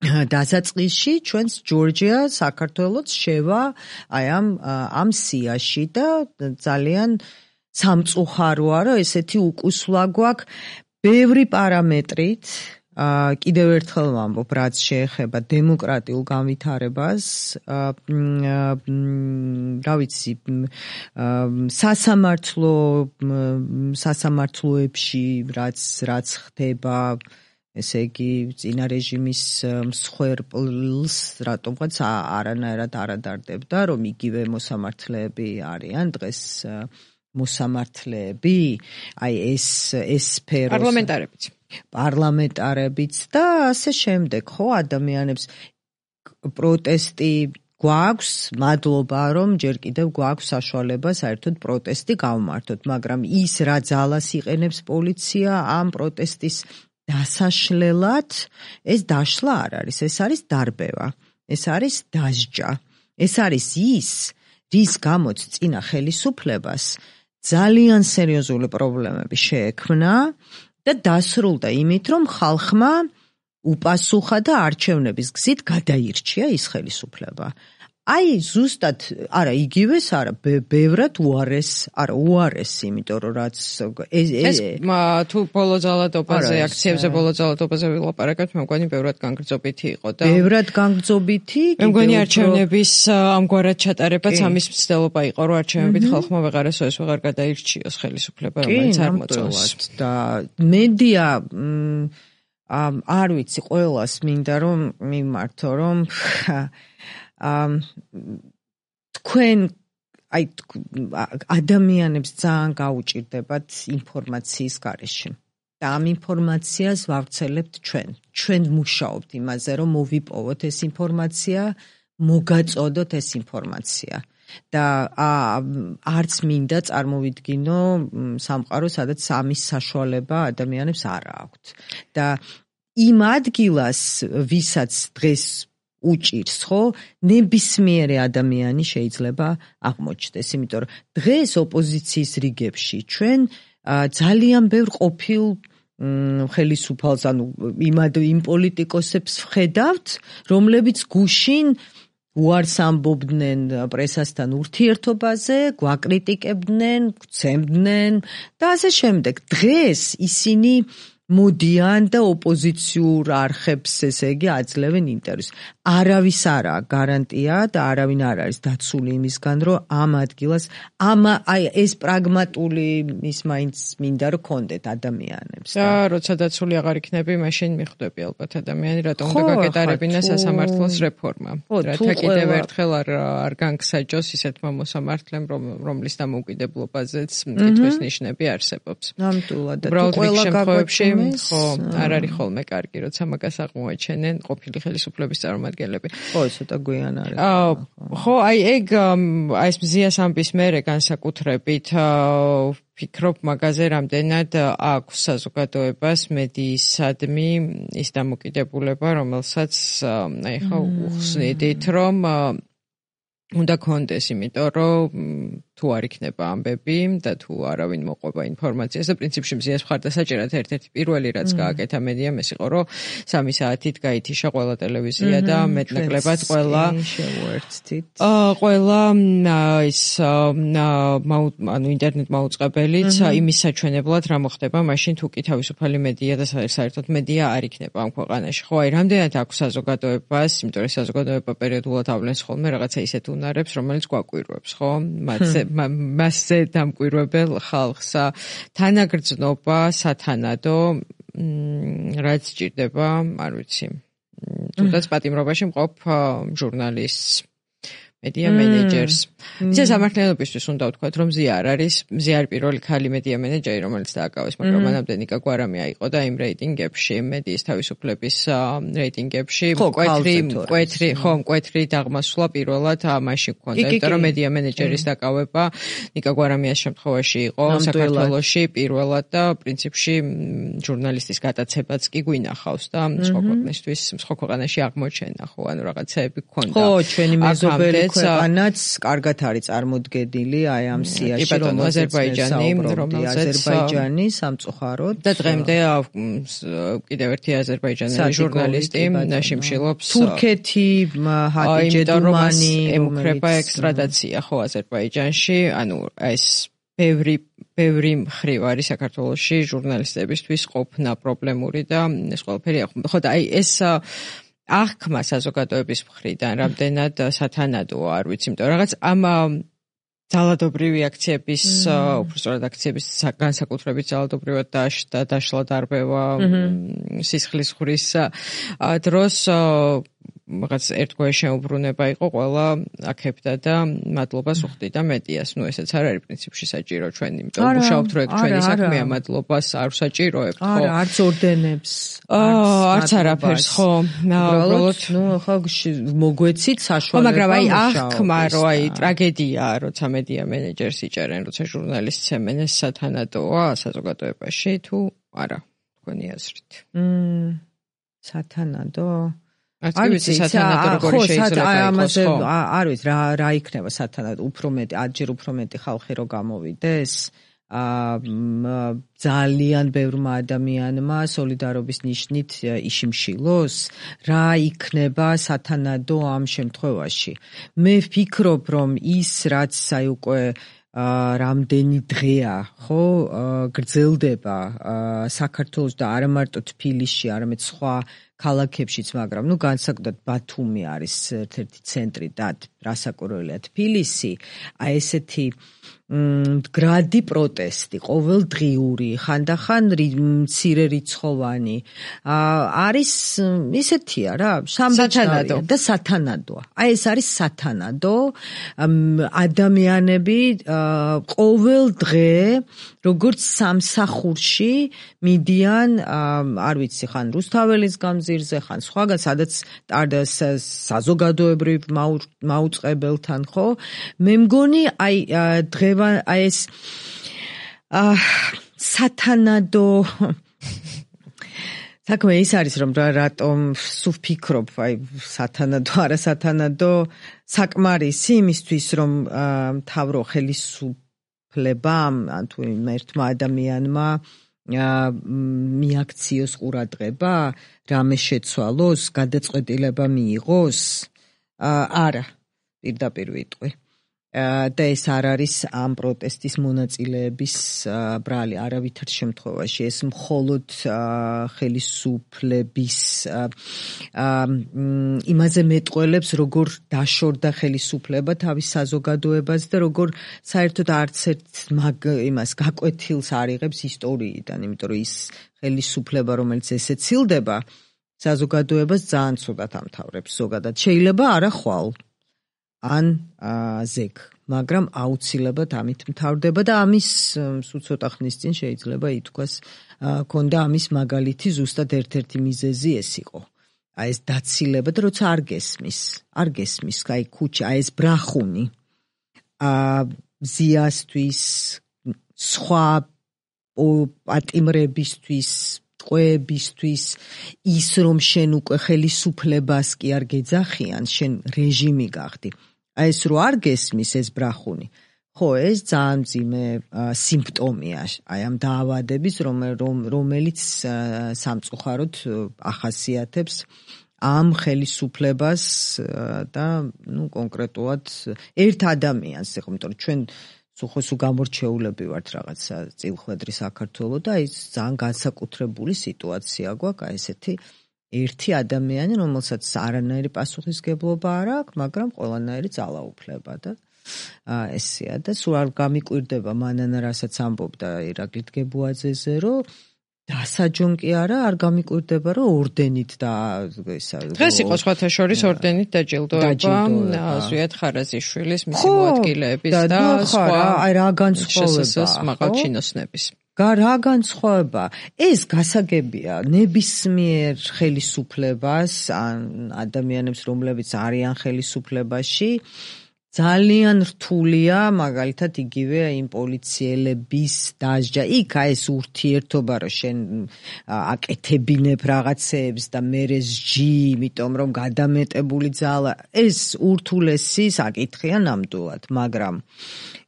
დასაწყისში ჩვენს ჯორჯია საქართველოს შევა აი ამ ამ სიაში და ძალიან სამწუხაროა რომ ესეთი უკუსვლა გვაქვს ბევრი პარამეტრით კიდევ ერთხელ ვამბობ რაც შეეხება დემოკრატიულ განვითარებას რა ვიცი სასამართლო სასამართლოებში რაც რაც ხდება ესე იგი წინა რეჟიმის მსხვერპლს რატომღაც არანაირად არ ადარდებდა რომ იგივე მოსამართლეები არიან დღეს მოსამართლეები აი ეს ეს სფერო
პარლამენტარებიც
პარლამენტარებიც და ასე შემდეგ ხო ადამიანებს პროტესტი გვაქვს მადლობა რომ ჯერ კიდევ გვაქვს საშუალება საერთოდ პროტესტი გავმართოთ მაგრამ ის რა ძალას იყენებს პოლიცია ამ პროტესტის დასაშლელად ეს დაშლა არ არის, ეს არის დარბევა, ეს არის დასჯა, ეს არის ის, რის გამოც წინა ხელისუფლებას ძალიან სერიოზული პრობლემები შეექმნა და დასრულდა იმით, რომ ხალხმა უპასუხა და არჩევნების გზით გადაირჩია ის ხელისუფლება. აი ზუსტად არა იგივეს არა ბევრად უარეს არა უარეს იმიტომ რომ რაც
ეს თუ ბოლო ძალადობაზე აქციებზე ბოლო ძალადობაზე ვილაპარაკებთ მე მგონი ბევრად განგრძობითი იყო და
ბევრად განგრძობითი
მე მგონი არჩევნების ამგვარად ჩატარებაც ამის მცდელობა იყო რომ არჩევნებით ხალხმა ვეღარ ესოს ვეღარ გადაირჩიოს ხელისუფლება რომელიც არ მოწონს
და მედია არ ვიცი ყველას მინდა რომ მიმართო რომ ამ თქვენ აი ადამიანებს ძალიან გაუჭირდებათ ინფორმაციის გარეშე. და ამ ინფორმაციას ვავრცელებთ ჩვენ. ჩვენ მუშაობთ იმაზე, რომ მოვიპოვოთ ეს ინფორმაცია, მოგაწოდოთ ეს ინფორმაცია. და არც მინდა წარმოვიდგინო სამყარო, სადაც ამის საშუალება ადამიანებს არ აქვთ. და იმ ადგილას, ვისაც დღეს უჭირს, ხო, ნებისმიერი ადამიანი შეიძლება აღმოჩნდეს, იმიტომ რომ დღეს ოპოზიციის რიგებში ჩვენ ძალიან ბევრ ყოფილ ხელისუფალს, ანუ იმ პოლიტიკოსებს ვხედავთ, რომლებიც გუშინ უარს ამბობდნენ პრესასთან ურთიერთობაზე, გვაკრიტიკებდნენ, გვცემდნენ და ასე შემდეგ. დღეს ისინი მოდიან და ოპოზიციურ არხებს, ესე იგი, აძლევენ ინტერვიუს. არავის არაა გარანტია და არავინ არ არის დაცული იმისგან, რომ ამ ადგილას ამ აი ეს პრაგმატული ის მაინც მინდა რომ კონდეთ ადამიანებს.
და როცა დაცული აღარ იქნები, მაშინ მიხვდები ალბათ ადამიანი, რატომ უნდა გაკეტარებინა სასამართლოს რეფორმა. რათა კიდევ ერთხელ არ არ განგსაჯოს ისეთმა მოსამართლემ, რომლის დამოუკიდებლობაზეც კითხვის ნიშნები არსებობს.
ნამდვილად და ყველა
შემთხვევებში ხო, არ არის ხოლმე კარგი, როცა მაგას აღმოაჩენენ ყოფილი ხელისუფლების წარმომადგენლები.
ხო, ცოტა გვიან არის.
ხო, აი ეგ აი ეს მზიას ამბის მერე განსაკუთრებით ვფიქრობ მაგაზე, რამდენად აქვს საზოგადოებას მედიისადმი ის დამოკიდებულება, რომელსაც აი ხა უხსნიდით, რომ უნდა კონდეს, იმიტომ რომ თუ არ იქნება ამბები და თუ არავინ მოყვება ინფორმაციას და პრინციპში მზიას მხარდასაჭერად ერთ-ერთი პირველი რაც გააკეთა მედიამ ეს იყო, რომ სამი საათით გაითიშა ყველა ტელევიზია და მეტნაკლებად ყველა ყველა ის ანუ ინტერნეტ მაუწყებელიც იმის საჩვენებლად რა მოხდება მაშინ თუ კი თავისუფალი მედია და საერთოდ მედია არ იქნება ამ ქვეყანაში. ხო, აი რამდენად აქვს საზოგადოებას, იმიტომ რომ საზოგადოება პერიოდულად ავლენს ხოლმე რაღაცა ისეთ უნარებს, რომელიც გვაკვირვებს, ხო? მათზე მასზე დამკვირვებელ ხალხს თანაგრძნობა სათანადო რაც სჭირდება, არ ვიცი. თუნდაც პატიმრობაში მყოფ ჟურნალისტს, მედია მენეჯერს. ისე სამართლიანობისთვის უნდა ვთქვათ, რომ მზია არ არის, მზია არის პირველი ქალი მედია მენეჯერი, რომელიც დააკავეს, მაგრამ მანამდე ნიკა გვარამია იყო და იმ რეიტინგებში, მედიის თავისუფლების რეიტინგებში, მკვეთრი, მკვეთრი, ხო, მკვეთრი დაღმასვლა პირველად მაშინ გქონდა, იმიტომ რომ მედია მენეჯერის დაკავება ნიკა გვარამიას შემთხვევაში იყო საქართველოში პირველად და პრინციპში ჟურნალისტის გატაცებაც კი გვინახავს და სხვა ქვეყნისთვის, სხვა ქვეყანაში აღმოჩენა, ხო, ანუ რაღაცეები გქონდა.
ხო, ჩვენი მეზობელი ქვეყანაც კარგად არის წარმოდგენილი აი ამ სიაში,
რომელსაც აზერბაიჯანი,
რომელსაც აზერბაიჯანი სამწუხაროდ
და დღემდე კიდევ ერთი აზერბაიჯანელი ჟურნალისტი შიმშილობს
თურქეთი, ჰაჯიდუმანი
ემუქრება ექსტრადაცია ხო აზერბაიჯანში, ანუ ეს ბევრი ბევრი მხრივ არის საქართველოში ჟურნალისტებისთვის ყოფნა პრობლემური და ეს ყველაფერი ხო და აი ეს აღქმა საზოგადოების მხრიდან რამდენად სათანადოა, არ ვიცი, იმიტომ რაღაც ამ ძალადობრივი აქციების, უბრალოდ აქციების განსაკუთრებით ძალადობრივად დაშლა, დაშლა დარბევა, სისხლის ხურის დროს რაღაც ერთგვარი შეუბრუნება იყო ყველა აქებდა და მადლობას უხდიდა მედიას. ნუ ესეც არ არის პრინციპში საჭირო ჩვენ, იმიტომ მუშაობთ რო ეგ ჩვენი საქმეა, მადლობას არ ვსაჭიროებთ, ხო?
არა, არც ორდენებს,
არც არაფერს, ხო.
უბრალოდ, ნუ ხო მოგვეცით საშუალება.
მაგრამ აი აღქმა, რომ აი ტრაგედია, როცა მედია მენეჯერს იჭერენ, როცა ჟურნალისტს ემენ, ეს სათანადოა საზოგადოებაში თუ არა, თქვენი აზრით.
მმ, სათანადო
არ ვიცი სათანადო როგორი შეიძლება იყოს, ხო?
არ ვიცი რა რა იქნება სათანადო, უფრო მეტი, ადჯერ უფრო მეტი ხალხი რო გამოვიდეს, აა ძალიან ბევრმა ადამიანმა სოლიდარობის ნიშნით იშიმშილოს, რა იქნება სათანადო ამ შემთხვევაში. მე ვფიქრობ, რომ ის რაც აი უკვე რამდენი დღეა, ხო, გრძელდება საქართველოს და არა მარტო თბილისში, არამედ სხვა ქალაქებშიც, მაგრამ ნუ განსაკუთრებით ბათუმი არის ერთ-ერთი ცენტრი და რასაკვირველია თბილისი, აი ესეთი მდგრადი პროტესტი, ყოველდღიური, ხანდახან მცირე რიცხოვანი. არის ისეთია რა, შამბეჭდავია და სათანადოა. აი ეს არის სათანადო. ადამიანები ყოველ დღე როგორც სამსახურში მიდიან, არ ვიცი, ხან რუსთაველის გამზირზე, ხან სხვაგან, სადაც საზოგადოებრივ მაუწყებელთან, ხო? მე მგონი აი დღე აი ეს სათანადო საქმე ის არის რომ რატომ სულ ვფიქრობ აი სათანადო არა სათანადო საკმარისი იმისთვის რომ მთავრო ხელისუფლებამ ან თუ ერთმა ადამიანმა მიაქციოს ყურადღება რამე შეცვალოს გადაწყვეტილება მიიღოს არა პირდაპირ ვიტყვი და ეს არ არის ამ პროტესტის მონაწილეების ბრალი არავითარ შემთხვევაში ეს მხოლოდ ხელისუფლების იმაზე მეტყველებს როგორ დაშორდა ხელისუფლება თავის საზოგადოებას და როგორ საერთოდ არც ერთ იმას გაკვეთილს არ იღებს ისტორიიდან იმიტომ რომ ის ხელისუფლება რომელიც ესე ცილდება საზოგადოებას ძალიან ცუდად ამთავრებს ზოგადად შეიძლება არა ხვალ ან ზეგ, მაგრამ აუცილებლად ამით მთავრდება და ამის სულ ცოტა ხნის წინ შეიძლება ითქვას, ქონდა ამის მაგალითი ზუსტად ერთ-ერთი მიზეზი ეს იყო. აი ეს დაცილება და როცა არ გესმის, არ გესმის, აი ქუჩა, აი ეს ბრახუნი, ზიასთვის, სხვა პატიმრებისთვის, ტყვეებისთვის, ის რომ შენ უკვე ხელისუფლებას კი არ გეძახიან, შენ რეჟიმი გახდი. აი ეს რო არ გესმის ეს ბრახუნი. ხო, ეს ძალიან მძიმე სიმპტომია აი ამ დაავადების, რომელიც სამწუხაროდ ახასიათებს ამ ხელისუფლებას და ნუ კონკრეტულად ერთ ადამიანს, ხო, იმიტომ რომ ჩვენ სულ სულ გამორჩეულები ვართ რაღაცა წილხვედრი საქართველოს და ის ძალიან განსაკუთრებული სიტუაცია გვაქვს, აი ესეთი ერთი ადამიანი, რომელსაც არანაირი პასუხისგებლობა არ აქვს, მაგრამ ყველანაირი ძალაუფლება და ესეა და სულ არ გამიკვირდება მანანა რასაც ამბობდა ირაკლი დგებუაძეზე, რომ დასაჯონ კი არა, არ გამიკვირდება, რომ ორდენით და ისა
დღეს იყო სხვათა შორის ორდენით დაჯილდოება ზვიად ხარაზიშვილის მისი მოადგილეების და სხვა
აი რა განსხვავება
მაღალჩინოსნების
რა განსხვავება ეს გასაგებია ნებისმიერ ხელისუფლებას ან ადამიანებს რომლებიც არიან ხელისუფლებაში ძალიან რთულია მაგალითად იგივე იმ პოლიციელების დასჯა იქ აი ეს ურთიერთობა რომ შენ აკეთებინებ რაღაცეებს და მერე სჯი იმიტომ რომ გადამეტებული ძალა ეს ურთულესი საკითხია ნამდვილად მაგრამ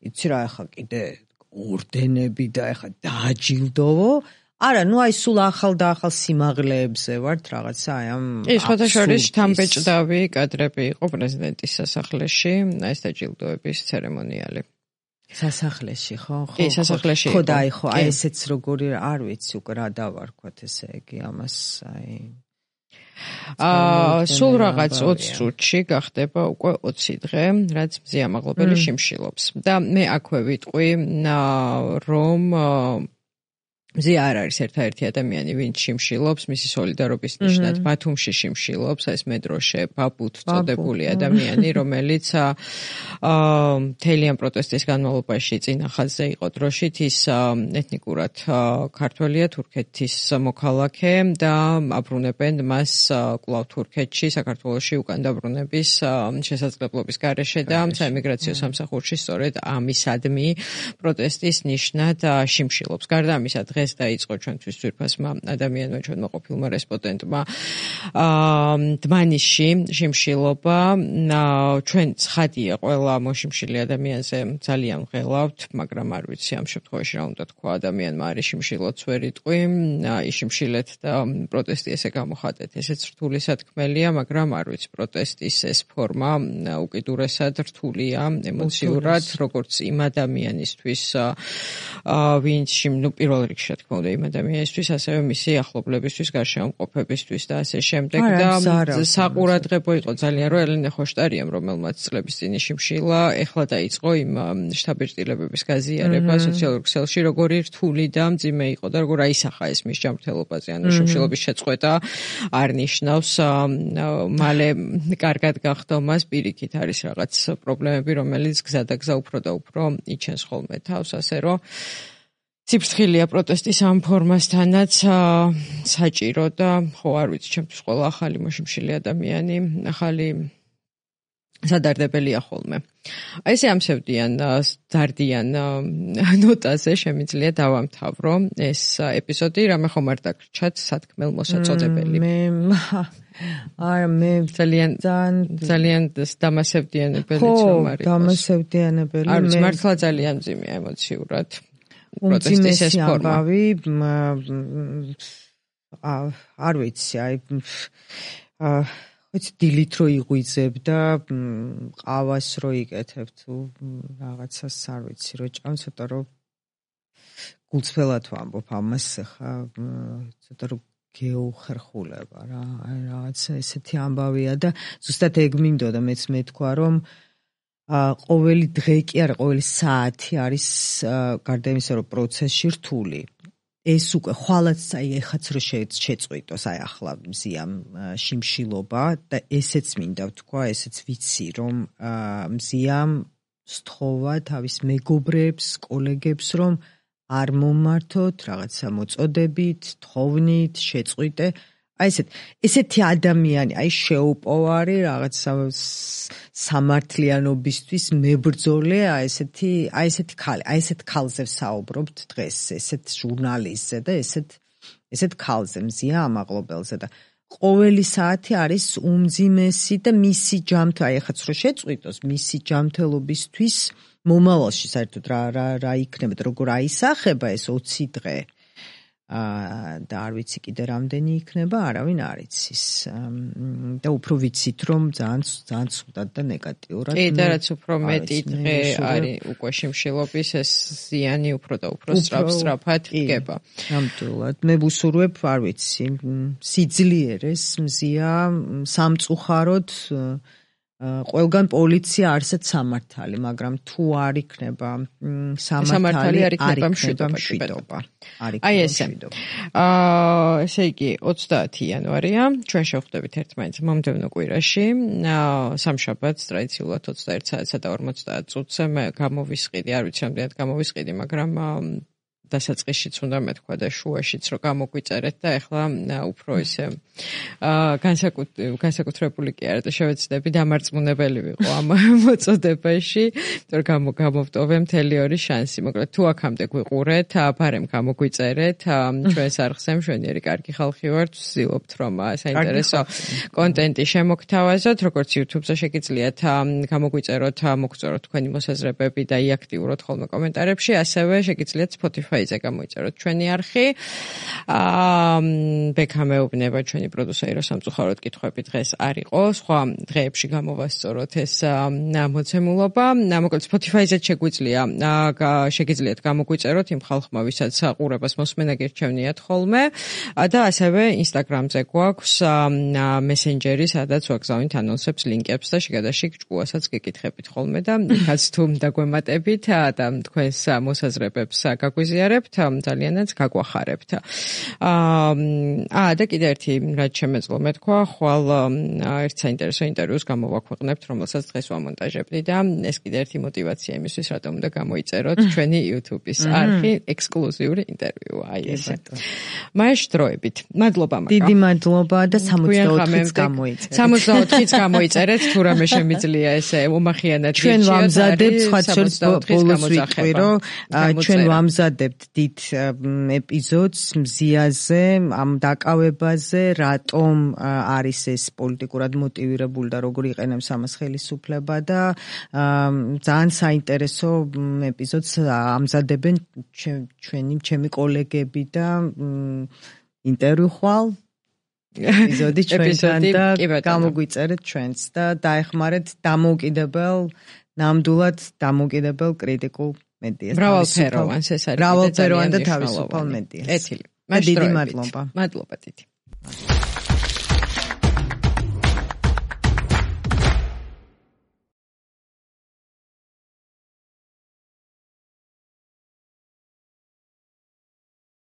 იცი რა ახლა კიდე ორდენები და ახლა დააჯილდოვო არა, ну აი სულ ახალ და ახალ სიმაღლეებზე ვართ რაღაცა აი ამ
ის ხოთა შორის შთამბეჭდავი კადრები იყო პრეზიდენტის სასახლეში, აი ეს დაჯილდოების ცერემონიალი.
სასახლეში, ხო?
კი, სასახლეში.
ხო და აი ხო, აი ესეც როგორი არ ვიცი უკვე რა დავარქვათ ესე იგი ამას აი
აა სულ რაღაც ოცი წუთში გახდება უკვე ოცი დღე, რაც მზია მაღლობელი შიმშილობს. და მე აქვე ვიტყვი რომ მზია არ არის ერთადერთი ადამიანი, ვინც შიმშილობს, მისი სოლიდარობის ნიშნად ბათუმში შიმშილობს, ეს მედროშე ბაბუთ წოდებული ადამიანი, რომელიც მთელი ამ პროტესტის განმავლობაში წინა ხაზზე იყო დროშით, ის ეთნიკურად ქართველია, თურქეთის მოქალაქე და აბრუნებენ მას კვლავ თურქეთში, საქართველოში უკან დაბრუნების შესაძლებლობის გარეშე და საიმიგრაციო სამსახურში სწორედ ამისადმი პროტესტის ნიშნად შიმშილობს. გარდა ამისა, დღეს დაიწყო ჩვენთვის ძვირფასმა ადამიანმა, ჩვენმა ყოფილმა რესპონდენტმა დმანიშში შიმშილობა. ჩვენ ცხადია ყველა მოშიმშილი ადამიანზე ძალიან ღელავთ, მაგრამ არ ვიცი ამ შემთხვევაში რა უნდა თქვა ადამიანმა არის შიმშილოც ვერ იტყვი, იშიმშილეთ და პროტესტი ესე გამოხატეთ. ესეც რთული სათქმელია, მაგრამ არ ვიცი პროტესტის ეს ფორმა უკიდურესად რთულია ემოციურად, როგორც იმ ადამიანისთვის, ვინც ნუ პირველ რიგში რა თქმა უნდა იმ ადამიანისთვის, ასევე მისი ახლობლებისთვის, გარშემოყოფებისთვის და ასე შემდეგ და საყურადღებო იყო ძალიან რომ ელენე ხოშტარიამ რომელმაც წლების წინ შიმშილა ეხლა დაიწყო იმ შთაბეჭდილებების გაზიარება სოციალურ ქსელში როგორი რთული და მძიმე იყო და როგორ აისახა ეს მის ჯანმრთელობაზე ანუ შიმშილობის შეწყვეტა არ ნიშნავს მალე კარგად გახდომას პირიქით არის რაღაც პრობლემები რომელიც გზა და გზა უფრო და უფრო იჩენს ხოლმე თავს ასე რომ ციფრთხილია პროტესტის ამ ფორმასთანაც საჭირო და ხო არ ვიცი ჩემთვის ყველა ახალი მოშიმშილი ადამიანი ახალი სადარდებელია ხოლმე. აი ესე ამსევდიან დარდიან ნოტაზე შემიძლია დავამთავრო ეს ეპიზოდი რამე ხომ არ დაგრჩათ სათქმელ მოსაწოდებელი.
მე არა მე
ძალიან ძალიან დამასევდიანებელი რომ არის.
ხო, დამასევდიანებელი.
არის მართლა ძალიან მძიმეა ემოციურად. პროტესტის ეს ფორმა.
არ ვიცი, აი ვიცი დილით რო იღვიძებ და ყავას რო იკეთებ თუ რაღაცას არ ვიცი რო ჭამ ცოტა რო გულწრფელად ვამბობ ამას ხა ცოტა რო გეუხერხულება რა აი რაღაცა ესეთი ამბავია და ზუსტად ეგ მინდოდა მეც მეთქვა რომ ყოველი დღე კი არა ყოველი საათი არის გარდა იმისა რომ პროცესში რთული ეს უკვე ხვალაც აი ეხაც რო შეწყვიტოს აი ახლა მზიამ შიმშილობა და ესეც მინდა ვთქვა ესეც ვიცი რომ მზიამ სთხოვა თავის მეგობრებს კოლეგებს რომ არ მომართოთ რაღაცა მოწოდებით თხოვნით შეწყვიტე აი ესეთ ესეთი ადამიანი აი შეუპოვარი რაღაცა სამართლიანობისთვის მებრძოლე აი ესეთი აი ესეთი ქალი აი ესეთ ქალზე ვსაუბრობთ დღეს ესეთ ჟურნალისტზე და ესეთ ესეთ ქალზე მზია ამაღლობელზე და ყოველი საათი არის უმძიმესი და მისი ჯანმრთელობა აი ახაც რო შეწყვიტოს მისი ჯანმრთელობისთვის მომავალში საერთოდ რა რა რა იქნება და როგორ აისახება ეს ოცი დღე და არ ვიცი კიდე რამდენი იქნება, არავინ არ იცის. და უფრო ვიცით რომ ძალიან ძალიან ცუდად და ნეგატიურად.
კი, და რაც უფრო მეტი დღე არის უკვე შიმშილობის ეს ზიანი უფრო და უფრო სწრაფ-სწრაფად დგება.
ნამდვილად. მე ვუსურვებ, არ ვიცი, სიძლიერეს მზია სამწუხაროდ ყველგან პოლიცია არსად სამართალი, მაგრამ თუ არ იქნება სამართალი, არ იქნება მშვიდობა.
აი ესე. აა ესე იგი ოცდაათი იანვარია, ჩვენ შევხვდებით ერთმანეთს მომდევნო კვირაში, სამშაბათს ტრადიციულად ოცდაერთ საათსა და ორმოცდაათ წუთზე მე გამოვისყიდი, არ ვიცი რამდენად გამოვისყიდი, მაგრამ დასაწყისშიც უნდა მეთქვა და შუაშიც რომ გამოგვიწერეთ და ეხლა უფრო ისე განსაკუთრებული კი არა და შევეცდები დამარწმუნებელი ვიყო ამ მოწოდებაში, რომ გამოვტოვე მთელი ორი შანსი. მოკლედ თუ აქამდე გვიყურეთ, ფარემ გამოგვიწერეთ, ჩვენს არხზე მშვენიერი კარგი ხალხი ვართ, ვცდილობთ რომ საინტერესო კონტენტი შემოგთავაზოთ, როგორც YouTube-ზე შეგიძლიათ გამოგვიწეროთ, მოგწეროთ თქვენი მოსაზრებები და იაქტიუროთ ხოლმე კომენტარებში, ასევე შეგიძლიათ Spotify ზე გამოიწეროთ ჩვენი არხი. აა ბექამეუბნება ჩვენი პროდიუსერი რომ სამწუხაროდ კითხვები დღეს არ იყო. სხვა დღეებში გამოვასწოროთ ეს მოცემულობა. მოკლედ Spotify-ზე შეგვიძლია შეგიძლიათ გამოგვიწეროთ იმ ხალხმა, ვისაც ყურებას მოსმენა გირჩევნიათ ხოლმე და ასევე Instagram-ზე გვაქვს მესენჯერი, სადაც ვაგზავნით ანონსებს, ლინკებს და შეგადაშიგ ჭკუასაც გეკითხებით ხოლმე და იქაც თუ დაგვემატებით და თქვენს მოსაზრებებს გაგვიზიარებთ ძალიანაც გაგვახარებთ. აა და კიდე ერთი რაც შემეძლო მეთქვა, ხვალ ერთ საინტერესო ინტერვიუს გამოვაქვეყნებთ, რომელსაც დღეს ვამონტაჟებდი და ეს კიდე ერთი мотиваცია იმისთვის, რატომ უნდა გამოიწეროთ ჩვენი YouTube-ის არხი, ექსკლუზიური ინტერვიუ. აი ესე. მაეშ დროებით. მადლობა მაგა.
დიდი მადლობა და სამოცდაოთხიც გამოიწერეთ.
სამოცდაოთხიც გამოიწერეთ, თუ რამე შემიძლია ესე უმახიანად
გიჩიოთ. ჩვენ ვამზადებთ სხვა შორს ბოლოს ვიტყვი, რომ ჩვენ ვამზადებთ დიდ ეპიზოდს მზიაზე, ამ დაკავებაზე, რატომ არის ეს პოლიტიკურად მოტივირებული და როგორ იყენებს ამას ხელისუფლება და ძალიან საინტერესო ეპიზოდს ამზადებენ ჩვენი ჩემი კოლეგები და ინტერვიუ ხვალ ეპიზოდი ჩვენთან და გამოგვიწერეთ ჩვენც და დაეხმარეთ დამოუკიდებელ ნამდვილად დამოუკიდებელ კრიტიკულ მედიას.
მრავალფეროვანს ეს არის.
მრავალფეროვან და თავისუფალ მედიას.
კეთილი.
დიდი მადლობა.
მადლობა დიდი.